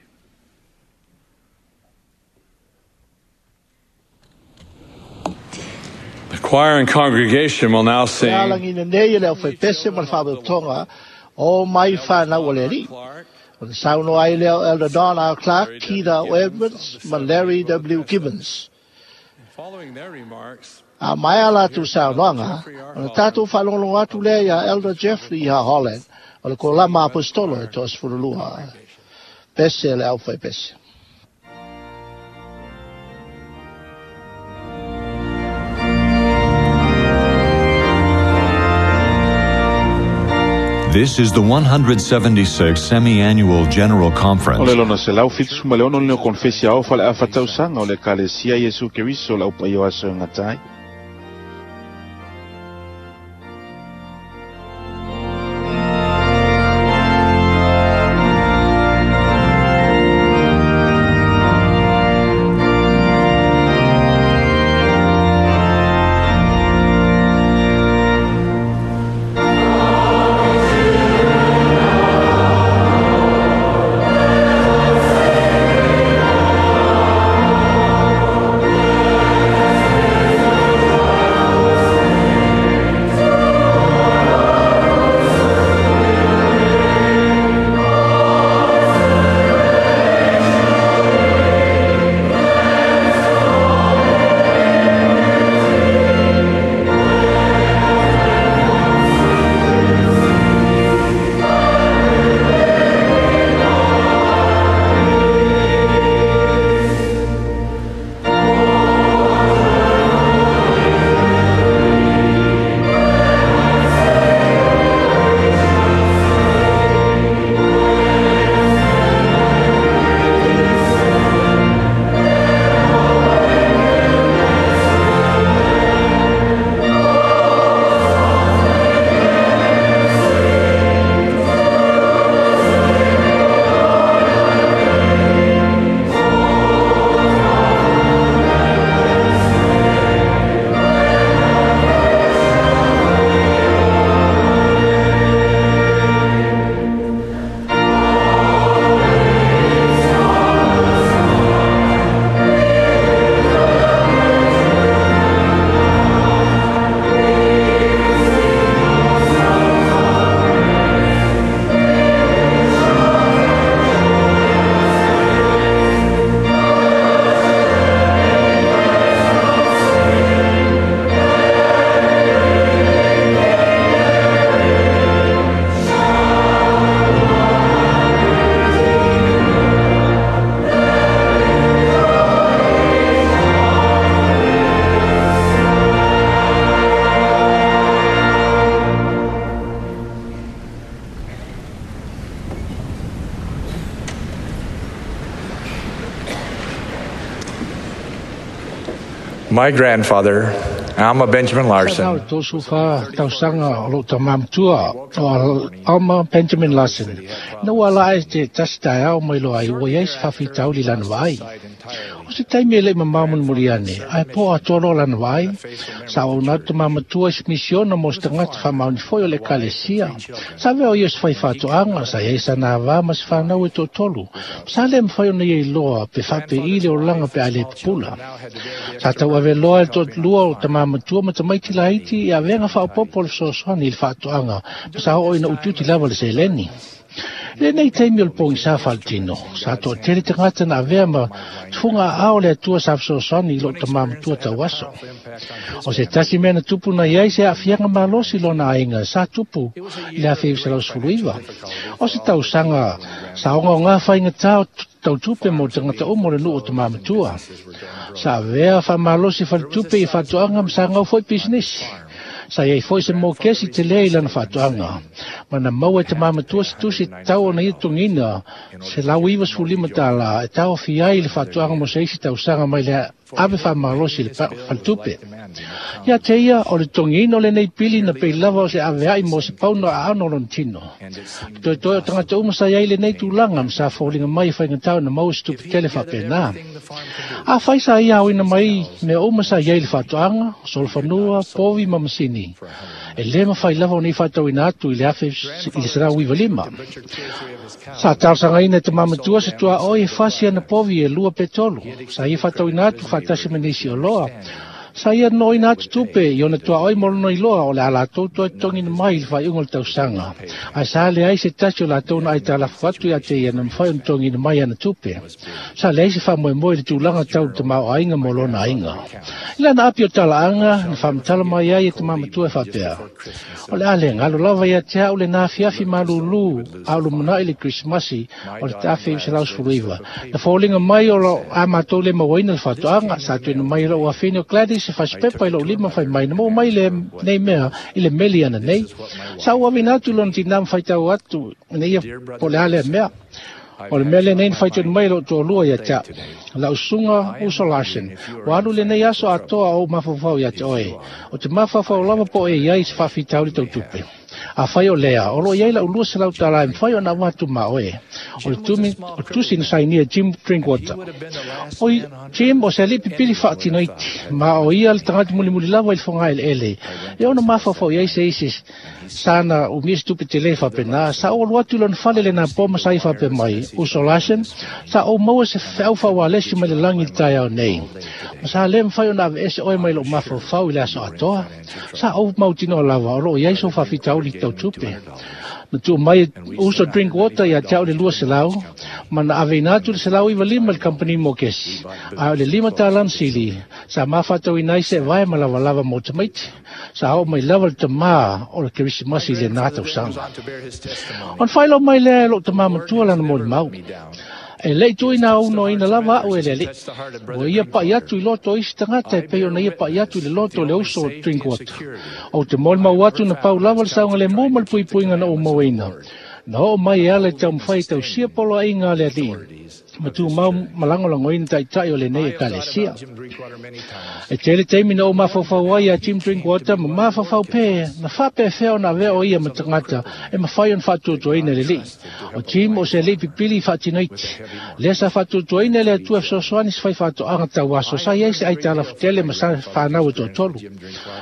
The choir and congregation will now sing. E alagina nei e le aufaipese ma le faapeotoga o mai whanau o le alii. O le saunoa ai lea o Elder Don R. Clark, Keith R. Edwards ma Larry W. Gibbons. A mai a latou saunoaga, o le tatou faalogologo atu lea ia Elder Jeffrey H. Holland, o le kolama apostolo e toasefululua. Pese le aufaipese. This is the one hundred seventy-sixth Semi-Annual General O Conference. le lona selau fitu ma le ono leo konfesi ao fale a fatausaga o le Ekalesia Iesu Keriso le aupaia o aso e gata ai. My grandfather, Alma Benjamin Larson, Sa tau fa tausaga o lou tamamatua o Alma Benjamin Larson. Na ua ala ai te tasi taeao mai loa ai ua iai se faafitauli lana vaai. O se taimi e le'i mamao mulimuli ane, ae po atoa loa lana vaai. Sa auauna atu tamamatua i se misiona mo se tagata faamaoni foi o le Ekalesia. Sa avea o ia se faifaatoaga, sa iai sana avā ma se fanau e toatolu. Sa le mafai ona ia iloa pe faape'i le olaga pe a le pupula. Sa tauaveloa e le toatlua o tamamatua ma tamaiti laiti i avega faaopoopo o le fesoasoani i le faatoaga, ma sa oo ina utiuti lava le seleni. Lenei taimi o le pogisa faaletino, sa toatele tagata na avea ma tufuga aao o le Atua sa fesoasoani i loo tamā matua tauaso. O se tasi mea na tupu na iai se aafiaga malosi lona aiga sa tupu i le afe iva selau sefulu iva. O se tausaga sa ogaoga faigatā o tautupe mo tagata uma o le nuu o tamā matua. Sa avea faamalosi faletupe i faatoaga ma sa gau foi pisinisi. Sa iai foi se mokesi te lea i lana faatoaga. Ma na maua e tamā matua se tusi tau ona ia togina se lau iva sefulu lima tālā e taofi ai le faatoaga mo se isi tausaga mai le ave faamalosi i le faletupe. Ia te ia o le togiina o lenei pili na pei lava o se aveai mo se pauna aano o lona tino. Toetoe o tagata uma sa iai lenei tulaga ma sa foliga mai e faigatā ona maua se tupe tele faapena. Afai sa ia aoina mai mea uma sa iai le faatoaga, solofanua, povi ma masini. E lē mafai lava ona ia faatauina atu i le afe i le selau iva lima. Sa talosagaina e tamā matua se tuaoi e fasi ana povi e lua pe tolu. Sa ia faatauina atu faatasi ma nisi oloa. Sa ia noina atu tupe i ona tuaoi mo lona iloa o le a latou toe togina mai i le faaiuga o le tausaga. Ae sa leai se tasi o latou na aitalafu atu ia te ia na mafai ona togina mai ana tupe. Sa leai se faamoemoe i le tulaga tau le tamaoaiga mo lona aiga. I lana api o talaaga na faamatala mai ai e tamā matua e faapea. O le a le galo lava ia te au lena afiafi malūlū a o lumanai le Krisimasi o le afe iva selau sefulu iva. Na foliga mai o lo a matou le mauaina le faatoaga sa tuuina mai e lou afine o Gladys se fasipepa i lou lima fai mai na maua mai le nei mea i le meli ana nei. Sa ou avina atu lona tinā ma faitau atu ina ia po o le a lea mea. O le mea lenei na faitonu mai lou toalua ia te au. Lau susuga Uso Larsen, ua alu lenei aso atoa o ou mafaufau ia te oe. O te mafaufau lava po o e iai se faafitauli tautupe. Afai o lea, o loo iai lau lua selau tālā e mafai ona avatu ma oe. O le tumi, o tusi na sainia Jim Drinkwater. O Jim o se alii pipili faatinoiti, ma o ia le tagata mulimuli lava i le fogaeleele. E ona mafaufau iai se isi sana umia se tupe tele faapena, sa ou alu atu i lona fale lenā po ma sa ia faapea mai, Uso Larsen, sa ou maua se feau faaualesi mai le lagi i le taeao nei. Ma sa lē mafai ona aveese oe mai lou mafaufau i le aso atoa. Sa ou mautinoa lava o loo iai sou faafitauli tautupe. Na tuu mai Uso Drinkwater ia te au le lua selau, ma na aveina atu le selau iva lima i le kampani mokesi. Ae o le lima tālā na sili, sa mafatauina ai se vae ma lavalava mo tamaiti. Sa oo mai lava le tamā o le Kerisimasi i lenā tausaga. Ona faailoa mai lea e lou tamā matua lana molimau. E lei tuuina aunoina lava a'u e le Alii. Ua ia pa'i atu i loto o isi tagata e pei ona ia pa'i atu i le loto o le uso o Drinkwater. Ou te molimau atu na pau lava le saogalemu ma le puipuiga na ou mauaina. Na oo mai e ala i taumafai e tausia poloaiga a le Alii. Ma tumau ma lagolagoina taitai o lenei ekalesia. E tele taimi na ou mafaufau ai ia Jim Drinkwater ma mafaufau pē na faapefea ona avea o ia ma tagata e mafai ona faatuatuaina e le Alii. O Jim o se alii pipili i faatinoiti. Lea sa faatuatuaina e le Atua e fesoasoani se fai faatoaga tauaso sa iai se aitalafutele ma sa fanau e toatolu.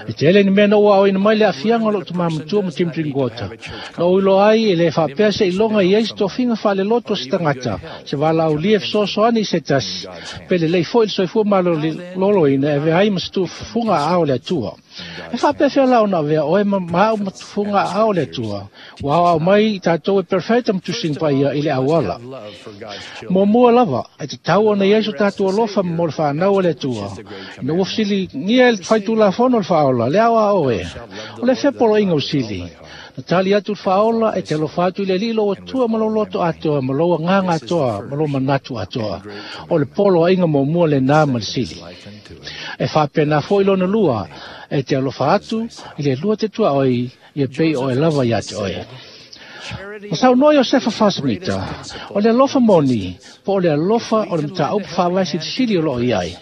E tele ni mea na ou aoina mai le aafiaga o lou tamā matua ma Jim Drinkwater. Na ou iloa ai e le faapea se iloga i ai se tofiga faaleloto o se tagata, se valaaulia e fesoasoani i se tasi, pe lelei foi le soifua maloloina e avea ai ma se tufuga aao o le Atua. E faapefea la ona avea oe ma ma au ma tufuga aao o le Atua. Ua aoao mai i tatou e perfeita ma tusiga paia i le auala. Muamua lava, e tatau ona iai so tatou alofa ma mo le fanau o le Atua. Ina ua fesiligia e le faitulafono o le faaola, le aoao e. O le fea poloaiga o sili. Na tali atu le faaola e te alofa atu i le Alii lou Atua ma lou loto atoa, ma lou agaga atoa, ma lou manatu atoa. O le poloaiga muamua lenā ma le sili. E faapena foi lona lua, e te alofa atu i le lua te tuaoi, ia pei oe lava ia te oe. Ma saunoa Iosefa Fasemita, o le alofa moni, po o le alofa o le mataupu faavae silisili o loo iai.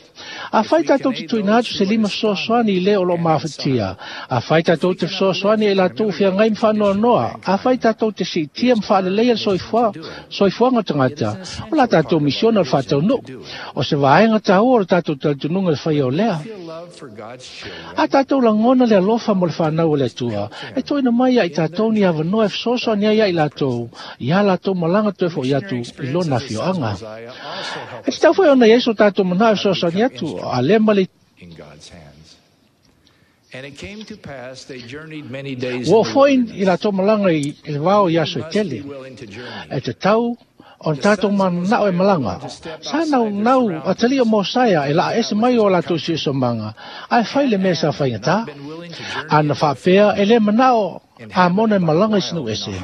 Afai tatou te tuuina atu se lima fesoasoani i le o loo mafatia. Afai tatou te fesoasoani e latou feagai ma faanoanoa. Afai tatou te siitia ma faaleleia le soifua, soifuaga o tagata, o la tatou misiona o le faataunuu. O se vaega taua o le tatou talitonuga le faia o lea. A tatou lagona le alofa mo le fanau o le Atua, e tuuina mai ia i tatou ni avanoa e fesoasoani ai ia i latou, ia latou malaga toe fo'i atu i lona afioaga. E tatau foi ona iai so tatou manao e fesoasoani atu, a le ma le in God's hands. Ua oo foi i latou malaga i le vao i aso e tele. E tatau ona tatou mananao e malaga. Sa naunau atalii o Mosaia e laa ese mai o latou siosiomaga, ae fai le mea sa faigatā. Ana faapea e lē manao Amona e malaga i se nuu ese.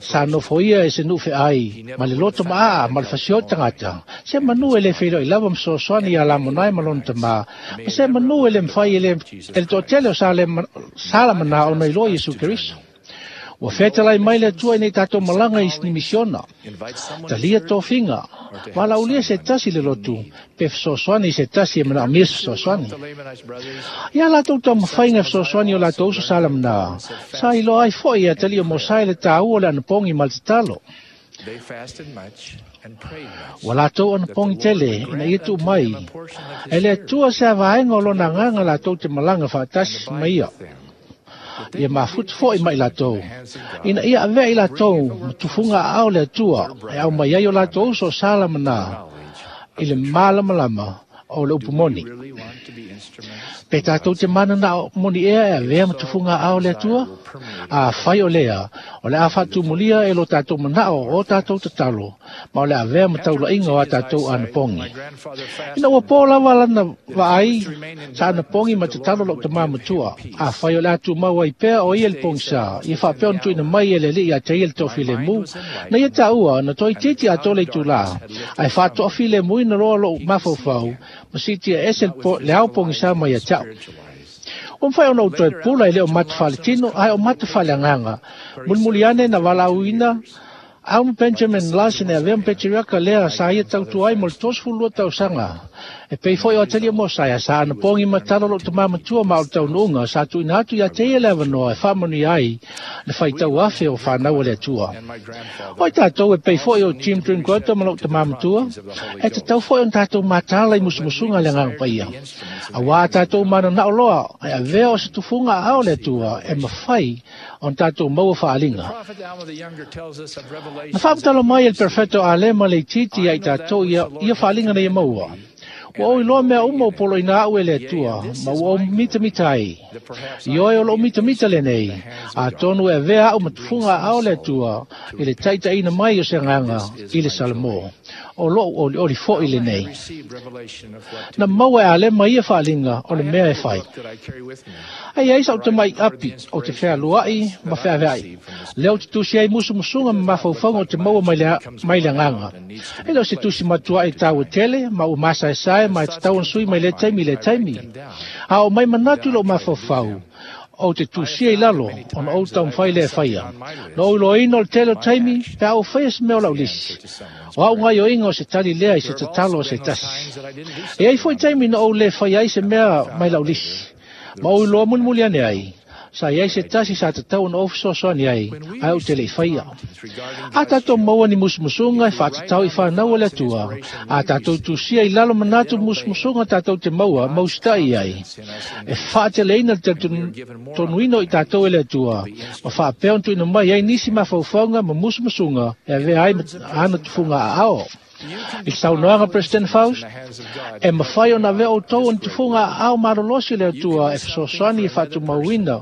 Sa nofoia e se nuu feai, ma le loto maaa ma le fasioi tagata. Se manu e lē feiloai lava ma fesoasoani iā Lamonae ma lona tamā, ma se manu e lē mafai e le e le toatele o Salamanā ona iloa Iesu Keriso. Ua fetalai mai le Atua ina ia tatou malaga i ni misiona. Talia tofiga, valaaulia se tasi le lotu, pe fesoasoani i se tasi e manaomia se fesoasoani. Ia latou taumafaiga e fesoasoani i o latou uso Salamanā, sa iloa ai foi e atalii o Mosai le tāua o le anapogi ma le tatalo. Ua latou anapogi tele ina ia tuu mai e le Atua se avaega o lona agaga latou te malaga faatasi ma ia. Ia mafuta foi mai latou, ina ia avea i latou ma tufuga aao le Atua e aumai ai o latou uso o Salamanā i le malamalama o le upu moni. Pe tatou te mananao moni ea e avea ma tufuga aao le Atua? Afai o lea, o le a faatumulia e lo tatou manao o tatou tatalo, ma o le avea ma taulaiga o a tatou anapogi. Ina ua pō lava lana vaai, sa anapogi ma tatalo lou tamā matua. Afai o le a tumau ai pea o ia le pogisā, ia faapea ona tuuina mai e le Alii ia te ia le toafilemu, na ia taua na toaitiiti atoa le itulā, ae faatoafilemuina loa lou mafaufau, ma siitia ese le ao pogisā mai ia te a'u. Ua mafai ona ou toe pula e le o mata faaletino, ae o mata faaleagaga. Mulimuli ane na valaauina Alma Benjamin Larson e avea ma patriaka lea sa ia tautua ai mo le tolusefulu lua tausaga. E pei foi o atalii o Mosaia sa anapogi ma tatalo lou tamā matua ma o le taunuuga sa tuuina atu ia te ia le avanoa e faamanuia ai le faitau afe o fanau a le Atua. O i tatou e pei foi o Jim Drinkwater ma lou tamā matua, e tatau foi ona tatou mataala i musumusuga a le Agaga Paia. Auā a tatou mananao loa e avea o se tufuga aao le Atua e mafai ona tatou maua faaaliga. Na faamatala mai e le Perfeto Alema le itiiti ia i tatou ia, ia faaaliga na ia maua. Ua ou iloa mea uma o poloina a'u e le Atua, ma ua ou mitamita ai. Ioe o lou mitamita lenei, atonu e avea a'u ma tufuga aao le Atua i le taitaiina mai o se agaga i le Salamo. O lou olioli foi lenei. Na maua e Alema ia faaaliga o le mea e fai. Ae i ai sa'u tama'i api ou te fealua'i ma feavea'i. Lea ou te tusi ai musumusuga ma mafaufauga ou te maua mai le, mai le agaga. E le o se tusi matua'i taua tele, ma ua masaesae ma e tatau ona sui mai lea taimi i lea taimi. A oo mai manatu i lou mafaufau, ou te tusia i lalo, ona ou taumafai lea e faia. Na ou iloaina o le tele o taimi, pe a ou faia se mea o lau lisi. O a'u gaioiga o se tali lea i se tatalo a se tasi. E ai foi taimi na ou lē faia ai se mea mai lau lisi, ma ou iloa mulimuli ane ai, sa i ai se tasi sa tatau ona ou fesoasoani ai, ae ou te le i faia. A tatou maua ni musumusuga e faatatau i fanau a le Atua, a tatou tusia i lalo manatu musumusuga tatou te maua ma usita'i ai, e faateleina le talitonuina o i tatou e le Atua, ma faapea ona tuuina mai ai nisi mafaufauga ma musumusuga e avea ai ana tufuga aao. I le saunoaga President Faust, e mafai ona avea outou o ni tufuga aao malolosi o le Atua e fesoasoani e faatumauina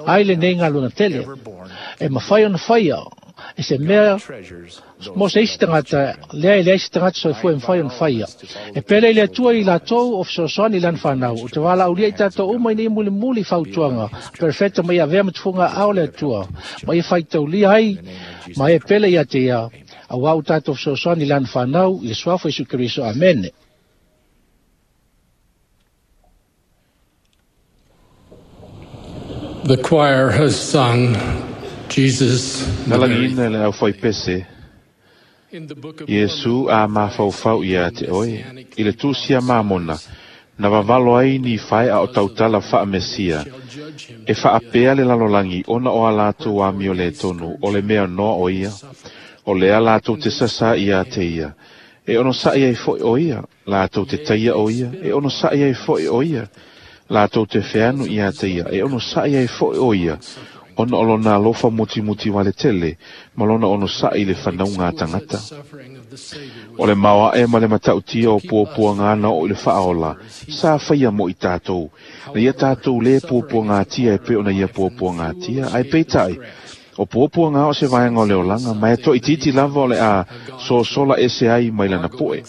ai lenei galuega tele. E mafai ona faia e se mea mo se isi tagata, lea e leai se tagata soifua e mafai ona faia. E pele i le Atua i latou o fesoasoani i lana fanau, o te valaaulia i tatou uma ina ia mulimuli fautuaga perfeta ma ia avea ma tufuga aao le Atua, ma ia faitaulia ai ma e pele ia te ia, auā ua tatou fesoasoani i lana fanau i le suafa o Iesu Keriso. Amene. The choir has sung Jesus Na the Very lagiina e le aufaipese, Iesu a mafaufau ia te oe, i le tusi a Mamona, na vavalo ai ni fae'a o tautala faamesia, e faapea le lalolagi ona o a latou amio lē tonu o le mea noa o ia, o lea latou te sasā ia te ia, e onosa'i ai fo'i o ia, latou te taia o ia, e onosa'i ai fo'i o ia, latou te feanu ia te ia, e onosa'i ai fo'i o ia, Ona o lona alofa mutimuti wale tele, ma lona ono sa'i le whanau ngā tangata. O le maoa e ma le matautia o puapua ngā na o i le whaola, sa whaia mo i tātou. Na ia tātou le puapua ngā tia e pe ona ia puapua ngā tia, ai peitai. O puapua ngā o se vaenga o le olanga, ma e to itiiti lava o le a so sola ese ai mai lana poe.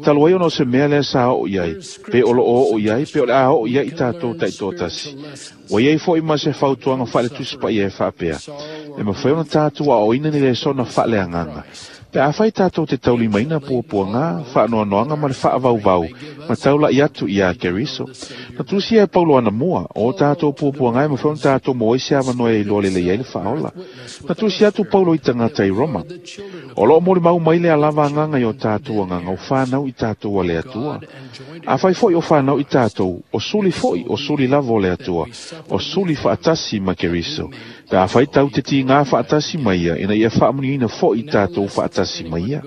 Talu ai ona o se mea lea sa o iai, pe olo o o iai, pe o le a o iai i tātou taitōtasi. Wa iai foi ma se fautuanga whaale tusipa ia e whaapea. E mawhai ona tātou a o ina ni le sona whaale anganga. Pe a whai tātou te taulimaina puapua ngā, whaanoanoanga ma le whaavauvau, ma taula i atu i a Keriso. Na tusia e Paulo ana mua, o tātou puapua ngā e mawhai ona tātou mo ese awanoa e iloa lele iai le whaola. Na tusia atu Paulo i tangata i Roma. O loo mori mau mai le alava anganga i o tātou anganga o whanau i tātou a le atua. A whai foi o whanau i tātou, o suli foi o suli lavo o le atua, o suli whaatasi ma Keriso. Pe a whai tau te ti ngā whaatasi mai ia, ina ia whaamuniina foi i tātou whaatasi mai ia.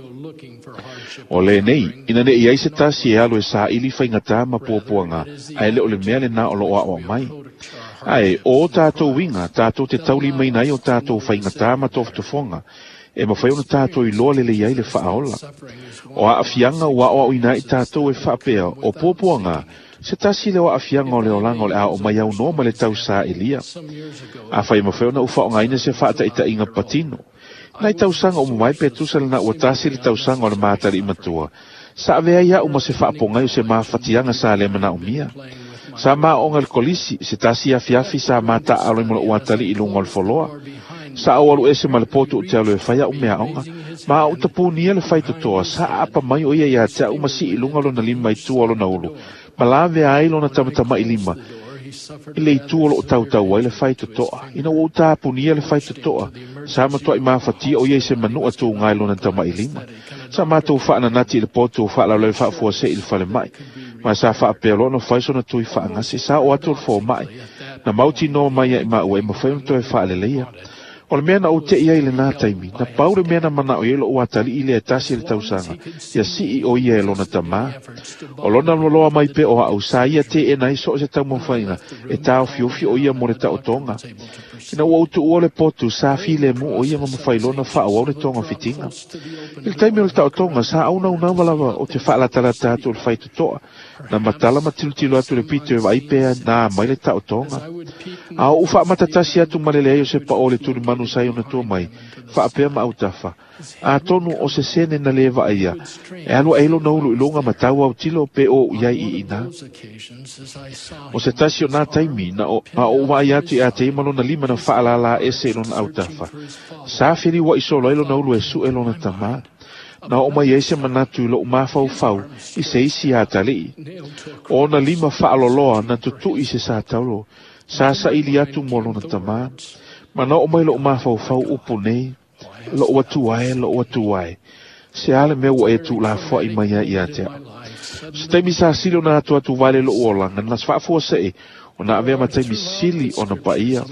O le nei, ina ne i ai se tasi e alo e sa ili whaingata ma puapuanga, a ele o le mea le nā o lo ao mai. Ae, o tātou winga, tātou te tauli mai nei o tātou whaingata ma toftofonga, e mawhai ona tātou i loa lele iai le whaola. O a awhianga ua o au ina i tātou e whaapea, o puapuanga, se tasi le o afianga o le olanga o le ao mai au no ma le tau sa elia. A whai mawhai ona uwha o ngaina se whaata ita inga patino. Nai tausanga o mumai pe tusa le na ua tasi le tausanga o le mātari i matua. Sa avea ia uma se whaapongai o se māwhatianga sa le mana umia. Sa maa onga le kolisi, se tasi afiafi sa māta alo i molo uatali i lunga o le foloa. Sa au alu ese ma le potu o te alo e whaia umea onga. Ma au tapunia le whaitotoa, sa apa mai o ia ia te au masi i lunga lona lima i tua lona ulu. Malave ai lona tamatama i lima. I le itu o loo tautau ai le whaitotoa. Ina ua utapunia le whaitotoa. Sa matua i māwhatia o ia i se manua tō ngai lona tama i lima. Sa mātou whaananati i le potu o whaalalau whaafua se i le whale mai. Ma sa whaapea lono whaisona tui whaangase. Sa o atu o le fō mai. Na mauti noa mai e maua e mawhai ona toe whaaleleia. O le mea na o te ia i le nā taimi, na pau le mea na mana o ielo o atali i le tasi le tausanga, ia sii o ia e lona tamā. O lona loloa mai pe o au, sa ia te e nai so o se taumawhainga, e tāo fiofi o ia mo le taotonga. Ina ua utu ua le potu, sa file mu o ia mamawhai lona wha o le tonga fitinga. I le taimi o le taotonga, sa au nau nau walava o te whaalatalata atu o le whaitotoa, na matala matilutilo atu le pito e vaipea nā mai le taotonga. A o uwha matatasi atu malele ai o se pa o le tuli manu sai ona tua mai, whaapea ma autafa. A tonu o se sene na le vaia, e alu eilo na ulu ilunga matau au tilo pe o iai i ina. O se tasi o nā taimi, na o, a o mai atu i a te ima lona lima na whaalala ese i lona autafa. Sa whiri wa isolo ilo na ulu e su e lona tamā. Na o mai ese manatu i lo umawhau whau i se isi a talii. O na lima whaaloloa na tutu i se sa taulo. Sa sa ili atu mo lona tamā. Mana o mai lo umawhau whau upu nei. Lo atu ai, lo atu ai. Se ale mea ua e tu la fua i mai ia ia te. Se taimi sa sili o na atu atu vale lo uolanga, na sfaafua se e, o na avea mataimi sili o na paia.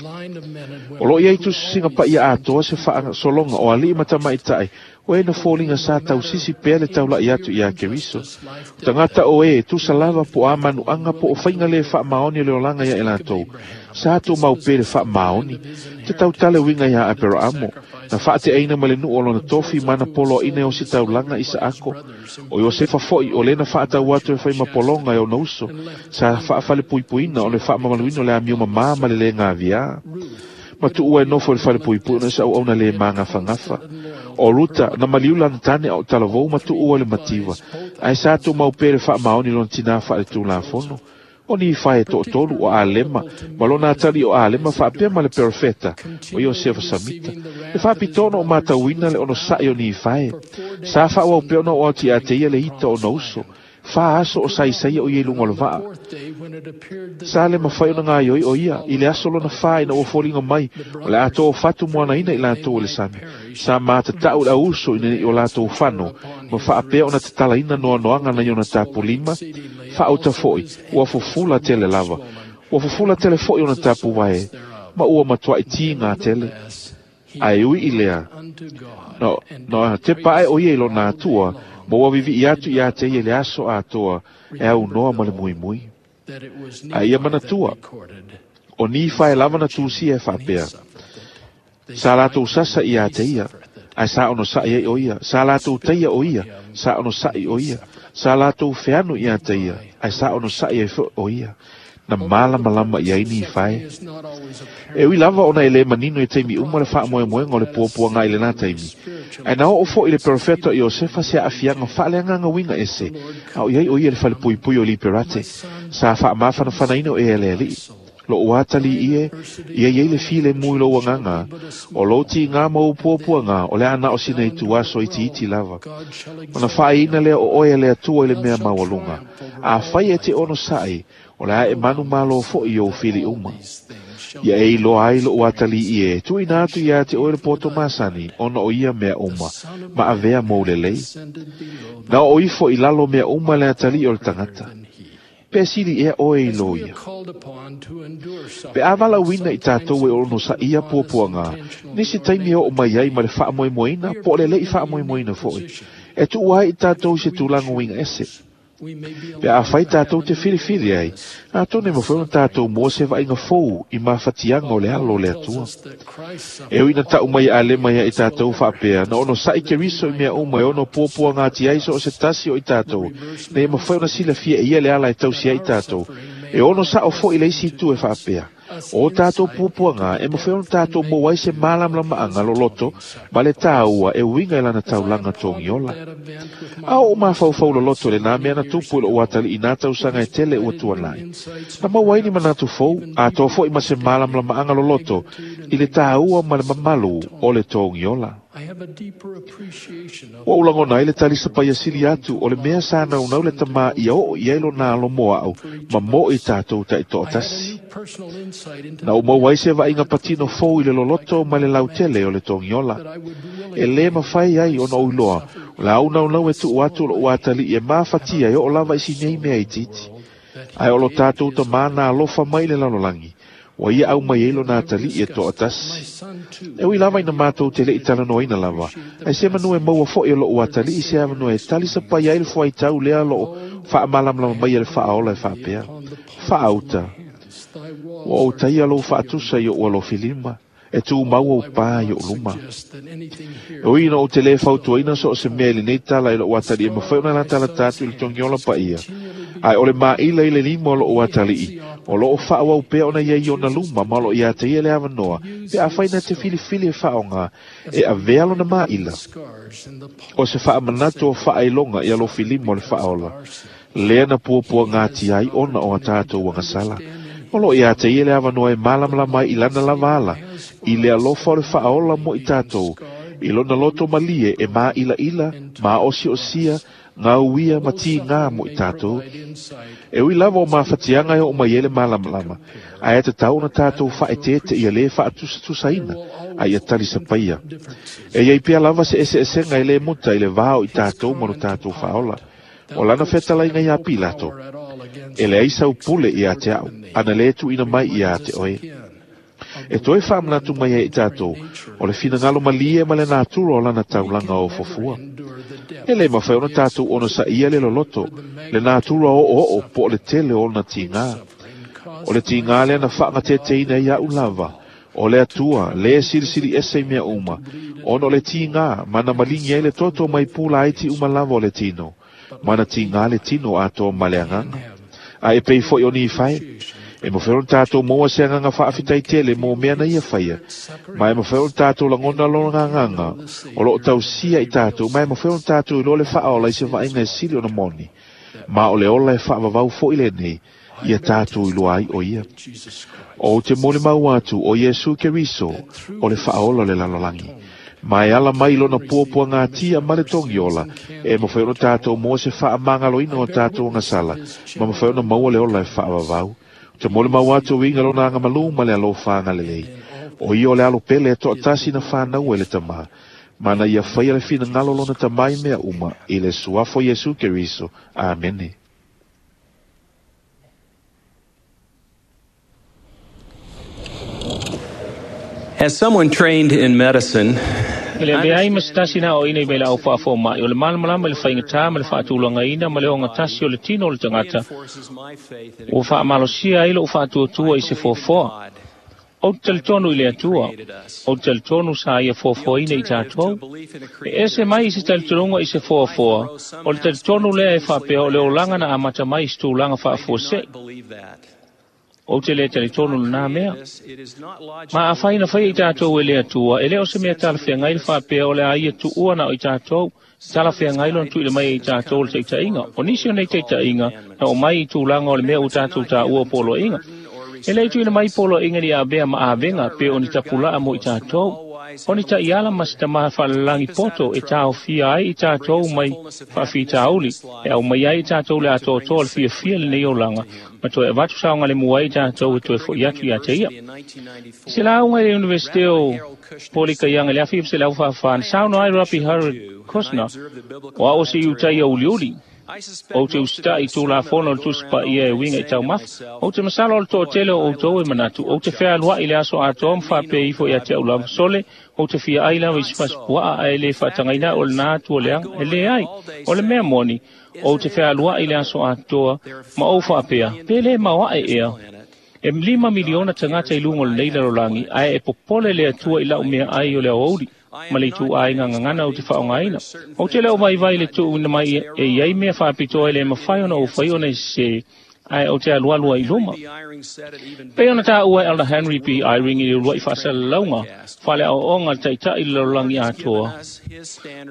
O lo ia itu singa paia atoa se wha solonga o ali matama itai, o e na fōlinga sa tau sisi pea le taula i atu ia Keriso. O tangata o e, tu salava po a manu anga po o whainga le wha maoni le olanga ia e lātou. Sa tō mau pē le wha maoni. Te tau tale winga ia Aperamo. Na wha te aina ma le nuu o lona tofi mana polo ina o si taulanga i sa ako. O Iosefa foi o lena wha atau atu e whai mapolonga e o nauso. Sa wha whale puipuina o le wha mamaluino le amio mamā ma le le ngā via. Matu ua e nofo le whale puipuina sa au na le manga whangafa. O Ruta, na maliula na tane o talavou matu ua le mativa. Ai sa tō mau pē le wha maoni lona tina wha le tūlafono. O ni whae tō tolu o Alema, ma lona atali o Alema whaapea ma le perfeta, o Iosefa Samita. Le whaapitono o mātauina le ono sa'i o ni whae. Sa wha au peo na o ati a te ia le ita o nauso. Wha aso o saisai o ia lunga o le vaa. Sa le mawhai o na ngā ioi o ia, i le aso lona wha ina o fōlinga mai, o le ato o whatu moana ina i lātou o le sami. Sa mātatau le auso ina i o lātou whano, ma whaapea o na te talaina noa noanga na i ona tapu lima, whaauta foi, ua fufula tele lava, ua fufula tele foi o na tapu wae, ma ua matua i tí ngā tele. Ai ui i lea, no, no te pae o ia i lona atua, ma ua vivi i atu i a te ia le aso atoa, e au noa ma le mui mui. A ia manatua, o ni whae lava na tūsi e whaapea. Sa latou sasa ia te ia, ae sa onosaʻi ai o ia. Sa latou taia o ia, sa onosaʻi o ia. Sa latou feanu ia te ia, ae sa onosaʻi ai foʻi o ia. Na malamalama i ai ni fae. E ui lava ona e le manino i taimi uma le faamoemoega o le puapuaga i lenā taimi. Ae na oo foʻi le perofeta o Iosefa se aafiaga faaleagaga uiga ese, a o i ai o ia le falepuipui o Liberate, sa faamafanafanaina o ea le alii. Lo'u atalii e, ia iai le filemu i lou agaga, o lou tigā ma ou puapuaga, o le a na o sina ituaso itiiti lava. Ona faaiina lea o oe e le Atua i le mea maualuga. Afai e te onosaʻi, o le a e manumalo foʻi i ou fili uma. Ia e iloa ai lo'u atalii e, tuuina atu iā te oe le poto masani, ona o ia mea uma, ma avea mou lelei. Na oo ifo i lalo mea uma le atalii o le tagata. Pe sili ea oe i lo ia. Pe a valaauina i tatou e onosaʻia puapuaga, nisi taimi e oo mai ai ma le faamoemoeina po o le leʻi faamoemoeina foʻi, e tuua ai i tatou i se tulaga uiga ese. Pe afai tatou te filifili ai, atonu e mafai ona tatou maua se vaaiga fou i mafatiaga o le alo o le Atua. E ui na taʻu mai e Alema ia i tatou faapea, na onosaʻi Keriso i mea uma e ono puapuaga ati ai so o se tasi o i tatou, ina ia mafai ona silafia e ia le ala e tausi ai i tatou. E ono saʻo foʻi le isi itu e faapea, o tatou puapuaga e mafai ona tatou maua ai se malamalamaʻaga loloto ma le tāua e uiga i lana taulaga togiola. A oo mafaufau loloto lenā mea na tupu i loʻu atalii nā tausaga e tele ua tuanai. Na maua ai ni manatu fou, atoa foʻi ma se malamalamaʻaga loloto i le tāua ma le mamalu o le togiola. Ua ou lagona ai le talisa paiasili atu o le mea sa naunau le tamā ia oo i ai lona alo mo aʻu ma mo i tatou taʻitoʻatasi. Na ou maua ai se vaaiga patino fou i le loloto ma le lautele o le togiola. E lē mafai ai ona ou iloa, o le a ou naunau e tuʻu atu o loʻu atalii e mafatia e oo lava i sinei mea itiiti. Ae o lo tatou tamā na alofa mai i le lalolagi, ua ia aumai ai lona atalii e toʻatasi. E ui lava ina matou te leʻi talanoaina lava, ae se manu e maua foʻi o loʻu atalii se avanoa e talisapai ai le fuaitau lea loʻo faamalamalama mai e le faaola e faapea. Faauta, ua ou taia lou faatusa i oʻu alofilima, e tumau ou pā i oʻu luma. E ui ina ou te lē fautuaina so o se mea i lenei tala i loʻu atalii e mafai ona latalata atu i le togiola paia, ae o le maʻila i le lima o loʻu atalii, o loo faaauau pea ona ia i ona luma ma o loo iā te ia le avanoa, pe afai na te filifili e faaoga, e avea lona maʻila. O se faamanatu o faailoga i alofilima o le faaola, lea na puapuaga ati ai ona o a tatou agasala. O loo iā te ia le avanoa e malamalama ai i lana lava ala, i le alofa o le faaola mo i tatou, i lona loto malie e māʻilaʻila, maʻosiʻosia, gauia ma tigā mo i tatou. E ui lava o mafatiaga e oo mai ai le malamalama, ae e tatau ona tatou faaeteete ia lē faatusatusaina, a ia talisapaia. E iai pea lava se eseesega e lē muta i le vā o i tatou ma lo tatou faaola. O lana fetalaiga iā Pilato, e leai sau pule iā te aʻu, ana lē tuuina mai iā te oe. E toe faamanatu mai ai i tatou, o le finagalo malie ma le natura o lana taulaga o fofua. E lē mafai ona tatou onosaʻia le loloto, le natura oooo po o le tele o ona tigā. O le tigā lea na faagateteina ai aʻu lava, o le Atua, lē silisili ese i mea uma, ona o le tigā, ma na maligi ai le toto mai pula ai ti uma lava o le tino, ma na tigā le tino atoa ma le agaga. Ae e pei foʻi o Nifai, e mafai ona tatou maua se agaga faafitai tele mo mea na ia faia, ma e mafai ona tatou lagona lona agaga o loo tausia i tatou, ma e mafai ona tatou iloa le faaola i se vaaiga e sili ona moni, ma o le ola e faavavau foʻi lenei, ia tatou iloa ai o ia. O te molimau atu o Iesu Keriso o le faaola o le lalolagi. Ma e ala mai lona puapuaga atia ma le togiola, e mafai ona tatou maua se faamagaloina o tatou agasala, ma mafai ona maua le ola e faavavau. Te molimau atu o uiga lona agamalū ma le alofa agalelei. O ia o le alo pele e toʻatasi na fanau e le tamā, ma na ia faia le finagalo lona tamā i mea uma, i le suafa o Iesu Keriso. Amene. As someone trained in medicine, E le avea ai ma se tasi na aoaoina i mai le au faafomaʻi, o le malamalama i le faigatā ma le faatulagaina ma le ogatasi o le tino o le tagata, ua faamalosia ai loʻu faatuatua i se foafoa. O te talitonu i le Atua, o te talitonu sa ia foafoaina i tātou. E ese mai i se talitonuga i se foafoa, o le talitonu lea e faapea o le olaga na amata mai i se tulaga faafuasei. O te le talitonu lenā mea. Ma afai na faia i tātou e le Atua, e le o se mea talafeagai le faapea o le a ia tuua na o i tātou, talafeagai lona tuuina mai e i tātou le taitaiga. O nisi o nei taitaiga na o mai i tulaga o le mea ua tātou taua o poloaiga. E le tuuina mai poloaiga ni avea ma avega pe o ni tapulaa mo i tātou. O ni ta'iala ma se tamā fa'alalagi poto e taofia ai i tātou mai fa'afitauli, e aumai ai i tātou le atoatoa o le fiafia lenei olaga, ma toe avatu saogalemu ai i tātou e toe fo'i atu iā te ia. I se lauga i le Universite o Polikaiaga i le afi selau fa'afā, na saunoa ai Rabbi Harold Kushner, o a'o se iutaia uliuli. Ou te usita'i i tulafono o le Tusi Paia e uiga i taumafa. Ou te masalo o le to'atele o outou e manatu, ou te fealua'i le aso atoa ma faapea ifo ia te a'u lava sole, ou te fia ai lava i se fasipua'a ae lē fa'atagaina a'u o lenā atu o leaga. E leai, o le mea moni, ou te fealua'i le aso atoa ma ou fa'apea, pe lē maoa'e ea. E lima miliona tagata i luga o lenei lalolagi, ae e popole le Atua i la'u meaai o le aoauli, ma le ituaiga gagana ou te fa'aogaina. Ou te le o vaivai le tuuina mai e iai mea fa'apitoa e lē mafai ona ou fai ona e sesē, ae ou te alualu ai i luma. Pei ona tāua e Elder Henry B. Eyring i le ulua'i fa'asalalauga, fa'aleaoaoga le ta'ita'i i le lalolagi atoa.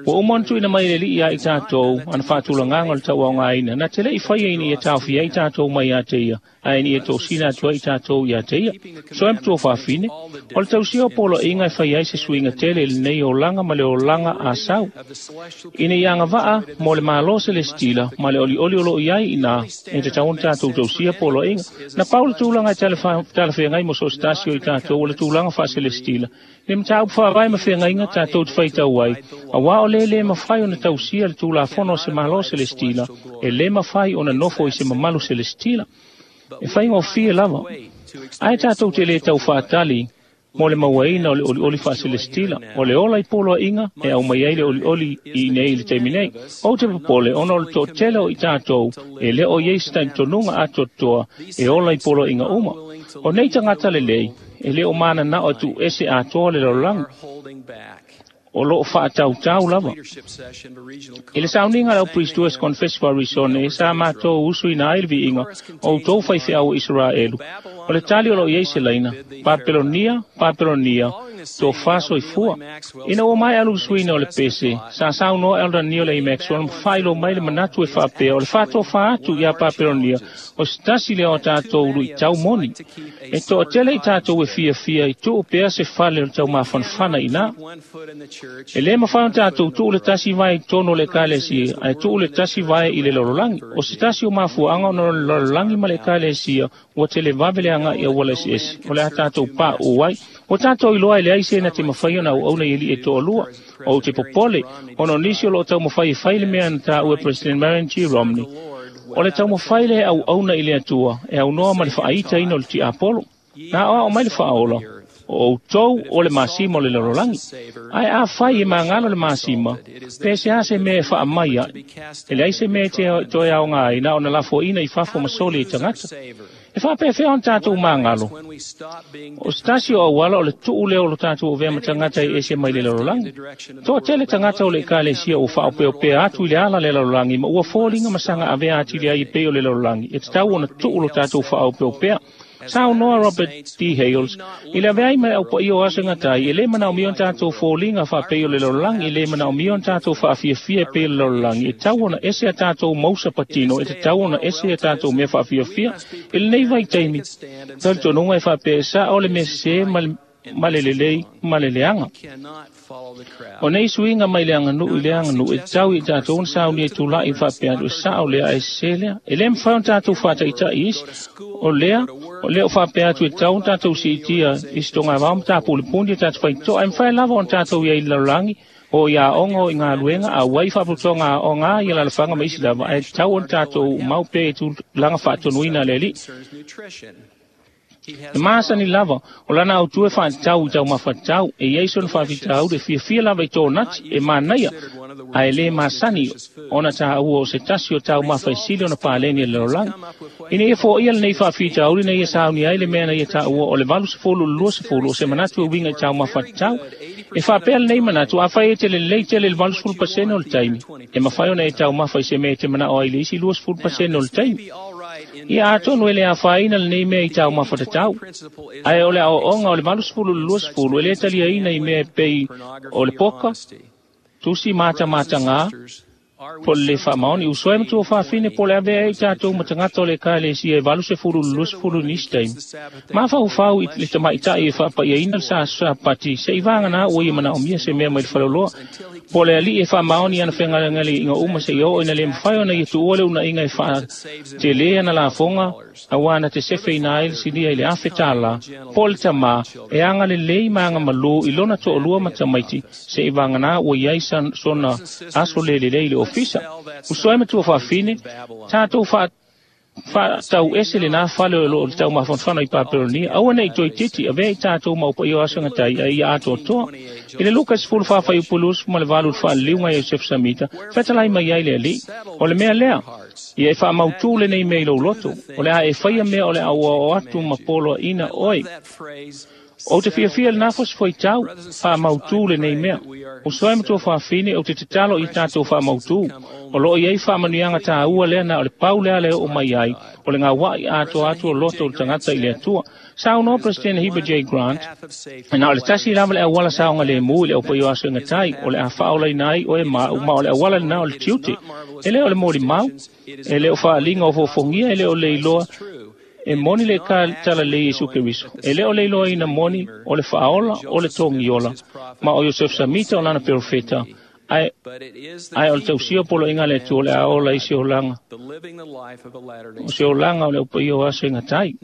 Ua uma ona tuuina mai e le Ali'i ia i tātou, ana fa'atulagaga o le tauaogaina, na te le'i faia ina ia taofia ai tātou mai iā te ia, ae ina ia tosina atu ai i tātou iā te ia. So e matua fafine, o le tausia o poloaiga e fai ai se suiga tele i lenei olaga ma le olaga a sau. Ina ia agava'a mo le Mālō Selesitila ma le olioli o lo'o i ai inā, e tatau ona tātou tausia poloaiga. Na pau le tulaga e talafeagai mo so o se tasi o i tātou o le tulaga fa'aselesitila. Le mataupu fa'avae ma feagaiga tātou te faitau ai, auā o lē lē mafai ona tausia le tulafono o se Mālō Selesitila, e lē mafai ona nofo i se mamalu selesitila. E faigofie lava. Ae tātou te lē tau fa'atali mo le mauaina o le olioli fa'aselesitila, o le ola i poloaiga e aumai ai le olioli i inei i le taimi nei. Ou te popole ona o le to'atele o i tātou e lē o iai se talitonuga atoatoa e ola i poloaiga uma. O nei tagata lelei e lē o manana'o e tu'uese atoa le lalolagi, o lo'o fa'atautau lava. I le sauniga le au Priestess Confess Arizona e sa matou usuina ai le viiga o outou faifeau o Isaraelu. O le tali o lo'o iai se laina, Papelonia, Papelonia, tofā soifua. Ina ua maea lusuina o le pese, sa saunoa Elder Neil A. Maxwell ma fa'ailoa mai le manatu e fa'apea o le fa'atofā atu iā Papelonia o se tasi lea o tātou lu'itau moni. E to'atele i tātou e fiafia i tu'u pea se fale o le taumafanafana inā. E lē mafai ona tātou tu'u le tasi vae i totonu o le ekalesia, ae tu'u le tasi vae i le lalolagi. O se tasi o mafua'aga ona o le lalolagi ma le ekalesia ua televave le aga'i auala eseese, o le a tātou pa'u ai. Ua tātou iloa e leai se na te mafai ona auauna i ali'i e to'alua. Ou te popole, ona o nisi o lo'o taumafai e fai le mea na tāua e President Marion G. Romney. O le taumafai lea e auauna i le Atua, e aunoa ma le fa'aitaina o le ti'apolo. Na aoa'o mai le fa'aola, o outou o le masima o le lalolagi. Ae afai e magalo le masima, pe se a se mea e fa'amai a'i. E leai se mea e te toe aoga ai na ona lafoaina i fafo ma soli e tagata. E fa'apefea ona tātou magalo. O se tasi o auala o le tu'u lea o lo tātou avea ma tagata e ese mai le lalolagi. To'atele tagata o le ekalesia ua fa'aopeopea atu i le ala le lalolagi ma ua foliga ma saga avea atili ai e pei o le lalolagi, e tatau ona tu'u lo tātou fa'aopeopea. Saunoa Robert D. Hales, i le aveai mai au paia o aso e gatai, e lē manaomia ona tātou foliga fa'apei o le lalolagi, e lē manaomia ona tātou fa'afiafia e pei o le lalolagi, e tatau ona ese a tātou mausa patino, e tatau ona ese a tātou mea fa'afiafia. I lenei vaitaimi, talitonuga e fa'apea e sa'o le mea sesē ma le ma le lelei ma le leaga. O nei suiga mai le aganu'u i le aganu'u e tatau i tātou ona saunia i tula'i fa'apea atu e sa'o lea ae sesē lea. E lē mafai ona tātou fa'ata'ita'i isi. O lea, o lea o fa'apea atu e tatau ona tātou si'itia i se togavao ma tapulepuni e tātou faito'a. E mafai lava ona tātou iai i le lalolagi o i aoga o i galuega auai fa'aputoga aoga a ia lalafaga ma isi lava, ae tatau ona tātou mau pea i tulaga fa'atonuina a le Ali'i. E masani lava, o lana autu e fa'atatau i taumafatau, e iai sona fa'afitauli e fiafia lava i tōnati, e manaia. Ae lē masani ona tāua o se tasi o taumafa e sili ona paleni e le lalolagi. Ina ia fo'ia lenei faafitauli na ia sauni ai le mea na ia tāua o le valu sefulu i le lua sefulu o se manatu e uiga i taumafa tatau. E faapea lenei manatu afai e te lelei tele i le valu sefulu pasene o le taimi, e mafai ona e taumafa i se mea e te mana'o ai i le isi lua sefulu pasene o le taimi. Ia atonu e le afaina lenei mea i taumafa tatau. Ae o le aoaoga o le valu sefulu i le lua sefulu e lē taliaina i mea e pei o le poka, tusi matamatagā, po o le lē faamaoni. Usoe ma tuafafine po o le avea ai tatou ma tagata o le ekalesia e valu sefulu i le lua sefulu i nisi taimi. Mafaufau i le tamaʻitaʻi e faapaʻiaina le sasapati seʻi vaganā ua ia manaʻomia se mea mai le faleoloa. Po o le aliʻi e faamaoni ana fegalegaleʻiga uma seʻia oo ina lē mafai ona ia tuua le unaʻiga e faatelē ana lafoga auā na te sefeina ai le silia i le afe tālā. Po o le tamā e agalelei ma agamalū i lona toʻalua ma tamaiti seʻi vaganā ua iai sona aso lelelei i le ofisa. Usoe ma tuafafine, tatou faatau ese lenā fale o loo le taumafanafana i Papelonia. Aua nei toeititi avea i tatou maupaia o aso gatai ai ia atoatoa. I le Luka sefulu fā fuaiupu luasefu ma le valu i le faaliliuga Iosefu Samita, fetalai mai ai le Alii. O le mea lea, ia e faamautū lenei mea i lou loto, o le a e faia mea o le a ua oo atu ma poloaʻina oe. Ou te fiafia lenā fosi foitau, faamautū lenei mea. Usoe ma tuafafine ou te tatalo i tatou faamautū. O loo iai faamanuiaga tāua lea na o le pau lea le oo mai ai, o le gauaʻi atoa atu o loto o le tagata i le Atua. Saunoa President Heber J. Grant, na o le tasi lava le auala saogalēmū i le aupaia o aso e gatai, o le a faaolaina ai oe ma ma o le auala lenā o le tiute. E lē o le molimau, e lē o faaliga o fofogia, e lē o le iloa e moni le ka talalei Iesu Keriso. E lē o le iloaina moni o le faaola o le togiola, ma o Iosef Samita o lana perofeta, ae ae o le tausia poloaiga a le Atua o le a ola i se olaga o se olaga o le aupaia o aso e gatai.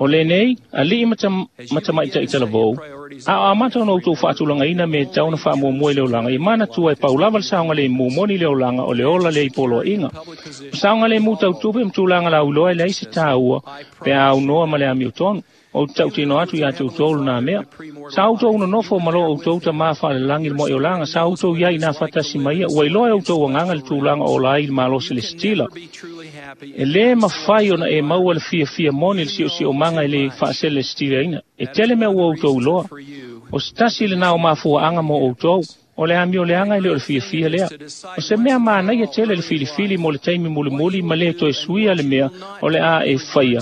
O lenei, aliʻi ma tamaʻitaʻi talavou, a o amata ona outou faatulagaina me tatau ona faamuamua i le olaga, ia manatua e pau lava le saogalēmū moni le olaga o le ola lea i poloaiga. O saogalēmū tautupe ma tulaga lauiloa e leai se tāua pe a aunoa ma le amiotonu. Ou te tautino atu iā te outou lenā mea. Sa outou nonofo ma loo outou tamā faalelagi le moaʻi olaga, sa outou iai nā faatasi ma ia, ua iloa e outou agaga le tulaga o ola ai i le malosi le sitila. E lē mafai ona e maua le fiafia moni le siʻosiʻomaga e lē faasele sitilaina. E tele mea ua outou iloa. O se tasi lenā o mafuaaga mo outou, o le amio leaga e lē o le fiafia lea. O se mea manaia tele le filifili mo le taimi mulimuli ma lē toe suia le mea o le a e faia,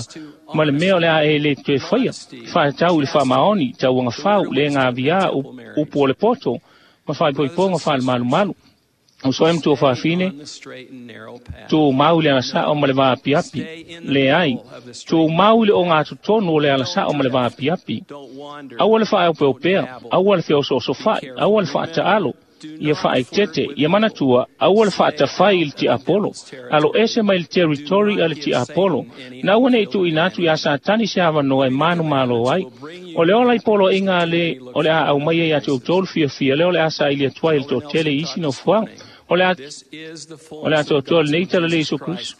ma le mea o le a e lē toe faia. Faatatau i le faamaoni, tauagafau, le gaviā, upu o le poto, ma faaipoipoga faalemalumalu. Usoe ma tuafafine, tumau i le alasao ma le vaapiapi. Leai, tumau i le ogatotonu o le alasao ma le vaapiapi. Aua le faaopeopea, aua le feosoosofaʻi, aua le faataalo, ia faaetete, ia manatua, aua le faatafai i le tiapolo. Alo ese mai le territory a le tiapolo. Na aua nei tuuina atu iā Satani se avanoa e manumalo ai. O le ola i poloaiga a le o le a aumaia iā te outou le fiafia lea o le a saili atu ai i le toatele i isi nofoaga. O le a o le atoatoa lenei talalei Iesu Keriso.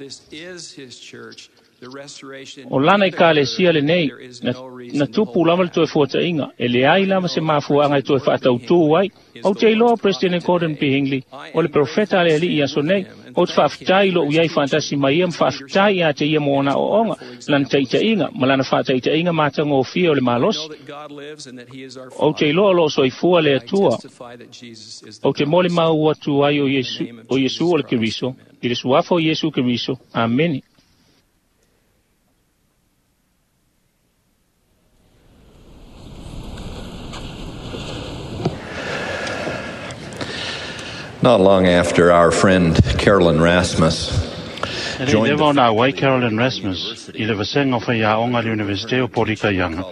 O lana ekalesia lenei, na, na tupu lava le toe fuataʻiga, e leai lava se mafuaaga e toe faatautū ai. Ou te iloa President Gordon B. Hinckley, o le profeta a le Alii i aso nei, ou te faafetai loʻu iai faatasi mai ia ma faafetai iā te ia mo ona aoaoga, lana taʻitaʻiga ma lana faataʻitaʻiga matagofie o le malosi. Ou te iloa o loo soifua le Atua. Ou te molimau atu ai o Iesu, o Iesu o le Keriso, i le suafa o Iesu Keriso. Amene. Not long after our friend Carolyn Rasmus E lei leva ona auai Carolyn Rasmus i le vasega o faiaoga a le Universite o Polikaiaga,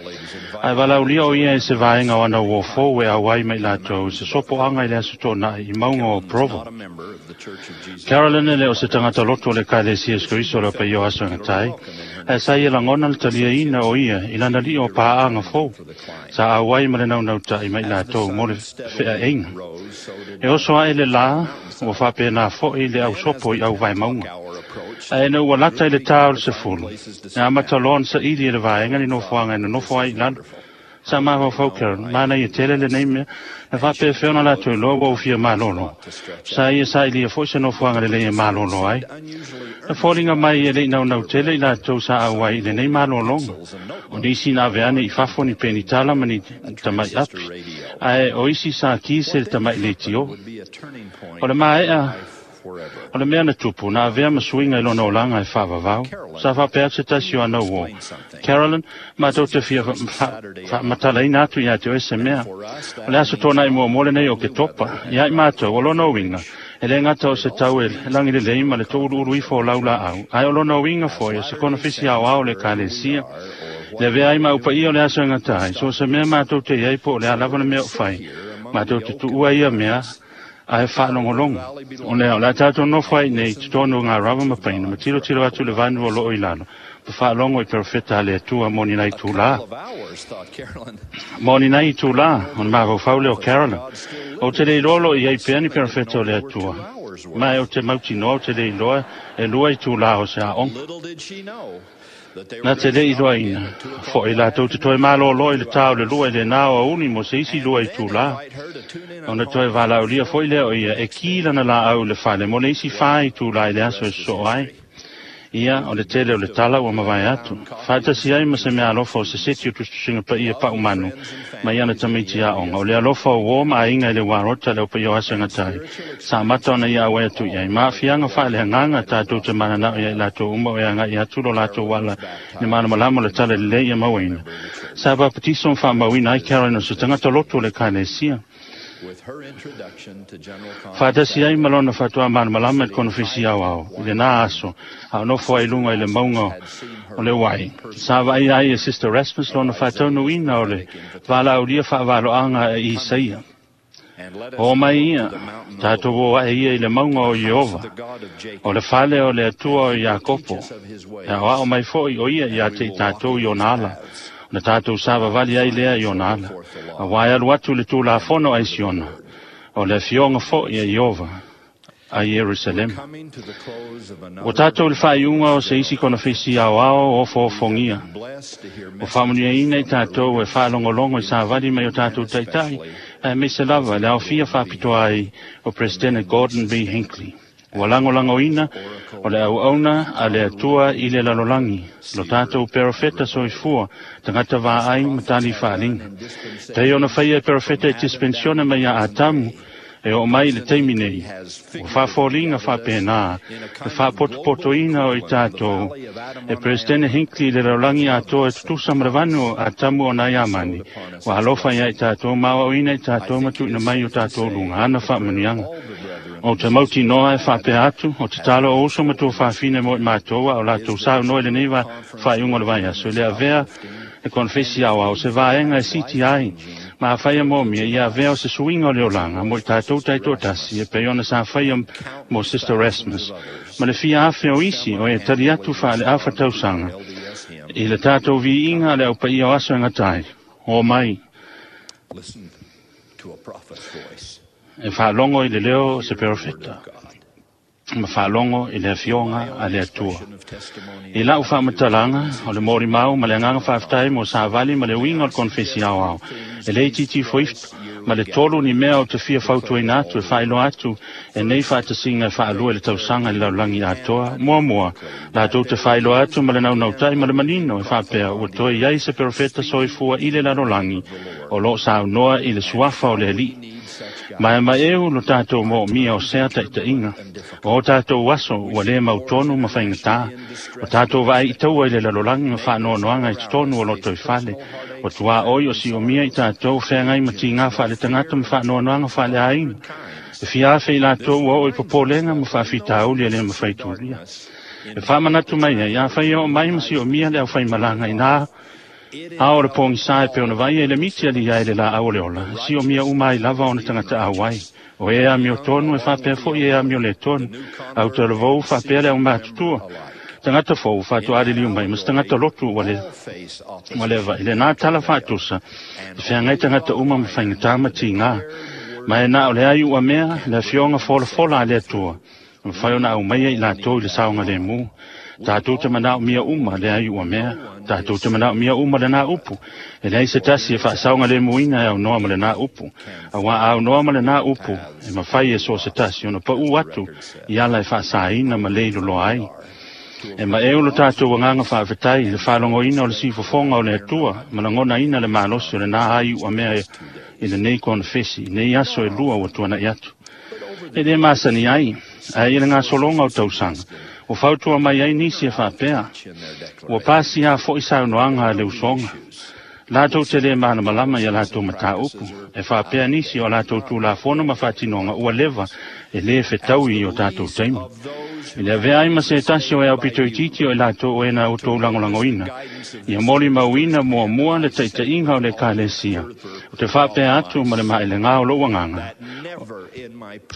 ae valaaulia o ia e se vaega o ana uō fou e auai mai latou se sopoaga i le aso toʻanaʻi i mauga o Provo. Carolyn e le o se tagata loto o le Ekalesia Iesu Keriso o le aupaia o aso e gatai, ae sa ia lagona le taliaina o ia i lana liʻi o paaga fou, sa auai ma le naunautaʻi mai latou mo le feaʻeiga. E oso aʻe le lā, ua faapena foʻi le ausopo i auvaemauga. Ae ina ua lata i le tā o le sefulu, e amata loa ona saʻili e le vaega ni nofoaga e nonofo ai i lalo. Sa mafaufau Carolyn, manaia tele lenei mea, na faapefea ona latou iloa ua ou fia malolo. Sa ia sailia foi se nofoaga lelei e malolo ai. Na foliga mai e le'i naunau tele i latou sa auai i lenei malologa. O nisi na ave ane i fafo ni penitala ma ni tama'i api, ae o isi sa kise le tama'i leitio. O le maea o le mea na tupu, na avea ma suiga i lona olaga e faavavau. Sa faapea atu se tasi o ana uō. Carolyn, matou te fia faamatalaina atu iā te oe se mea. O le aso tōna'i muamua lenei o Ketopa, ia i matou o lona uiga, e lē gata o se tau e lagilelei ma le toʻuluʻulu ifo o laulaau, ae o lona uiga foi o se konofisi aoao o le Ekalesia. Le avea ai ma upaia o le aso e gata ai, so o se mea matou te iai po o le a lava le mea o fai, matou te tuua ia mea, ae faalogologo. O lea, o le a tatou nofo ai nei, totonu o ngā rava ma paina, ma tilotilo atu le vanu o loo i lalo, ma faalogo i perofeta a le Atua mo ni nai itulā. Mo ni nai itulā, ona mafaufau lea o Carolyn. Ou te le iloa o loo i ai pea ni perofeta o le Atua. Ma e ou te mautinoa ou te le iloa e lua itulā o se aoga. Na te le iloaina foi latou te toe malōlō i le tā o le lua i lenā o auli mo se isi lua itulā. Ona toe valaaulia foi lea o ia e ki lana laau i le fale mo le isi fā itulā i le aso e sosoo ai. Ia, o le tele o le tala ua mavae atu. Faatasi ai ma se mea alofa o se seti o tusitusiga paia paumanu mai ana tamaiti aoga. O le alofa o uō ma aiga i le uarota le au paia o aso e gata ai. Sa amata ona ia auai atu i ai. Ma aafiaga faaleagaga tatou te mananao ia i latou uma o e aga'i atu lo latou ala i le malamalama o le tala lelei ia mauaina. Sa papatiso ma faamauina ai Carolyn o se tagata lotu o le Ekalesia. Faatasi ai ma lona faatoa malamalama i le konofesi aoao i lenā aso, a o nofo ai i luga i le mauga o le uai. Sa vaaia ai e Sister Rasmus lona faataunuuina o le valaaulia faavaloaga e Isaia. O mai ia, tatou o ae ia i le mauga o Ieova, o le fale o le Atua o Iakopo, e aoao mai foi o ia iā te i tatou i ona ala, na tatou savavali ai lea i ona ala. Auā e alu atu le Tulafono a i Siona, o le afioga foi a Ieova a Ierusalema. Ua tatou i le faaiuga o se isi konofesi aoao ofoofogia. Ua faamanuiaina i tatou e faalogologo i savali mai o tatou taitai, aemaise lava le aofia faapitoa ai o Peresetene Gordon B. Hinckley. Ua lagolagoina o le auauna a le Atua i le lalolagi, lo tatou perofeta soifua, tagata vaai ma tali faaliga. Pei ona faia e perofeta e dispensione mai ia Atamu, e oo mai i le taimi nei, ua faafoliga faapena le faapotopotoina o i tatou e Peresetene Hinckley i le lalolagi atoa e tutusa ma le vanu o Atamu o nai amani, ua alofa iā i tatou ma aoaoina i tatou ma tuuina mai o tatou luga ana faamanuiaga. Ou te mautinoa e faapea atu, o tatalo o uso ma tuafafine mo i matou a o latou saunoa i lenei faaiuga o le vaiaso, i le avea e konofesi aoao se vaega e siti ai ma afai moomia ia avea o se suiga o le olaga mo i tatou taitoatasi e pei ona sa faia mo Sister Rasmus ma le fia afe o isi o e tali atu faaleafa tausaga i le tatou viiga a le aupaia o aso e gata ai. O mai e faalogo i le leo o se perofeta ma faalogo i le afioga a le Atua. I lau faamatalaga o le molimau ma le agaga faafetai mo savali ma le uiga o le konofesi aoao, e le itiiti foifo ma le tolu ni mea o te fia fautuaina atu e faailoa atu e nei faatasiga e faalua i le tausaga i le lalolagi atoa. Muamua, latou te faailoa atu ma le naunautai ma le manino e faapea ua toe i ai se perofeta soifua i le lalolagi o loo saunoa i le suafa o le Alii. Ma e maeu lo tatou moomia o sea taitaiga. O o tatou aso ua lē mautonu ma faigatā. O tatou vaai i taua i le lalolagi ma faanoanoaga i totonu o loto i fale. O tuaoi o siomia i tatou feagai ma tigā faaletagata ma faanoanoaga faaleaiga. E fia afe i latou ua oo i popolega ma faafitauli e lē mafai tulia. E faamanatu mai ai, afai e oo mai ma siomia le aufaimalaga inā a o le pogisā e pei ona vaaia i le miti aliia e le laau o le ola, siomia uma ai lava ona tagata auai. O e amio tonu e faapea foi e amio lē tonu. Au talavou faapea le aumatutua. Tagata fou faatoaliliu mai ma se tagata lotu ua le ua le vaai. Lenā tala faatusa, e feagai tagata uma ma faigatā ma tigā. Ma e na o le ai ua mea, le afioga folafola a le Atua. Mafai ona aumaia i latou i le saogalēmū. Tātou te manao mia uma le ai ua mea, tātou te manao mia uma le nā upu. E leai se tasi e faasaoga lemuina e aunoa ma lenā upu. Auā a aunoa ma lenā upu, e mafai e so o se tasi ona paʻū atu i ala e faasāina ma lē iloloa ai. E maʻeu lo tatou agaga faafetai i le faalogoina o le sifofoga o le Atua ma lagonaina le malosi o lenā ai ua mea i lenei konofesi, i nei aso e lua ua tuanaʻi atu. E lē masani ai, ae i le gasologa o tausaga, ua fautua mai ai nisi e faapea, ua pasiā foʻi saunoaga a le usoga. Latou te lē malamalama ia latou matāupu, e faapea nisi o latou tulafono ma faatinoga ua leva e lē fetaui i o tatou taimi. I le avea ai ma se tasi o e aupitoititi o i latou o e na outou lagolagoina, ia molimauina muamua le taʻitaʻiga o le Ekalesia, o te faapea atu ma le maʻelegā o lou agaga.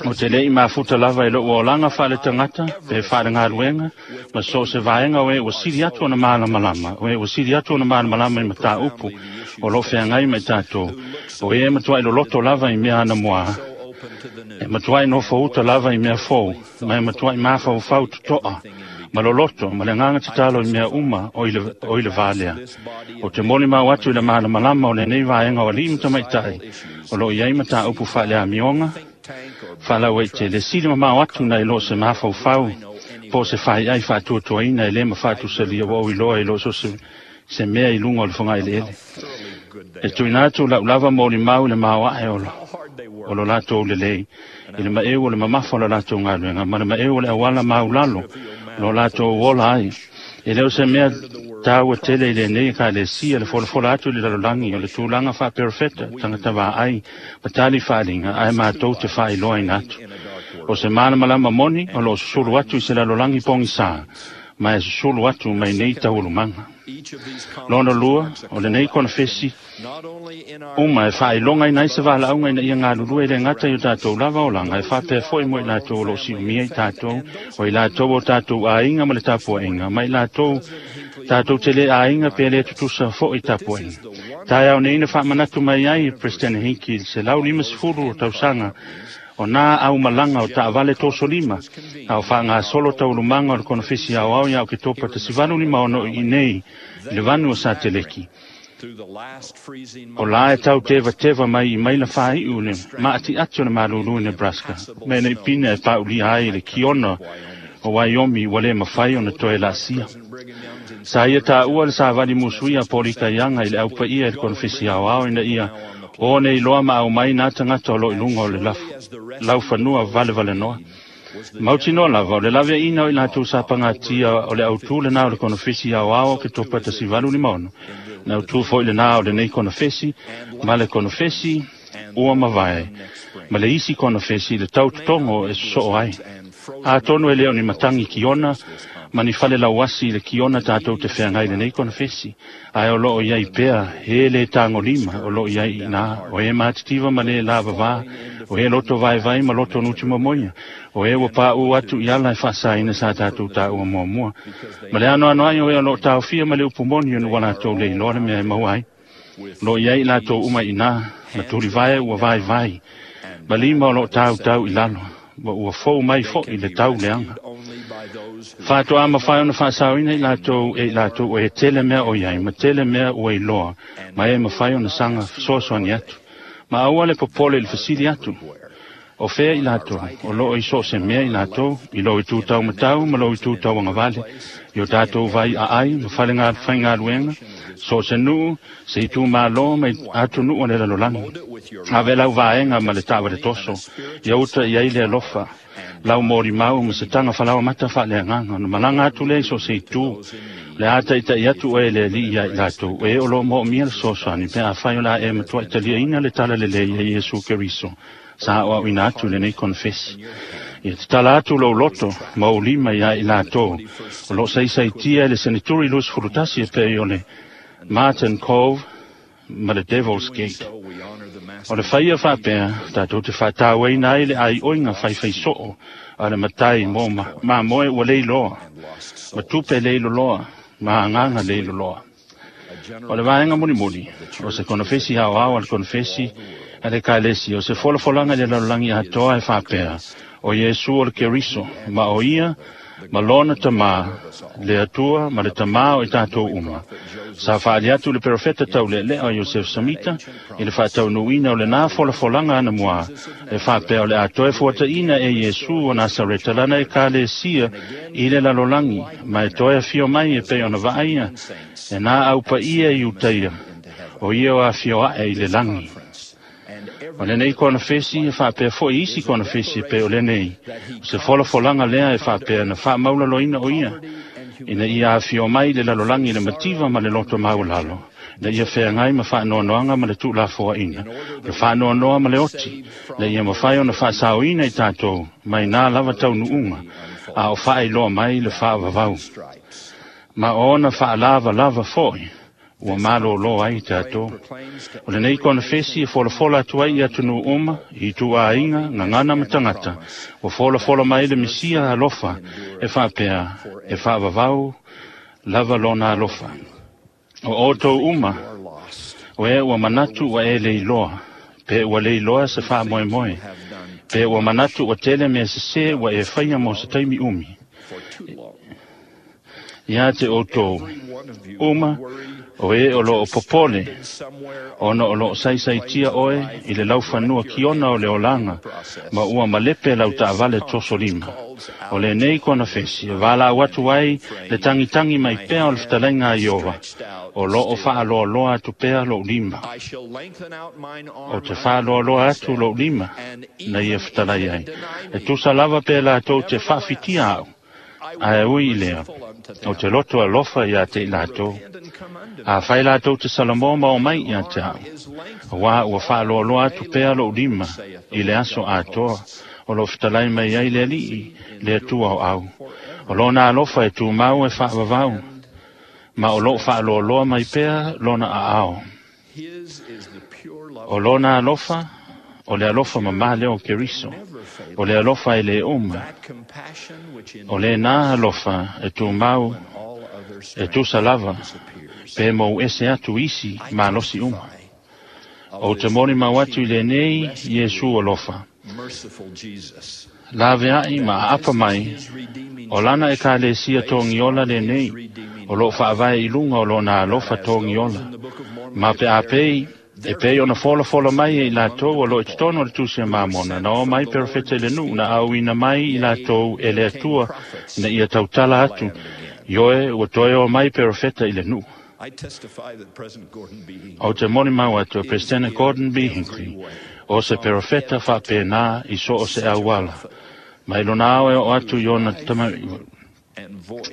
O te leʻi mafuta lava i lou olaga faaletagata pe faalegaluega, ma so o se vaega o e ua sili atu ona malamalama, o e ua sili atu ona malamalama i matāupu o loo feagai ma i tatou, o e matuaʻi loloto lava i mea anamoā, e matuaʻi nofouta lava i mea fou, ma e matuaʻi mafaufau totoa ma loloto ma le agaga tatalo i mea uma o i le, o i le vā lea. O te molimau atu i le malamalama o lenei vaega o alii ma tamaitaʻi o loo i ai matāupu faaleamioga, faalauaitele sili mamao atu nai lo se mafaufau po o se faiai faatuatuaina e lē ma faatusalia ua ou iloa i loo so se, se mea i luga o le fogaeleele. E tuuina atu lau lava molimau i le maoaʻe o, o lo latou lelei, i le maʻeu o le mamafa o le latou galuega, ma le maʻeu o le auala maulalo lo latou ola ai. E le o se mea taua tele i lenei Ekalesia le folafola atu i le lalolagi o le tulaga faaperofeta tagata vaai ma tali faaliga, ae matou te faailoaina atu. O se malamalama moni o loo susulu atu i se lalolagi pogisā, ma e susulu atu mai nei taualumaga. Lona lua, o lenei konofesi uma e faailogaina ai se valaauga ina ia galulue e le gata i o tatou lava olaga, e faapea foʻi mo i latou o loo siʻumia i tatou, o i latou o tatou aiga ma le tapuaʻiga, ma i latou tatou te lē aiga pe lē tutusa foʻi tapuaʻiga. Taeao nei na faamanatu mai ai e President Hinki i le selau limasefulu o tausaga o nā aumalaga o taavale tosolima, a o faagasolo taualumaga o le konofesi aoao ia Oketopa tasi valu lima ono i nei i le vanu o Sateleki. O la e tau tevateva mai i maila faaiʻu le maʻatiʻati o le malūlū i Nebraska, me nei pina e paʻulia ai le kiona o Wyoming ua lē mafai ona toe laasia. Sa ia taʻua le savali musuia a Polikaiaga i le aupaia i le konofesi aoao ina ia o nei loa ma au mai nā tagata o loo i luga o le lafu, laufanua valevalenoa. Mautinoa lava o le laveaʻina o i latou sapagatia o le autū lenā o le konofesi aoao o Ketopa tasi valu lima ono. Na autū foʻi lenā o lenei konofesi ma le konofesi ua mavae, ma le isi konofesi le tautotogo e sosoo ai. Atonu e lē o ni matagi kiona ma ni fale lauasi i le kiona tatou te feagai lenei konofesi, ae o loo i ai pea he lē tagolima o loo i ai iinā, o e matitiva ma lē lavavā, o e loto vaevae ma loto nutumamoia, o e ua paʻū atu i ala e faasaina sa tatou taua muamua. Ma le anoano ai o e o loo taofia ma le upu moni ona ua latou le iloa le mea e maua ai. Loo i ai i latou uma iinā, ma tulivae ua vaevae, ma lima o loo tautau i lalo, ma ua fou mai foʻi le tau leaga. Faatoā mafai ona faasaoina i latou e i latou o e tele mea o i ai, ma tele mea ua iloa, ma e mafai ona saga fesoasoani atu. Ma aua le popole i le fesili atu, o fea i latou, o loo i so o se mea i latou, i lou itu taumatau ma lou itu tauagavale, i o tatou vai aai ma fale faigaluega, so o se nuu, se itumālō ma atunuu o le lalolagi. Ave lau vaega ma le taavale toso, ia uta i ai le alofa, lau molimau ma se taga falauamata faaleagaga, ona malaga atu lea i so o se itu, le a taʻitaʻi atu oe le Alii ia i latou, e o loo moomia le fesoasoani, pe afai o le a e matuaʻi taliaina le tala lelei ia Iesu Keriso, sa aoaoina atu i lenei konofesi. Ia tatala atu lou loto ma ou lima ia i latou o loo saisaitia i le seneturi luasefulu tasi e pei o le Martin Cove ma le Devil's Gate. O le faia faapea, tatou te faatauaina ai le aioiga faifaisoo a le matai mo mamoe ua leiloa, ma tupe leiloloa, ma agaga leiloloa. O le vaega mulimuli, o se konofesi aoao a le konofesi a le Ekalesia, o se folafolaga i le lalolagi atoa e faapea, o Iesu o le Keriso, ma o ia Ma lona tamā, le Atua ma le tamā o i tātou uma. Sa whaali atu le perofeta tau le lea o Iosef Samita, i le whaataunuina o le nā folafolanga ana mua, e whapea o le atoe fuataina e Iesu o Nasareta lana e kalesia i le lalolangi, ma e toe afio mai e pe ona vaaia, e nā aupa ia i utaia, o ia o afio ae i le langi. O lenei konofesi e whaapea foi isi konofesi pe o lenei. Se folafolanga lea e whaapea na whaamaulaloina o ia. Ina ia afio mai le lalolangi le mativa ma le loto maulalo. Na ia wheangai ma whaanoanoanga ma le tūlafoa ina. Le whaanoanoa ma le oti. Le ia mawhai o na whaasauina i tātou mai nā lava tau nuunga. A o whaailoa mai le whaavavau. Ma ona whaalava lava foi. Ua malo lo ai tātou. O lenei konofesi e folafola atu ai i atunu uma, i tuainga, ngangana ma tangata. Ua folafola mai le misia alofa, e whaapea, e whaavavau, lava lona alofa. O outou uma, o e ua manatu ua e leiloa, pe ua leiloa se whaamoemoe, pe ua manatu ua tele mea sese ua e whaia mo se taimi umi. Ia te outou, uma, o e o loo popole, ona o loo saisaitia oe i le laufanua kiona o le olanga, ma ua malepe lau taavale toso lima. O lenei konofesi, e valaau atu ai le tangitangi mai pea o le fetalaiga a Iova, o loo faaloaloa atu pea lou lima. O te faaloaloa atu lou lima, na ia fetalai ai. E tusa lava pe latou te faafitia au, ae ui i lea, o te loto alofa ia te i latou. A whai latou te Salamo ma o mai ia te au. Wā ua whaaloaloa atu pea lou lima i le aso atoa o lo fetalai mai ai le alii le Atua o au. O lona alofa e tūmau e whaavavau, ma o loo whaaloaloa mai pea lona aao. O lona alofa, o le alofa mamā leo Keriso, o le alofa e le uma, o le nā alofa e tūmau e tusa lava, pe mou ese atu isi malosi uma. O te moni mau atu i lenei Iesu alofa. Lave ai ma apa mai, o lana e kalesia tōngiola lenei, o loo whaavae i lunga o lona alofa tōngiola. Ma pe apei, e pei ona folafola mai e i latou o loo i totonu o le tusi a Mamona, na o mai perofeta i le nuu, na auina mai i latou e le Atua, na ia tautala atu, ioe ua toe o mai perofeta i le nuu. O te moni mau atu e Presidente Gordon B. Hinckley, o se perofeta whaapena i so o se auala. Mai lona ao e o atu i ona tama,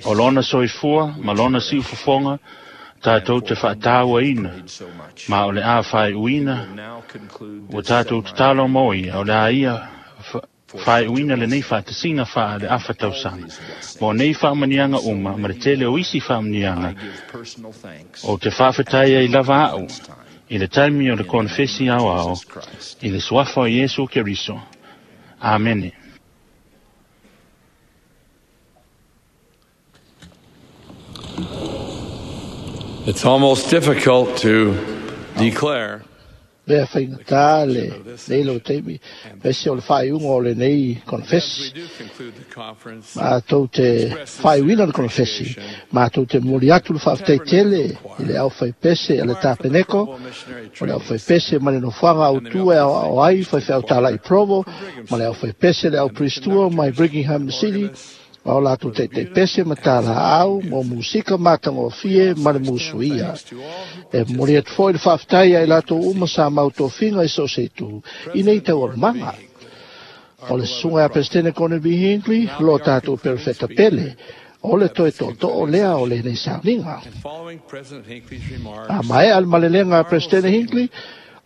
o lona soifua, ma lona siufofoga, tātou te whaataua ina, ma o le a whai uina, o tātou te talo moi, o le a ia whai uina le nei whaatasinga whaa le awha tausanga. Mo nei whaamanianga uma, ma le tele o isi whaamanianga, o te whaawhetai ai lava au, i le taimi o le konfesi au ao, i le suafa o Iesu Keriso. Amene. It's almost difficult to declare Lea whaingata le nei lau taimi, pese o le whaiunga o le nei konfesi. Ma tou te whaiuina le konfesi, ma tou te moli atu le whaafetai tele i le au whaipese a le tāpeneko, o le au whaipese ma le nofoaga au tua e au ao ai, whaiwhai au tāla i Provo, ma le au whaipese le au Pristua mai Brigham City, o latou taitaipese pese ma tāla au, mo musika matagofie ma le musuia. E momoli atu foi le faafetai ai latou uma sa mautofiga i so o se itu i nei taualumaga. O le susuga ia Pesetene Gordon B. Hinckley, lo tatou perofeta pele, o le toe tootoo lea o lenei sauniga. A maea le malelega a Pesetene Hinckley,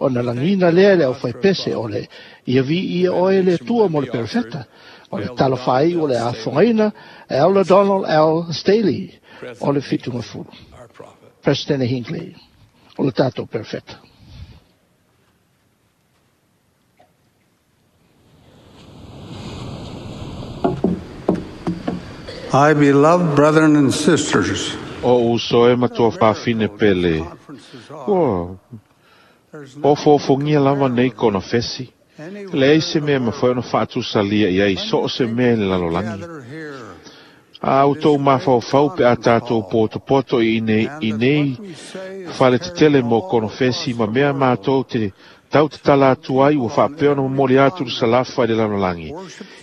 ona lagina lea i le aufaipese o le ia viia oe le Atua mo le perofeta. O le talafai o le afogaina e Elder Donald L. Staley o le Fitungafulu. President Hinckley, o le tatou perofeta. I beloved brethren and sisters, O uso e matua whawhine pele. Ua, ofofogia lava nei konofesi. Leai se mea mafai ona faatusalia i ai so o se mea i le lalolagi. A outou mafaufau pe a tātou potopoto i nei, i nei fale tetele mo konofesi ma mea mātou te tau te tala atu ai ua faapea ona momoli atu le salafa i le lalolagi.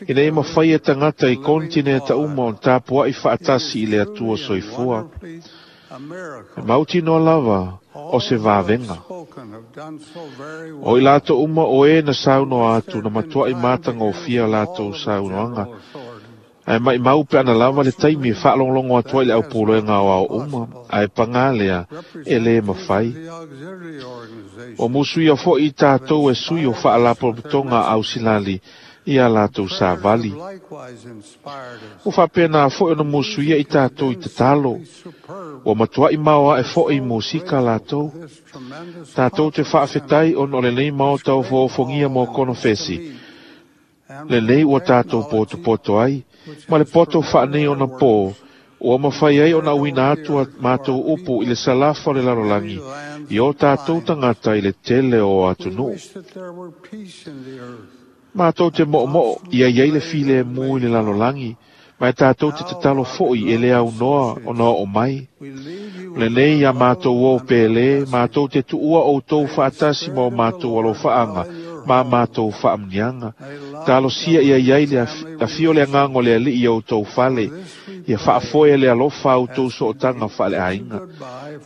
Ina ia mafai e tagata i konetineta uma ona tapua'i fa'atasi i le Atua soifua. E mautinoa lava o se vavega. O i latou uma o e na saunoa atu na matua'i matagofia latou saunoaga. Ae maʻimau pe ana lava le taimi e faalogologo atu ai le aupuloega aoao uma, ae pagā lea e lē mafai. Ua musuia foʻi i tatou e sui o faalapotopotoga a ausilali ia latou savali. Ua faapenā foʻi ona musuia i tatou i tatalo. Ua matuaʻi maoaʻe foʻi musika latou. Tatou te faafetai ona o lenei maota ofoofogia mo konofesi. Lenei ua tatou potopoto ai, ma le poto faanei ona pō, ua mafai ai ona auina atu a matou upu i le salafa o le lalolagi, i o tatou tagata i le tele o atunuu. Matou te mo'omo'o ia iai le filemu i le lalolagi, ma e tatou te tatalo foʻi e le aunoa ona oo mai. O lenei ia matou o pēlē, matou te tuua outou faatasi ma o matou alofaaga, ma matou faamuniaga. Talosia ia iai le afio le agaga o le Alii i outou fale, ia faafoe le alofa a outou sootaga faaleaiga.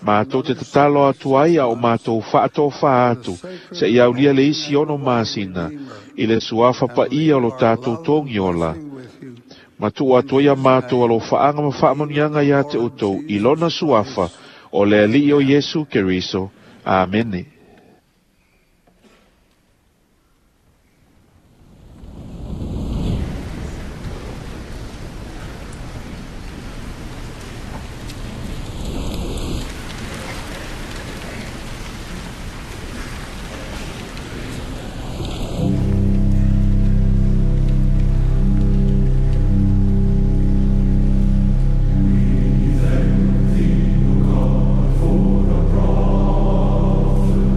Matou te tatalo atu ai a o matou faatofā atu, seia aulia le isi ono masina, i le suafa paia o lo tatou togiola. Ma tuu atu ai a matou alofaaga ma faamanuiaga iā te outou i lona suafa o le Alii o Iesu Keriso. Amene. For the prophet.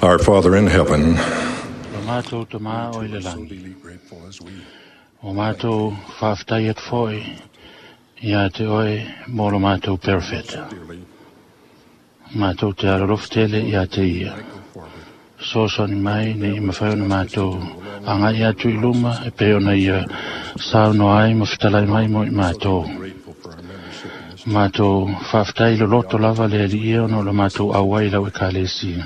Our Father in heaven, Lo mātou te mā o i le langi. O mātou whawhtai at foi, ia te oe mō lo mātou perfeta. Mātou te araloftele ia te ia. Sosani mai nei i mawhai ona mātou a ngai atu i luma e pe ona ia sauno ai ma whitalai mai mo i mātou. Mātou whawhtai lo loto lava le ali ia ono lo mātou auai lau e kalesia.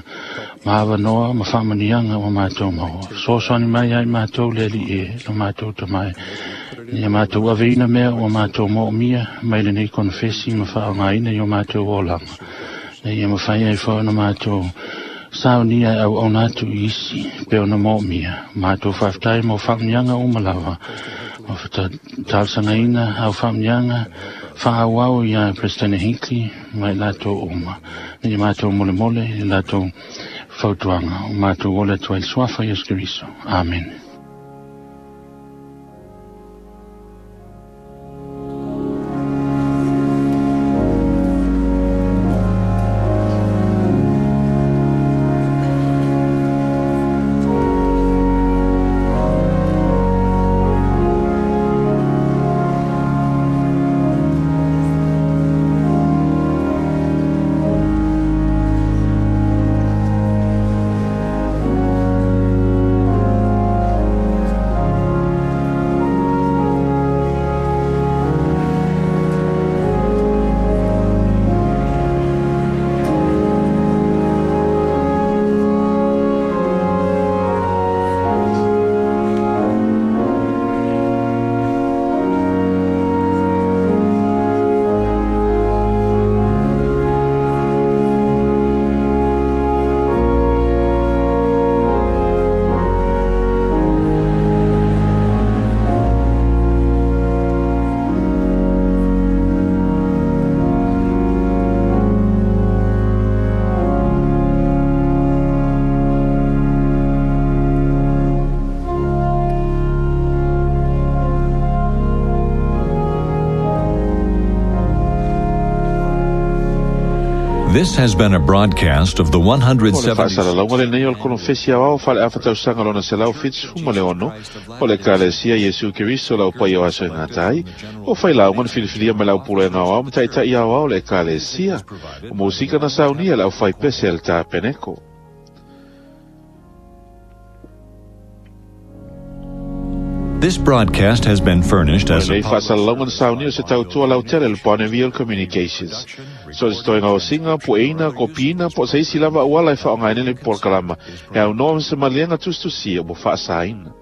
Maawa noa ma whamanianga o mātou maua. Sosani mai ai mātou le ali e lo mātou tamai. Ia mātou aveina mea o mātou mo mia mai le nei konfesi ma whaangaina i o mātou olanga. Nei ia mawhai ai whaona mātou saunia au au nātu isi pe ona mo mia. Mātou whawhtai mo whamanianga o malawa. O whata au whamanianga whaawau ia President Hinckley mai lātou oma. Nei mātou mole mole i lātou fautuanga. O mātou ole tua il suafa Iesu Keriso. Amen. This has been a broadcast of the one hundred O le seventy whaasalalauga lenei o le konofesi awao whale awhatausaga lona selau fitusefulu ma le ono o le Ekalesia Iesu Keriso lau paia o aso e gatai o failauga na filifilia mai lau pulega aoao ma ta'ita'i aoao le Ekalesia o musika na saunia le aufaipese a le tapeneko. This broadcast has been furnished as a Lenei faasalalauga na saunia o se tautua lautele le Bonneville Communications. So se toenga o singa, po eina, kopina, po se isi lava uala e whaongaine le polokalama. E au noa ma se malienga tusitusia mo faasaina.